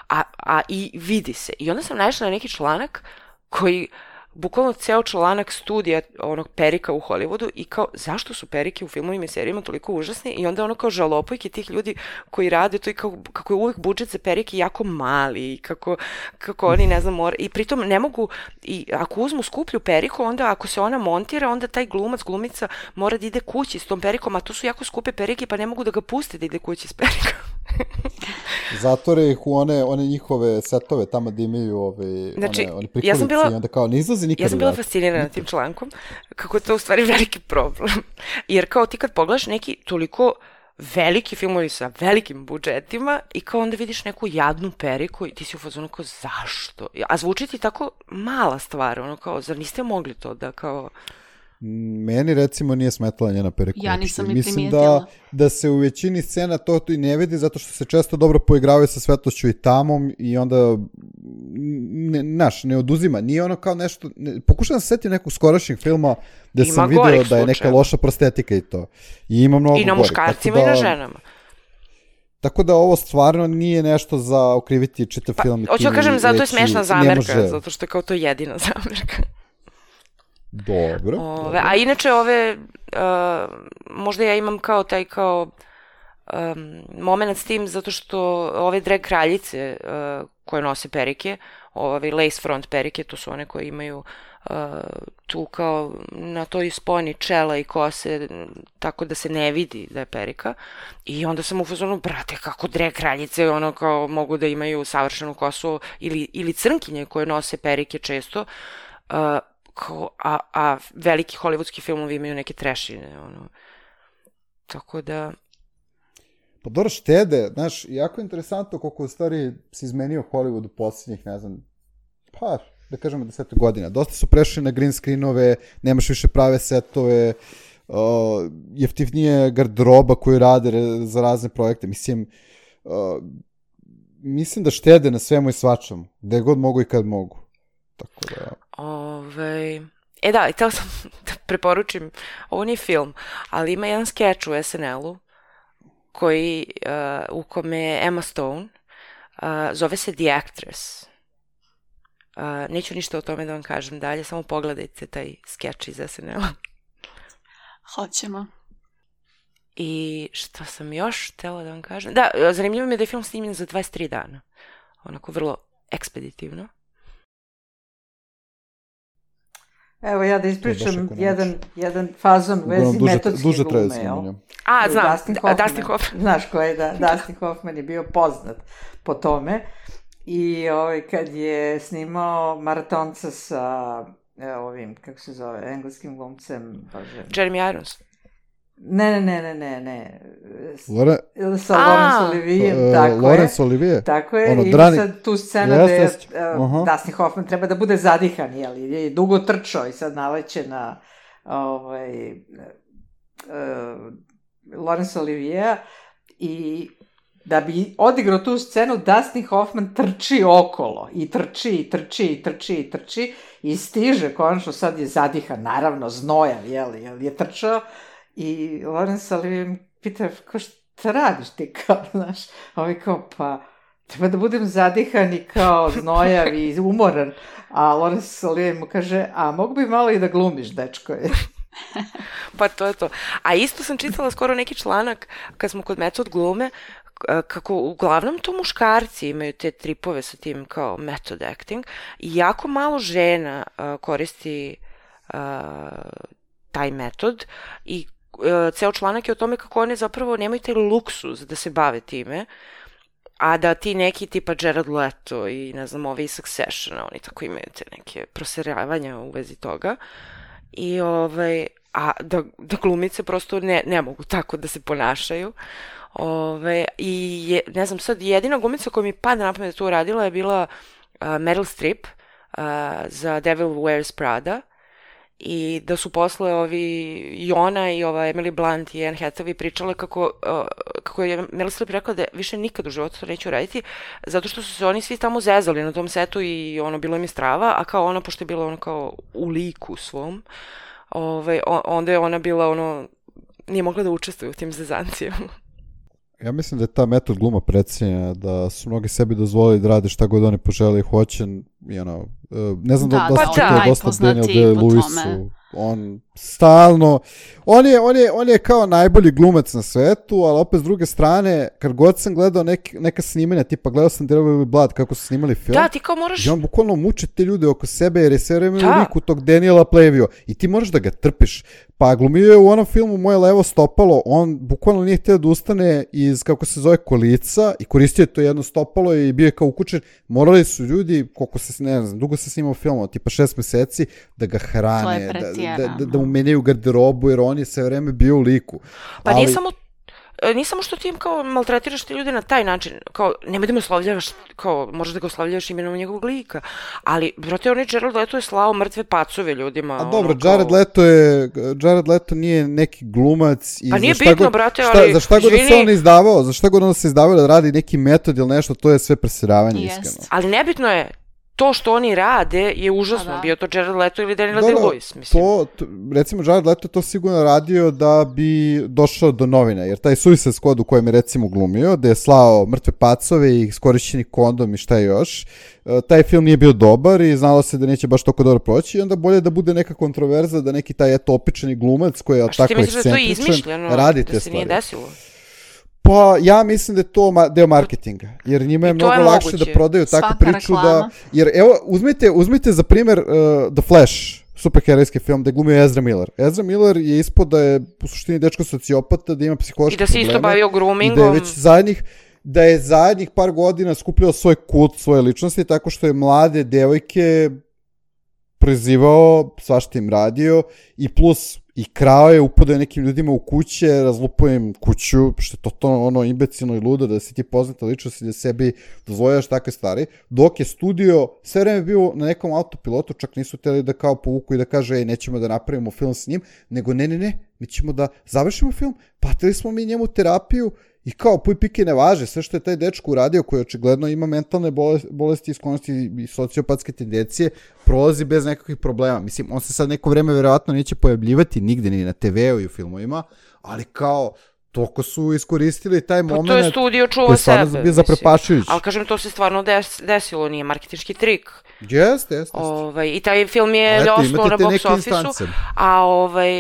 a, a i vidi se. I onda sam naišla na neki članak koji, bukvalno ceo članak studija onog perika u Hollywoodu i kao, zašto su perike u filmovima i serijima toliko užasne i onda ono kao žalopojke tih ljudi koji rade to i kao, kako je uvijek budžet za perike jako mali i kako, kako oni ne znam, mora, i pritom ne mogu, i ako uzmu skuplju periku, onda ako se ona montira, onda taj glumac, glumica mora da ide kući s tom perikom, a to su jako skupe perike pa ne mogu da ga puste da ide kući s perikom. Zatvore ih u one, one njihove setove tamo da imaju ove, znači, one, one prikolice ja bila, i onda kao ne izlazi nikada. Ja sam bila fascinirana tim člankom, kako je to u stvari veliki problem. Jer kao ti kad pogledaš neki toliko veliki filmovi sa velikim budžetima i kao onda vidiš neku jadnu periku i ti si u fazonu kao zašto? A zvuči ti tako mala stvar, ono kao zar niste mogli to da kao... Meni recimo nije smetala njena perika. Ja nisam ni Mislim primijetila. da, da se u većini scena to i ne vidi zato što se često dobro poigravaju sa svetlošću i tamom i onda ne, naš, ne oduzima. Nije ono kao nešto, ne, pokušam se setiti nekog skorašnjeg filma gde ima sam vidio da je neka loša prostetika i to. I ima mnogo I na gorih. muškarcima da, i na ženama. Tako da ovo stvarno nije nešto za okriviti čitav pa, film. Hoću da kažem, zato je smešna zamerka, zato što je kao to jedina zamerka. Dobro, ove, dobro. A inače ove, uh, možda ja imam kao taj kao um, moment s tim zato što ove drag kraljice uh, koje nose perike, ove lace front perike, to su one koje imaju uh, tu kao na toj sponi čela i kose, tako da se ne vidi da je perika. I onda sam u fazonu, brate, kako drag kraljice ono kao mogu da imaju savršenu kosu ili, ili crnkinje koje nose perike često, uh, Kao, a, a veliki hollywoodski filmovi imaju neke trešine, ono. Tako da... Pa dobro štede, znaš, jako interesantno koliko u stvari se izmenio Hollywood u posljednjih, ne znam, pa, da kažemo deset godina. Dosta su prešli na green screenove, nemaš više prave setove, uh, jeftinije garderoba koju rade za razne projekte. Mislim, uh, mislim da štede na svemu i svačemu, gde god mogu i kad mogu. Tako da... Ove, e da, i teo sam da preporučim, ovo nije film, ali ima jedan skeč u S N L-u koji, uh, u kome je Emma Stone, uh, zove se The Actress. Uh, neću ništa o tome da vam kažem dalje, samo pogledajte taj skeč iz S N L-a. Hoćemo. I što sam još htjela da vam kažem? Da, zanimljivo mi je da je film snimljen za dvadeset tri dana. Onako vrlo ekspeditivno. Evo ja da ispričam jedan, jedan fazon u vezi metodske duže glume. Jel? A, znam, Dustin Hoffman. Dustin Hoffman. Znaš ko je, da, Dustin Hoffman je bio poznat po tome. I ovaj, kad je snimao Maratonca sa ovim, kako se zove, engleskim glumcem. Bože. Jeremy Irons. Ne, ne, ne, ne, ne, ne. Lore... Sa Laurence Olivier, uh, tako Laurence je. Olivier. Tako je, ono, i drani... sad tu scena yes, da je yes. uh, uh-huh. Dustin Hoffman treba da bude zadihan, jel, je dugo trčao i sad naleće na ovaj, uh, Laurence Olivier i da bi odigrao tu scenu, Dustin Hoffman trči okolo i trči, i trči, i trči, i trči i stiže, konačno sad je zadihan, naravno znojav, jel, jel je trčao. I Laurence Olivier pita, kao šta radiš ti, kao, znaš, ovaj kao, pa, treba da budem zadihan i kao znojav i umoran, a Laurence Olivier mu kaže, a mogu bi malo i da glumiš, dečko je. Pa to je to. A isto sam čitala skoro neki članak, kad smo kod metod glume, kako uglavnom to muškarci imaju te tripove sa tim kao method acting i jako malo žena uh, koristi uh, taj metod i ceo članak je o tome kako one zapravo nemaju taj luksuz da se bave time, a da ti neki tipa Jared Leto i ne znam ovi Succession, oni tako imaju te neke proseravanja u vezi toga i ovaj, a da, da glumice prosto ne, ne mogu tako da se ponašaju. Ove, i je, ne znam sad, jedina glumica koja mi pada na pamet da tu radila je bila uh, Meryl Streep uh, za Devil Wears Prada. i da su posle ovi i ona i ova Emily Blunt i Anne Hathaway pričale kako, uh, kako je Meryl Streep rekla da više nikad u životu to neću raditi, zato što su se oni svi tamo zezali na tom setu i ono, bilo im je strava, a kao ona, pošto je bila ono kao u liku svom, ovaj, onda je ona bila ono, nije mogla da učestvuje u tim zezancijama. Ja mislim da je ta metod gluma precijenjena, da su mnogi sebi dozvolili da rade šta god oni požele i hoće, you know, ne znam da, da, da, da su čitali dosta Daniel Day-Lewisu, on stalno, on je, on, je, on je kao najbolji glumac na svetu, ali opet s druge strane, kad god sam gledao nek, neka snimanja, tipa gledao sam There Will Be Blood, kako su snimali film, da, ti kao moraš... i on bukvalno muče te ljude oko sebe, jer je sve vreme u liku tog Daniela Plainview i ti moraš da ga trpiš. Pa glumio je u onom filmu Moje levo stopalo, on bukvalno nije htio da ustane iz, kako se zove, kolica i koristio je to jedno stopalo i bio je kao ukučen. Morali su ljudi, koliko se, ne znam, dugo se snimao film, tipa šest meseci, da ga hrane, da, da, da, da mu menjaju garderobu, jer on je sve vreme bio u liku. Pa ali... nije samo nije samo što ti im kao maltretiraš te ljude na taj način, kao nemoj da me oslovljavaš, kao možeš da ga oslovljavaš imenom njegovog lika, ali brate, onaj Jared Leto je slao mrtve pacove ljudima. A dobro, ono, kao... Jared Leto je, Jared Leto nije neki glumac i pa nije za šta bitno, god, brate, šta, ali za šta god da se on izdavao, za šta god on se izdavao da radi neki metod ili nešto, to je sve presiravanje, yes. Iskreno. Ali nebitno je, to što oni rade je užasno, da. Bio to Jared Leto ili Daniel Day-Lewis, mislim. To, to, recimo, Jared Leto je to sigurno radio da bi došao do novina, jer taj Suicide Squad u kojem je recimo glumio, da je slao mrtve pacove i iskorišćeni kondom i šta još, taj film nije bio dobar i znalo se da neće baš toliko dobro proći i onda bolje da bude neka kontroverza, da neki taj eto opičeni glumac koji je tako ekscentričan, radi te stvari. A što ti misliš da to je izmišljeno, da se nije desilo? Pa ja mislim da je to ma- deo marketinga, jer njima je mnogo je lakše moguće da prodaju takvu Svaka priču reklama. Da, jer evo uzmite, uzmite za primjer uh, The Flash, superherojski film gde glumio Ezra Miller. Ezra Miller je ispod da je u suštini dečko sociopata, da ima psihološke probleme. I da se isto bavio groomingom. I da je već zadnjih, da je zadnjih par godina skupljao svoj kult, svoje ličnosti, tako što je mlade devojke prizivao, svašta im radio i plus i krao je, upadao je nekim ljudima u kuće, razlupao im kuću, što je totalno ono imbecilno i ludo, da si ti poznata ličnost i da sebi dozvoljaš takve stvari, dok je studio sve vreme bio na nekom autopilotu, čak nisu hteli da kao povuku i da kaže, ej, nećemo da napravimo film s njim, nego ne, ne, ne, mi ćemo da završimo film, platili smo mi njemu terapiju i kao puj pike ne važe, sve što je taj dečko uradio, koji očigledno ima mentalne bolesti, sklonosti i sociopatske tendencije, prolazi bez nekakvih problema. Mislim, on se sad neko vreme verovatno neće pojavljivati nigde, ni na te veu i u filmovima, ali kao, toliko su iskoristili taj moment. Pa to je studio čuva sebe. Koji je bio zaprepašujući. Ali kažem, to se stvarno des, desilo, nije marketinški trik. Jeste, jeste. Ovaj, I taj film je osnovno na box office-u, a ovaj,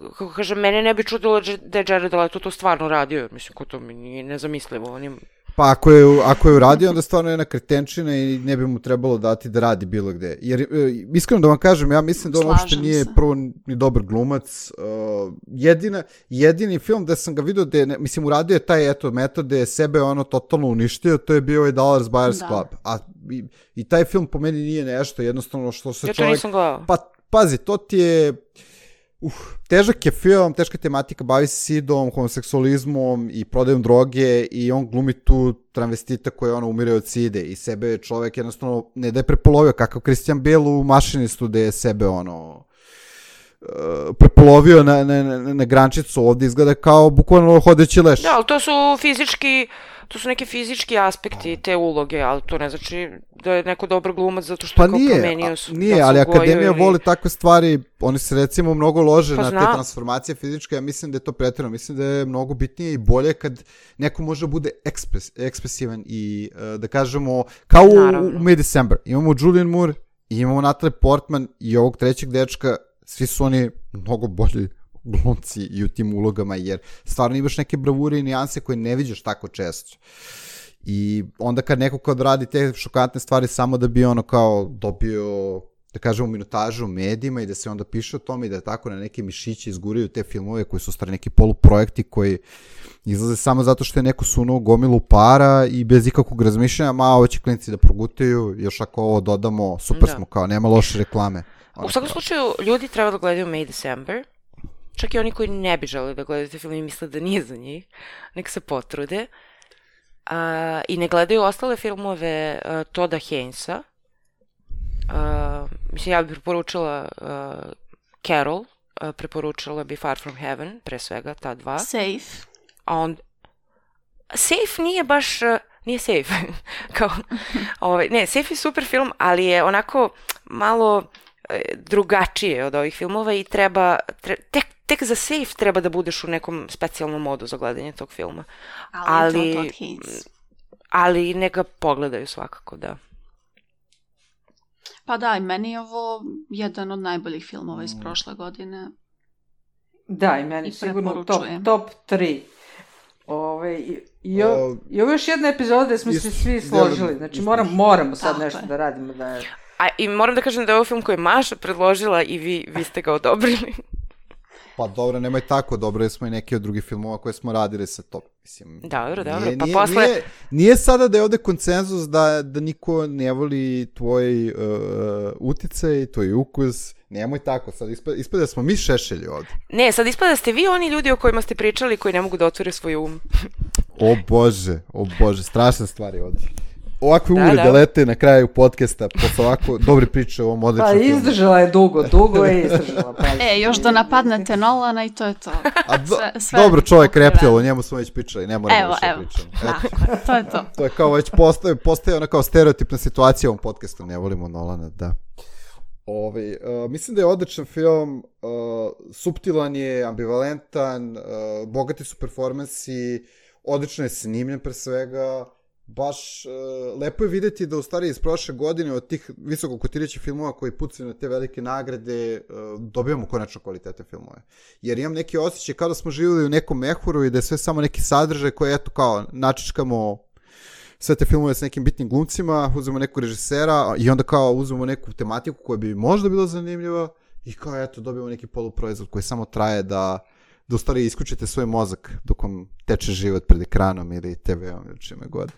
kako kažem, mene ne bi čudilo da je Jared Leto to stvarno radio, mislim, ko to mi nije nezamislivo. On je... Pa ako je, ako je uradio, onda stvarno je jedna kretenčina i ne bi mu trebalo dati da radi bilo gde. Jer, iskreno da vam kažem, ja mislim da on uopšte nije prvo ni dobar glumac. Uh, jedina, jedini film da sam ga vidio, da je, mislim, uradio je taj eto, metod da je sebe ono totalno uništio, to je bio ovaj Dallas Buyers da. Club. A, i, I taj film po meni nije nešto, jednostavno što se ja čovjek... Ja to nisam gledao. Pa, pazi, to ti je... Uh, težak je film, teška tematika, bavi se sidom, homoseksualizmom i prodajom droge i on glumi tu travestita koja ono umire od side i sebe je čovjek jednostavno ne da je prepolovio, kakav Christian Bale u Mašinistu da je sebe ono uh, prepolovio na, na, na, na grančicu, ovdje izgleda kao bukvalno hodeći leš. Da, ali to su fizički, to su neki fizički aspekti te uloge, ali to ne znači da je neko dobar glumac zato što pa je kao nije, promenio su. Nije, ali Akademija ili... voli takve stvari, oni se recimo mnogo lože pa na znam. te transformacije fizičke, ja mislim da je to pretjerano, mislim da je mnogo bitnije i bolje kad neko može bude ekspres, ekspresivan i uh, da kažemo, kao u, u Mid-December. Imamo Julian Moore, imamo Natalie Portman i ovog trećeg dečka, svi su oni mnogo bolji glumci i u tim ulogama, jer stvarno imaš neke bravure i nijanse koje ne viđaš tako često. I onda kad neko kad radi te šokantne stvari samo da bi ono kao dobio, da kažemo, minutažu u medijima i da se onda piše o tome i da tako na neke mišiće izguraju te filmove koji su stvari neki poluprojekti koji izlaze samo zato što je neko sunuo gomilu para i bez ikakvog razmišljanja, ma ovo će klinici da progutaju, još ako ovo dodamo, super da. Smo, kao nema loše reklame. U svakom slučaju, ljudi treba da gledaju May December. Čak i oni koji ne bi želi da gledaju te film i misle da nije za njih, nek se potrude. Uh, I ne gledaju ostale filmove uh, Todda Haynesa. Uh, mislim, ja bih preporučila uh, Carol, uh, preporučila bi Far From Heaven, pre svega, ta dva. Safe. A on... Safe nije baš... Uh, nije Safe. Kao, ovaj, ne, Safe je super film, ali je onako malo uh, drugačije od ovih filmova i treba... Tre, tek, tek za Safe treba da budeš u nekom specijalnom modu za gledanje tog filma. Ali, ali, ali ne ga pogledaju svakako, da. Pa da, i meni je ovo jedan od najboljih filmova iz prošle godine. Da, i meni I sigurno top, top tri. Ove, i, i, o, I ovo još jedna epizoda gde smo se svi složili. Znači moram, moramo sad Tako nešto je. da radimo. Da je... A, i moram da kažem da je ovo film koji je Maša predložila i vi, vi ste ga odobrili. Pa dobro, nemoj tako, dobro smo i neki od drugih filmova koje smo radili sa to. Mislim, dobro, dobro, nije, pa nije, posle... Nije, nije sada da je ovde konsenzus da, da niko ne voli tvoj uh, uticaj, tvoj ukus, nemoj tako, sad ispada, ispada da smo mi šešelji ovde. Ne, sad ispada da ste vi oni ljudi o kojima ste pričali koji ne mogu da otvore svoj um. O Bože, o Bože, strašne stvari ovde. Ovakve uvrede da, da. lete na kraju podcasta posle ovako dobre priče o ovom odličnom filmu. Pa izdržala je dugo, dugo je izdržala. Pa. E, još da napadnete Nolana i to je to. A do, sve, sve dobro, čovjek reptil, o njemu smo već pričali, ne moramo evo, više evo. pričamo. Da, to je to. To je kao već postaje, postaje ona kao stereotipna situacija u ovom podcastu, ne volimo Nolana, da. Ove, uh, mislim da je odličan film, uh, suptilan je, ambivalentan, uh, bogati su performansi, odlično je snimljen pre svega, baš uh, lepo je videti da u stvari iz prošle godine od tih visoko kotirajućih filmova koji pucaju na te velike nagrade uh, dobijamo konačno kvalitetne filmove. Jer imam neki osjećaj kao da smo živjeli u nekom mehuru i da je sve samo neki sadržaj koji eto kao načičkamo sve te filmove s nekim bitnim glumcima, uzmemo nekog režisera i onda kao uzmemo neku tematiku koja bi možda bila zanimljiva i kao eto dobijemo neki poluproizvod koji samo traje da da u stvari isključite svoj mozak dok vam teče život pred ekranom ili te veom ili čime god.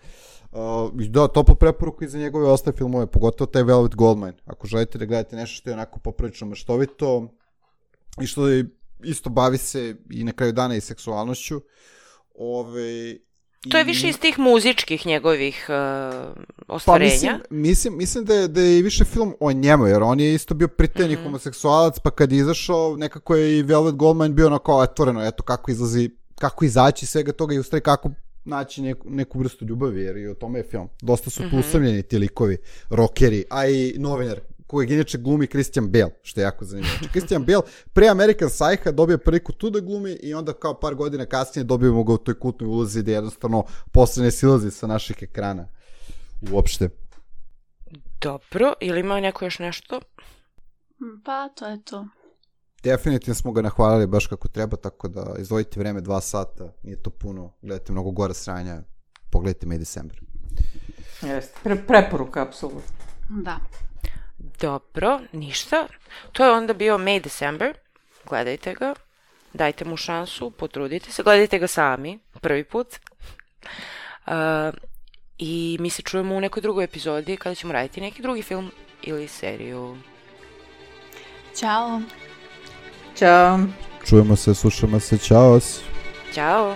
Uh, da, toplu preporuku i za njegove ostale filmove, pogotovo taj Velvet Goldmine. Ako želite da gledate nešto što je onako poprilično maštovito i što je isto bavi se i na kraju dana i seksualnošću. Ove, to je više iz tih muzičkih njegovih uh, ostvarenja. Pa mislim, mislim, mislim da, je, da je i više film o njemu, jer on je isto bio pritejni mm-hmm. homoseksualac, pa kad je izašao, nekako je i Velvet Goldmine bio ono kao otvoreno, eto kako izlazi, kako izaći svega toga i u stvari kako naći neku, neku vrstu ljubavi, jer i o tome je film. Dosta su tu mm-hmm. usamljeni ti likovi, rockeri, a i novinar, kojeg inače glumi Christian Bale, što je jako zanimljivo. Znači, Christian Bale pre American Psycha dobije priliku tu da glumi i onda kao par godina kasnije dobijemo ga u toj kultnoj ulozi gde jednostavno posle ne silazi sa naših ekrana uopšte. Dobro, ili ima neko još nešto? Pa, to je to. Definitivno smo ga nahvalili baš kako treba, tako da izdvojite vreme dva sata, nije to puno, gledajte mnogo gore sranja, pogledajte May December. Jeste, Pre- preporuka, apsolutno. Da. Dobro, ništa. To je onda bio May December. Gledajte ga. Dajte mu šansu, potrudite se. Gledajte ga sami, prvi put. Uh, I mi se čujemo u nekoj drugoj epizodi kada ćemo raditi neki drugi film ili seriju. Ćao. Ćao. Čujemo se, slušamo se. Ćao. Ćao.